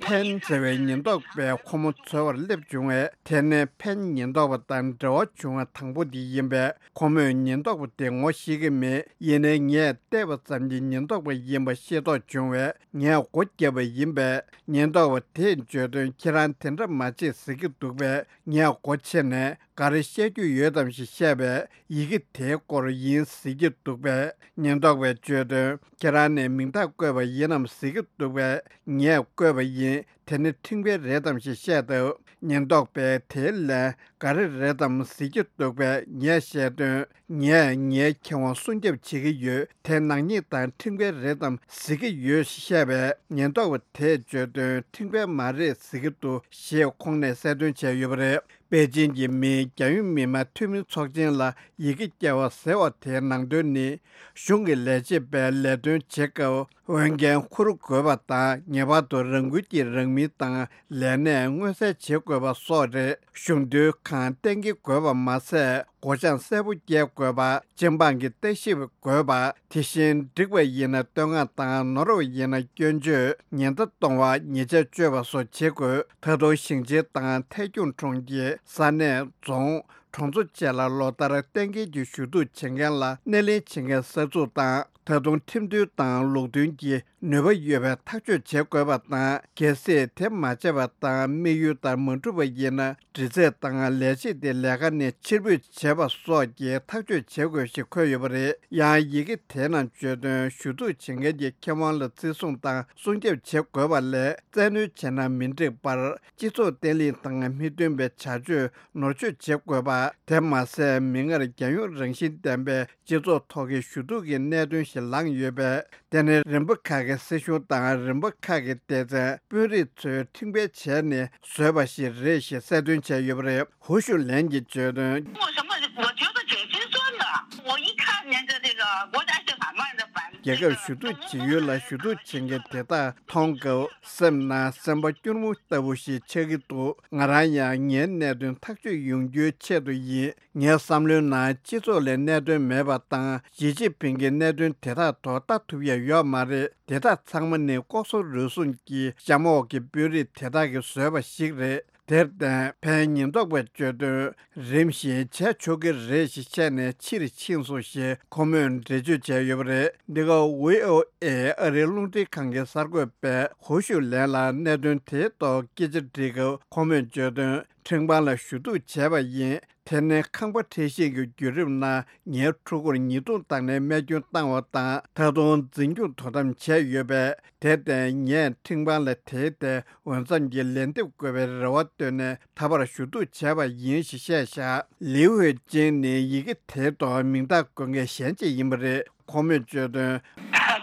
ཕན་ཟེར་བའི་ཉེན་རྟོག་པས་ཁོ་མོ་འཚོལ་བར་སླེབས་བྱུང་བས། དེ་ནི་ཕན་ཉེན་རྟོག་པ་དང་འབྲེལ་བ་བྱུང་བ་དང་པོ་དེ་ཡིན་པས། ཁོ་མོས་ཉེན་རྟོག་པ་དེ་ངོ་ཤེས་ཀྱི་མེད། ཡིན་ནའི་ངས་བལྟས་པ་ཙམ་གྱིས་ཉེན་རྟོག་པ་ཡིན་པ་ཤེས་རྟོགས་བྱུང་བས། ངས་སྒོ་བརྒྱབ་པ་ཡིན་པས། ཉེན་རྟོག་པ་དེས་བརྗོད་དོན། ཁྱེད་རང་དེ་འདྲ་མ་བྱེད་ཟེར་གྱི་འདུག་པས། ངས་སྒོ་ཕྱེ་ནས་ག་རེ་བཤད་རྒྱུ་ཡོད་དམ་ཞེས་བཤད་པས། ཡི་གེ་དེའི་སྐོར་ཡིན་ཟེར་གྱི་འདུག་པས། ཉེན་རྟོག་པས་བརྗོད་དོན། ཁྱེད་རང་ནས་མིང་རྟགས་བཀོད་པ་ཡིན་ནམ་ཟེར་གྱི་འདུག་པས། ངས་བཀོད་པ་ཡིན། དེ་ནི་ཁྲིམས་འགལ་རེད་དམ་ཞེས་བཤད་དོ། ཉེན་རྟོག་པས་དེའི་ལན་ག་རེ་རེད་དམ་ཟེར་གྱི་འདུག་པས། ངས་བཤད་དོན། ངས་ངའི་ཁེ་དབང་སྲུང་སྐྱོབ་བྱེད་ཀྱི་ཡོད། དེ་ནག་ཉེས་དང་ཁྲིམས་འགལ་རེད་དམ་ཟེར་གྱི་ཡོད་ཞེས་བཤད་པས། ཉེན་རྟོག་པ་དེས་བརྗོད་དོན། ཁྲིམས་འགལ་མ་རེད་ཟེར་གྱི་འདུག་ཞེས་ཁོང་ནས་གསལ་སྟོན་བྱས་ཡོད་པ་རེད། པེ་ཅིན་གྱི་མིའི་རྒྱལ་ཡོངས་མི་དམངས་འཐུས་མི་ཚོགས་ཆེན་ལ་ཡི་གེ་བསྐྱལ་བ་ཟེར་བ་དེའི་ནང་དོན་ནི། གཞུང་གི་ལས་བྱེད་པས་ལས་དོན་བྱེད་སྐབས་འོས་འགན་འཁུར་དགོས་པ་དང་། ངེས་པར་དུ་རང་འགུལ་གྱིས་རང་མིང་དང་ལས་གནས་མངོན་གསལ་བྱེད་དགོས་པ་སོགས་རེད། གཞུང་དོན་ཁང་གཏན་འཁེལ་དགོས་པ་མ་ཟད། སྒོ་བྱང་གསལ་པོ་བསྐྱལ་དགོས་པ། སྤྱི་འབངས་ཀྱི་ལྟ་ཞིབ་དགོས་པ། དེ་བཞིན་འགྲིག་པ་ཡིན་ན་བསྟོད་བསྔགས་དང་། ནོར་བ་ཡིན་ན་སྐྱོན་བརྗོད། ཉེན་བརྡ་གཏོང་བ། ཉེས་ཆད་གཅོད་པ་སོགས་བྱེད་དགོས། ད་དུང་ཞིང་ཆེན་དང་ཐད་སྐྱོང་གྲོང་ཁྱེར། ས་གནས། རྫོང་། གྲོང་ཚོ་བཅས་ལ་ལོ་ལྟར་གཏན་འཁེལ་གྱི་ཞུ་གཏུག་བྱེད་མཁན་ལ་སྣེ་ལེན་བྱེད་མཁན་གསར་འཛུགས་དང་། ད་དུང་ཁྲིམས་མཐུན་དང་ལུགས་མཐུན་གྱི་ནུས་པ་ཡོད་པའི་ཐག་གཅོད་བྱེད་དགོས་པ་དང་། གལ་སྲིད་དེ་མ་བྱས་པ་དང་། དམིགས་ཡུལ་ལྟར་མ་འགྲུབ་པ་ཡིན་ན། འདྲི་རྩད་དང་ལས་བྱེད་དེ་ལས་ཀ་ནས་ཕྱིར་འབུད་བྱེད་པ་སོགས་ཀྱི་ཐག་གཅོད་བྱེད་དགོས་ཞེས་འཁོད་ཡོད་པ་རེད། ཡང་ཡི་གེ་དེའི་ནང་བརྗོད་དོན། ཞུ་གཏུག་བྱེད་མཁན་གྱི་ཁེ་དབང་ལ་བརྩི་སྲུང་དང་སྲུང་སྐྱོབ་བྱེད་དགོས་པ་ལས། བཙན་གནོན་བྱས་ན་མི་འགྲིག་པར། སྤྱི་ཚོགས་བརྟན་ལྷིང་དང་མི་མཐུན་པའི་བྱ་སྤྱོད་ནོར་བཅོས་བྱེད་དགོས་པ། དེ་མ་ཟད། མིག་སྔར་རྒྱལ་ཡོངས་རང་བཞིན་ལྡན་པའི་སྤྱི་ཚོགས་ཐོག་གི་ཞུ་གཏུག་གི་གནད་དོན་ཞིག་ལངས་ཡོད་པས། དེ་ནི་རིམ་པ་ཁག་གི་སྲིད་གཞུང་དང་། རིམ་པ་ཁག་གི་སྡེ་ཚན། དཔོན་རིགས་ཚོས་ཁྲིམས་འགལ་བྱས་ནས་བཟོས་པ་ཞིག་རེད་ཞེས་གསལ་སྟོན་བྱས་ཡོད་པ་རེད། ཧུའུ་ཞུ་ལན་གྱིས་བརྗོད་དོན། 我什么？我觉得挺心酸的。我一看见这这个国家性反乱的反 རྒྱལ་ཁབ་ཞུ་གཏུག་བྱེད་ཡུལ་ལ་ཞུ་གཏུག་བྱེད་མཁན་དེ་དག་མཐོང་སྐབས། སེམས་ནང་སེམས་པ་སྐྱུར་མོ་ལྟ་བུ་ཞིག་ཆགས་ཀྱི་འདུག་ང་རང་ཡང་ངའི་གནད་དོན་ཐག་གཅོད་ཡོང་རྒྱུའི་ཆེད་དུ་ཡིན། ངའི་བསམ་བློའི་ནང་སྤྱི་ཚོགས་ལ་གནད་དོན་མེད་པ་དང་། ཞི་ཅིན་ཕིང་གི་གནད་དོན་དེ་དག་ཐོག་ལྟ་ཐུབ་ཡ་ཡོད་མ་རེད། དེ་དག་ཚང་མ་ནི་ལྐོག་ཟ་རུལ་སུངས་ཀྱིས་གཤམ་འོག་གི་དཔོན་རིགས་དེ་དག་གིས་བཟོས་པ་ཞིག་རེད། དེར་བརྟེན། ཕན་ཉེན་རྟོག་པས་བརྗོད་དོན། རིམ་བཞིན་བྱས་ཆོག་གི་རེད་ཞེས་བཤད་ནས་ཕྱིར་ཕྱིན་སོང་ཞེས་ཁོ་མོས་འགྲེལ་བརྗོད་བྱས་ཡོད་པ་རེད། འདི་ག་བྷི་ཨོ་ཨེ་ཨ་རིའི་རླུང་འཕྲིན་ཁང་གི་གསར་འགོད་པས་ཧུའུ་ཞུ་ལན་ལ་གནད་དོན་དེའི་ཐོག་སྐད་ཆ་དྲིས་སྐབས། ཁོ་མོས་བརྗོད་དོན། ཁྲིམས་ཁང་ལ་ཞུ་གཏུག་བྱས་པ་ཡིན། དེ་ནི་ཁང་པ་འཕྲལ་བཤིག་གི་བརྒྱུད་རིམ་ནང་ངའི་ཕྲུ་གུར་ཉེས་རྡུང་བཏང་ནས་རྨས་སྐྱོན་བཏང་བ་དང་། ད་དུང་འཛིན་སྐྱོང་དོ་དམ་བྱས་ཡོད་པས། དེར་བརྟེན། ངས་ཁྲིམས་ཁང་ལ་དེའི་ཐད་འོས་འཚམ་གྱི་ལན་འདེབས་དགོས་པའི་རེ་བ་བཏོན་ནས་ད་བར་ཞུ་གཏུག་བྱས་པ་ཡིན་ཞེས་བཤད་བཞག་ལིའུ་ཧུའེ་ཅིན་ནི་ཡི་གེ་དེའི་ཐོག་མིང་རྟགས་འགོད་མཁན་གཞན་ཅིག་ཡིན་པ་རེད། ཁོ་མོས་བརྗོད་དོན།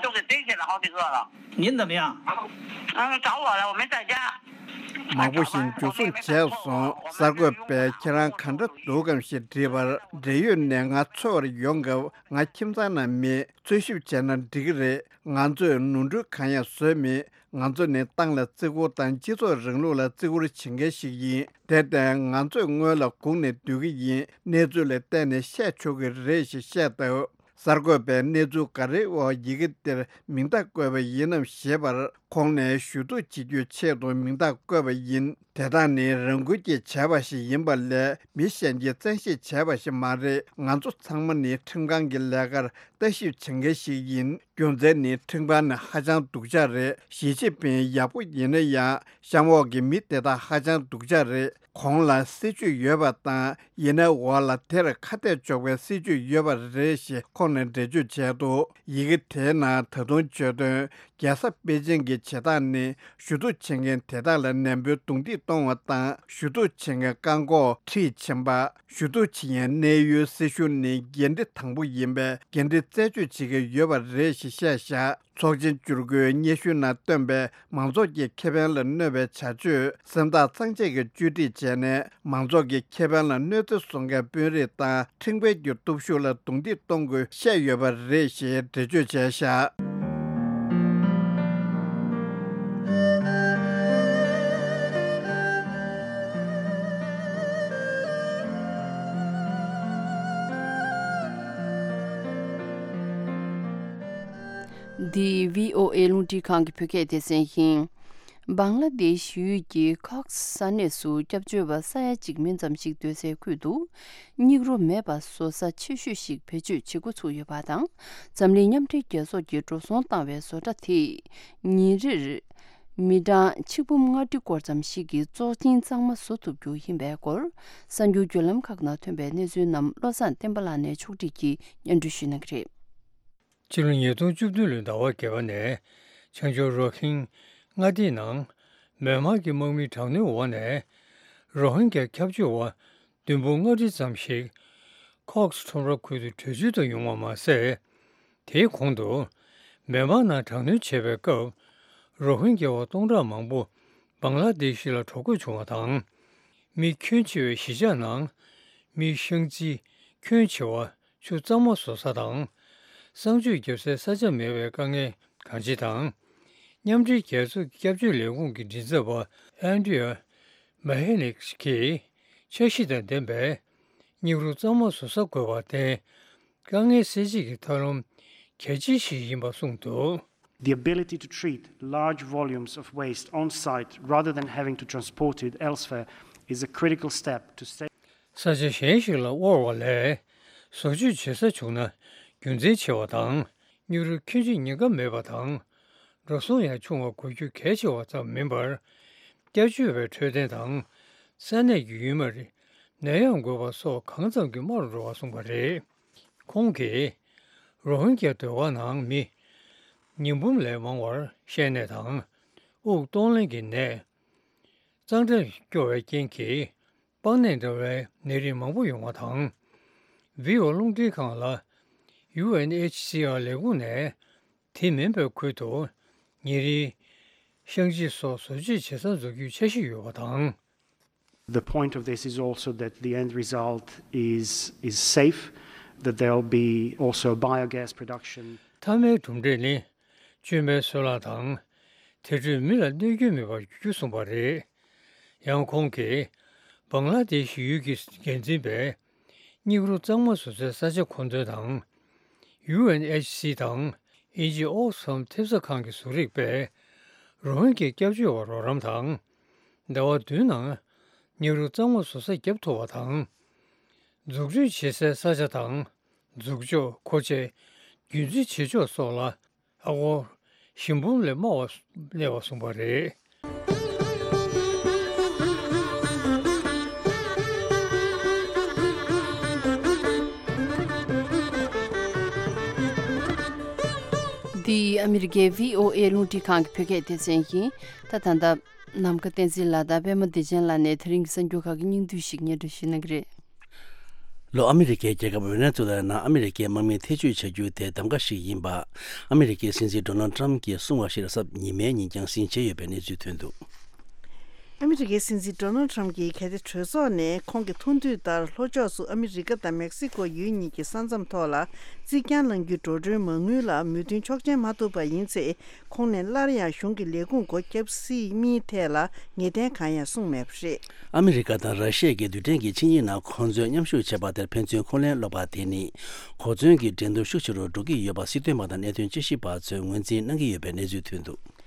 都给逮起来好几个了。您怎么样？嗯，找我了，我没在家。 མང་པོ་ཞིག་འཇུ་བཟུང་བྱས་སོང་། གསར་འགོད་པས་ཁྱེད་རང་ག་འདྲ་འདུག་གམ་ཞེས་དྲིས་པར། འབྲེལ་ཡོད་ནས་ང་འཚོལ་བར་ཡོང་སྐབས། ང་ཁྱིམ་ཚང་ནང་མེད། འཚོལ་ཞིབ་བྱས་ན་འགྲིག་གི་རེད། ང་ཚོས་ནོར་འཁྲུལ་གང་ཡང་བཟོས་མེད། ང་ཚོ་ནི་ཏང་ལ་བརྩི་བཀུར་དང་སྤྱི་ཚོགས་རིང་ལུགས་ལ་བརྩི་བཀུར་བྱེད་མཁན་ཞིག་ཡིན། དེར་བརྟེན། ང་ཚོས་སྔོན་ལ་སྒུག་ནས་སྡོད་ཀྱི་ཡིན། གནས་ཚུལ་ལ་བལྟས་ནས་བཤད་ཆོག་གི་རེད་ཞེས་བཤད་སྟབས། གསར་འགོད་པས་གནས་ཚུལ་ག་རེའི་འོག་ཡི་གེ་འདིར་མིང་རྟགས་བཀོད་པ་ཡིན་ནམ་ཞེས་པར། ཁོང་ནས་ཞུ་གཏུག་བྱེད་རྒྱུའི་ཆེད་དུ་མིང་རྟགས་བཀོད་པ་ཡིན། དེ་དག་ནི་རང་འགུལ་གྱིས་བྱས་པ་ཞིག་ཡིན་པ་ལས། མི་གཞན་གྱིས་བཙན་ཤེད་བྱས་པ་ཞིག་མ་རེད། ང་ཚོ་ཚང་མ་ནི་ཁྲིམས་ཁང་གི་ལས་ཀར་ལྟ་ཞིབ་བྱེད་མཁན་ཞིག་ཡིན། རྒྱུ་མཚན་ནི་ཁྲིམས་ཁང་ནི་ཧ་ཅང་སྡུག་ཅག་རེད། ཞི་ཅིན་ཕིང་ཡག་པོ་ཡིན་ན་ཡང་། གཤམ་འོག་གི་མི་དེ་དག་ཧ་ཅང་སྡུག་ཅག་རེད། གོང་ལ་སྲིད་ཇུས་ཡོད་པ་དང་། ཡིན་ནའི་འོག་ལ་དེར་ཁ་གཏད་གཅོག་པའི་སྲིད་ཇུས་ཡོད་པ་རེད་ཞེས་ཁོང་ནས་འགྲེལ་བརྗོད་བྱས་འདུག་ཡི་གེ་དེའི་ནང་ད་དུང་བརྗོད་དོན། རྒྱལ་ས་པེ་ཅིང་གི་བྱེད་སྟངས་ནི། ཞུ་གཏུག་བྱེད་མཁན་དེ་དག་ལ་ནན་པོའི་རྡུང་རྡེག་གཏོང་བ་དང་། ཞུ་གཏུག་བྱེད་མཁན་བཀག་འགོག་ཁྲིད་ཕྱིན་པ། ཞུ་གཏུག་བྱེད་མཁན་གནས་ཡུལ་སྲིད་གཞུང་ནི་འགན་འཁྲི་དང་པོ་ཡིན་པས། འགན་འཁྲི་རྩད་གཅོད་བྱེད་ཀྱི་ཡོད་པ་རེད་ཞེས་བཤད་བཞག་ཚོགས་ཆེན་བཅུ་དགུའི་སྙན་ཞུ་ནང་བཏོན་པའི་མང་ཚོགས་ཀྱི་ཁེ་ཕན་ལ་གནོད་པའི་བྱ་སྤྱོད་སེམས་ཐག་གཙང་བཅད་ཀྱིས་བཅོས་སྒྲིག་བྱས་ནས། མང་ཚོགས་ཀྱི་ཁེ་ཕན་ལ་གནོད་འཚེ་བཟོ་མཁན་དཔོན་རིགས་དང་ཁྲིམས་འགལ་གྱི་སྟོབས་ཤུགས་ལ་རྡུང་རྡེག་གཏོང་དགོས་བཤད་ཡོད་པ་རེད་ཞེས་འགྲེལ་བརྗོད་བྱས་བཞག་འདི་བྷི་ཨོ་ཨེ་རླུང་འཕྲིན་ཁང་གི་བོད་སྐད་སྡེ་ཚན་ཡིན། བང་ལ་དེཤ་ཡུལ་གྱི་ཁོག་ས་གནས་སུ་སྐྱབས་བཅོལ་བ་ས་ཡ་གཅིག་མིན་ཙམ་ཞིག་སྡོད་སའི་ཁུལ་དུ། སྙིགས་རོ་མེད་པ་བཟོ་ས་ཆེ་ཤོས་ཤིག་བེད་སྤྱོད་བྱེད་འགོ་ཚུགས་ཡོད་པ་དང་། འཛམ་གླིང་མཉམ་འབྲེལ་རྒྱལ་ཚོགས་ཀྱིས་འགྲོ་སོང་བཏང་བའི་བཟོ་གྲྭ་དེས། ཉིན་རེར་མི་གྲངས་ཆིག་འབུམ་ལྔ་ཁྲི་སྐོར་ཙམ་ཞིག་གི་བཙོག་གཅིན་གཙང་མ་བཟོ་ཐུབ་རྒྱུ་ཡིན་པའི་སྐོར། གསར་འགྱུར་བརྒྱུད་ལམ་ཁག་ནང་ཐོན་པའི་གནས་ཚུལ་རྣམས་བློ་བཟང་བསྟན་པ་ལགས་ནས་ཕྱོགས་སྒྲིག་གིས་སྙན་སྒྲོན་ཞུ་གནང་གི་རེད། ཕྱི་ལོ་ཉིས་སྟོང་བཅུ་བདུན་ལོའི་ཟླ་བ་བརྒྱད་པ་ནས་བྱང་ཕྱོགས་རོ་ཧིན་མངའ་སྡེའི་ནང་མེན་མར་གྱི་དམག་མིའི་དྲག་གནོན་འོག་ནས་རོ་ཧིན་གྱི་སྐྱབས་བཅོལ་བ་བདུན་འབུམ་ལྔ་ཁྲི་ཙམ་ཞིག་ཁོག་སི་ཁྲོམ་ར་ཁུལ་དུ་བྲོས་བྱོལ་དུ་ཡོང་བ་མ་ཟད། དེའི་གོང་དུ་མེན་མར་ནང་དྲག་གནོན་བྱས་པའི་སྐབས་རོ་ཧིན་གྱི་བ་སྟོང་ཕྲག་མང་པོ་བང་ལ་དེ་ཤི་ལ་འགྲོ་དགོས་བྱུང་བ་དང་། མི་ཁྱོན་ཆེ་བའི་གཞིས་ཆགས་ནང་མི་ཤང་ཙི་ཁྱོན་ཆེ་བ་ཆུ་གཙང་མ་བཟོ་ས་དང་། གསང་སྤྱོད་རྒྱབ་སའི་ས་ཆ་མེད་པའི་དཀའ་ངལ་གང་ཅི་དང་། མཉམ་འབྲེལ་རྒྱལ་ཚོགས་ཀྱི་སྐྱབས་བཅོལ་ལས་ཁུངས་ཀྱི་མགྲིན་ཚབ་པ་ཨན་ཌི་ཡ་མ་ཧེ་ནིག་གིས་འཆར་གཞི་དང་ལྡན་པའི་སྙིགས་རོ་གཙང་མ་བཟོ་ས་དགོས་པར་བརྟེན། དཀའ་ངལ་སེལ་བྱེད་ཀྱི་ཐབས་ལམ་གལ་ཆེ་ཞིག་ཡིན་པ་གསུངས་འདུག། The ability to treat large volumes of waste on site rather than having to transport it elsewhere is a critical step to save. ས་ཆ་གཞན་ཞིག་ལ་དབོར་བ་ལས་བཟོ་བཅོས་བྱེད་ས་བྱུང་ན་རྒྱུ་མཚན་ཆེ་བ་དང་། སྙིགས་རོ་ཁྱོན་ཆེ་ཉེན་ཁ་མེད་པ་དང་། འགྲོ་སོང་ཡང་ཆུང་བ་དགོས་རྒྱུ་གལ་ཆེ་བ་ཙམ་མིན་པར། སྐྱབས་བཅོལ་བའི་འཕྲོད་བསྟེན་དང་། ས་གནས་ཀྱི་ཡུལ་མིར་ནད་ཡམས་འགོས་པ་སོགས་གང་ཙམ་གྱིས་དམའ་རུ་འགྲོ་བ་གསུངས་པ་རེད། ཁོང་གིས་རོ་ཧིན་གྱི་སྡོད་སྒར་ནང་མི་ཉིས་འབུམ་ལས་མང་བར་བཤལ་ནད་དང་། དབུགས་གཏོང་ལེན་གྱི་ནད། གཙང་སྦྲ་སྐྱོ་བའི་རྐྱེན་གྱིས་པགས་ནད་འདྲ་བའི་ནད་རིགས་མང་པོ་ཡོང་བ་དང་། ཝི་ཨོ་རླུང་འཕྲིན་ཁང་ལ་ཡུ་ཨེན་ཨེཆ་སི་ཨར་ལས་ཁུངས་ནས་དེ་མིན་པའི་ཁུལ་དུ་ཉིན་རེའི་བཤང་གཅི་སོགས་བཟོ་བཅོས་བྱེད་ས་འཛུགས་རྒྱུའི་འཆར་གཞི་ཡོད་པ་དང་། The point of this is also that the end result is is safe, that there'll be also biogas production. མཐའ་མའི་གྲུབ་འབྲས་ནི་བཅོས་མའི་སོལ་རླངས་དང་དེ་འཕྲོས་མི་ལ་གནོད་སྐྱོན་མེད་པར་འགྱུར་རྒྱུ་གསུངས་པ་རེད། ཡང་ཁོང་གིས་བང་ལ་དེཤ་ཡུལ་གྱི་འགན་འཛིན་པས་སྙིགས་རོ་གཙང་མ་བཟོ་སའི་ས་ཆ་མཁོ་འདོན་དང་། ཡུ་ཨེན་ཨེཆ་སི་དང་དབྱིན་ཇིའི་ཨོག་སི་ཕམ་ཐེབས་རྩ་ཁང་གིས་བཟོ་རིགས་པས་རོ་ཧིན་གྱི་སྐྱབས་བཅོལ་བར་རོགས་རམ་དང་། ཟླ་བ་བདུན་ནང་སྙིགས་རོ་གཙང་མ་བཟོ་ས་བརྒྱབ་ཐུབ་པ་དང་། འཛུགས་སྐྲུན་བྱེད་སའི་ས་ཆ་དང་འཛུགས་འཇོག་མཁོ་ཆས་རྒྱུན་འཛིན་བྱེད་ཕྱོགས་སོགས་ལ་ཨ་སྒོར་བཞི་འབུམ་ལས་དམའ་བ་གནས་པ་གསུངས་པ་རེད། འདི་ཨ་མི་རི་ཀའི་ཝི་ཨོ་ཨེ་རླུང་འཕྲིན་ཁང་གི་བོད་སྐད་སྡེ་ཚན་ཡིན། ད་ད་ལྟ། ནམ་མཁའ་བསྟན་འཛིན་ལགས་དང་པད་མ་བདེ་ཆེན་ལགས་ནས་དེ་རིང་གི་གསར་འགྱུར་ཁག་གི་སྙིང་བསྡུས་ཤིག་སྙན་སྒྲོན་ཞུ་གནང་གི་རེད། ལྷོ་ཨ་མི་རི་ཀའི་རྒྱལ་ཁབ་ཝེ་ནེ་ཛུ་ལའི་ནང་ཨ་མི་རི་ཀའི་དམག་མི་ཐེ་བྱུས་བྱ་རྒྱུ་དེ་གདམ་ག་ཞིག་ཡིན་པ། ཨ་མི་རི་ཀའི་སྲིད་འཛིན་ཌོ་ནལ་ཊམ་གྱིས་གསུངས་པ་ཞིག་གཟའ་ཉི་མའི་ཉིན་རྒྱང་སྲིང་བྱས་ཡོད་པའི་གནས་ཚུལ་ཐོན་འདུག། ཨ་མི་རི་ཀའི་སྲིད་འཛིན་ཌོ་ནལ་ཊམ་གྱིས་གལ་ཏེ་གྲོས་ཚོགས་ནས་ཁོང་གི་ཐུགས་འདུན་ལྟར་ལྷོ་ཕྱོགས་སུ་ཨ་མི་རི་ཀ་དང་མེག་སི་ཀོ་ཡུལ་གཉིས་ཀྱི་ས་མཚམས་ཐོག་ལ་རྩིག་གྱང་བསླང་རྒྱུའི་འགྲོ་གྲོན་མ་དངུལ་ལ་མོས་མཐུན་ཆོག་མཆན་མ་ཐོབ་པ་ཡིན་ཚེ། ཁོང་ནས་སླར་ཡང་གཞུང་གི་ལས་ཁུངས་སྒོ་བརྒྱབ་སྲིད་མིན་ཐད་ལ་ངེས་གཏན་གང་ཡང་གསུངས་མེད་པ་རེད། ཨ་མི་རི་ཀ་དང་ར་ཤི་ཡ་གི་རྡུལ་ཕྲན་གྱི་ཆིངས་ཡིག་ནང་ཁོང་ཚོས་མཉམ་ཞུགས་བྱས་པ་དེར་ཕན་ཚུན་འཁོན་ལན་སློག་པ་དེ་ནི་གོ་མཚོན་གྱི་འགྲན་བསྡུར་ཤུགས་ཆེ་རུ་འགྲོ་གི་ཡོད་པ་སྲིད་དོན་པ་དང་གནད་དོན་དཔྱད་ཞིབ་པ་ཚོས་ངོས་འཛིན་གནང་གི་ཡོད་པའི་གནས་ཚུལ་ཐོན་འདུག།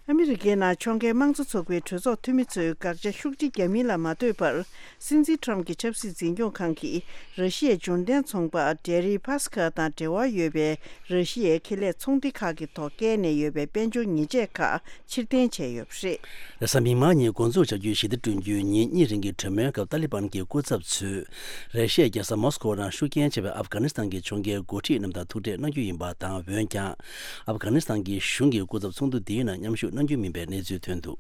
ཨ་མི་རི་ཀའི་ནང་ཕྱོགས་འགལ་དམངས་གཙོ་ཚོགས་པའི་གྲོས་ཚོགས་འཐུས་མི་ཚོས་དགག་བྱ་ཤུགས་ཆེ་བརྒྱབ་མིན་ལ་མ་ལྟོས་པར། སྲིད་འཛིན་ཊམ་གྱི་ཆབ་སྲིད་འཛིན་སྐྱོང་ཁང་གིས་ར་ཤི་ཡའི་འབྱོར་ལྡན་ཚོང་པ་ཌེ་རི་ཕ་སི་ཁ་དང་འབྲེལ་བ་ཡོད་པའི་ར་ཤི་ཡའི་ཁེ་ལས་ཚོང་སྡེ་ཁག་གི་ཐོག་བཀལ་ནས་ཡོད་པའི་དཔལ་འབྱོར་ཉེས་ཆད་ཁག་ཕྱིར་འཐེན་བྱས་ཡོད་པ་རེད། རེས་གཟའ་མིག་དམར་ཉིན་འགོ་འཛུགས་བྱ་རྒྱུའི་ཞི་བདེ་བསྐྲུན་རྒྱུའི་ཉིན་གཉིས་རིང་གི་གྲོས་མོལ་སྐབས་ཏཱ་ལི་བན་གྱི་སྐུ་ཚབ་ཚོས་ར་ཤི་ཡའི་རྒྱལ་ས་མོ་སི་ཀོ་ནང་ཤུགས་རྐྱེན་ཆེ་བའི་ཨབ་གྷ་ནི་སི་ཐན་གྱི་ཕྱོགས་འགལ་འགོ་ཁྲིད་རྣམས་དང་ཐུག་འཕྲད་གནང་རྒྱུ་ཡིན་པ་དང་། འོན་ཀྱང་ཨབ་གྷ་ནི་སི་ཐན་གྱི་གཞུང་གི་སྐུ་ཚབ་ཚོགས་འདུ་འདིའི་ནང་མཉམ་ཞུགས་གནང་རྒྱུ་མིན་པའི་གནས་ཚུལ་ཐོན་འདུག།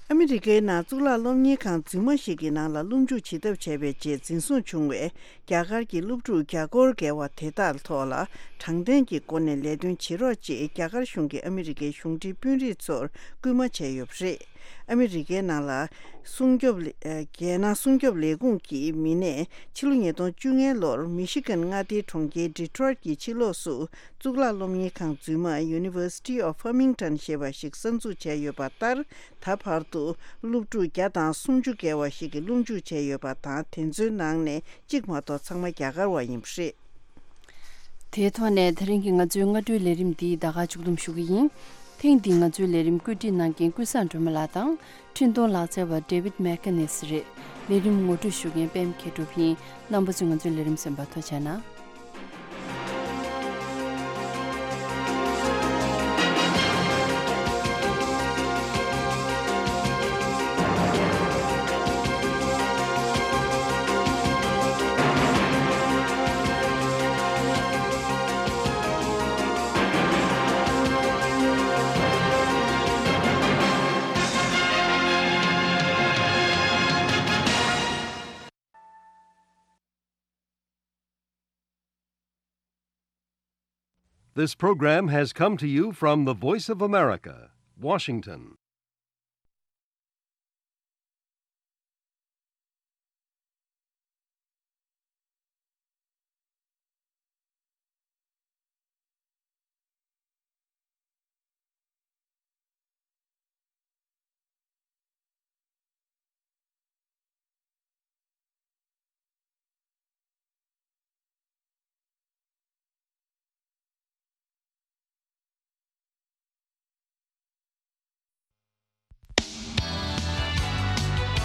ཨ་མི་རི་ཀའི་ནང་གཙུག་ལག་སློབ་གཉེར་ཁང་རྫུན་མ་ཞིག་གི་ནང་ལ་སློབ་འཇུག་བྱེད་ཐབས་བྱས་པའི་རྗེས་འཛིན་བཟུང་བྱུང་བའི་རྒྱ་གར་གྱི་སློབ་ཕྲུག་བརྒྱ་སྐོར་བརྒལ་བ་དེ་དག་ཐོག་ལ་དྲང་བདེན་གྱི་སྒོ་ནས་ལས་དོན་བྱེད་རོགས་ཅེས་རྒྱ་གར་གཞུང་གིས་ཨ་མི་རི་ཀའི་གཞུང་འབྲེལ་དཔོན་རིགས་ཚོར་སྐུལ་མ་བྱས་ཡོད་པ་རེད། ཨ་མི་རི་ཀའི་ནང་ལ་སྲུང་སྐྱོབ་ལས་ཨ་རྒྱལ་ནང་སྲུང་སྐྱོབ་ལས་ཁུངས་ཀྱི་མི་སྣས་ཕྱི་ལོ་ཉིས་སྟོང་བཅོ་ལྔ་ལོར་མི་ཤི་གན་མངའ་སྡེའི་གྲོང་ཁྱེར་ཌི་ཊོ་རོའིཊ་ཀྱི་ཕྱི་ལོགས་སུ་གཙུག་ལག་སློབ་གཉེར་ཁང་རྫུན་མ་University of Farmington ཞེས་པ་ཞིག་གསར་འཛུགས་བྱས་ཡོད་པ་ལྟར། ད་བར་དུ་སློབ་ཕྲུག་བརྒྱ་དང་སུམ་ཅུ་བརྒལ་བ་ཞིག་གིས་སློབ་འཇུག་བྱས་ཡོད་པ་དང་། དེ་ཚོའི་ནང་ནས་གཅིག་མ་གཏོགས་ཚང་མ་རྒྱ་གར་བ་ཡིན་པ་རེད། དེའི་ཐོག་ནས་དེ་རིང་གི་ང་ཚོའི་སྔ་དྲོའི་ལས་རིམ་འདི་ད་ག་མཇུག་བསྡོམས་ཞུ་གི་ཡིན། ཐེངས་འདིའི་ང་ཚོའི་ལས་རིམ་བཀོད་སྒྲིག་གནང་མཁན་ཀུན་བཟང་སྒྲོལ་མ་ལགས་དང་འཕྲིན་གཏོང་ལག་རྩལ་བ་David McInnes རེད། ལས་རིམ་ངོ་སྤྲོད་ཞུ་མཁན་པད་མ་མཁས་གྲུབ་ཡིན། རྣམ་པ་ཚོས་ང་ཚོའི་ལས་རིམ་གསན་པར་ཐུགས་རྗེ་གནང་། This program has come to you from the Voice of America, Washington.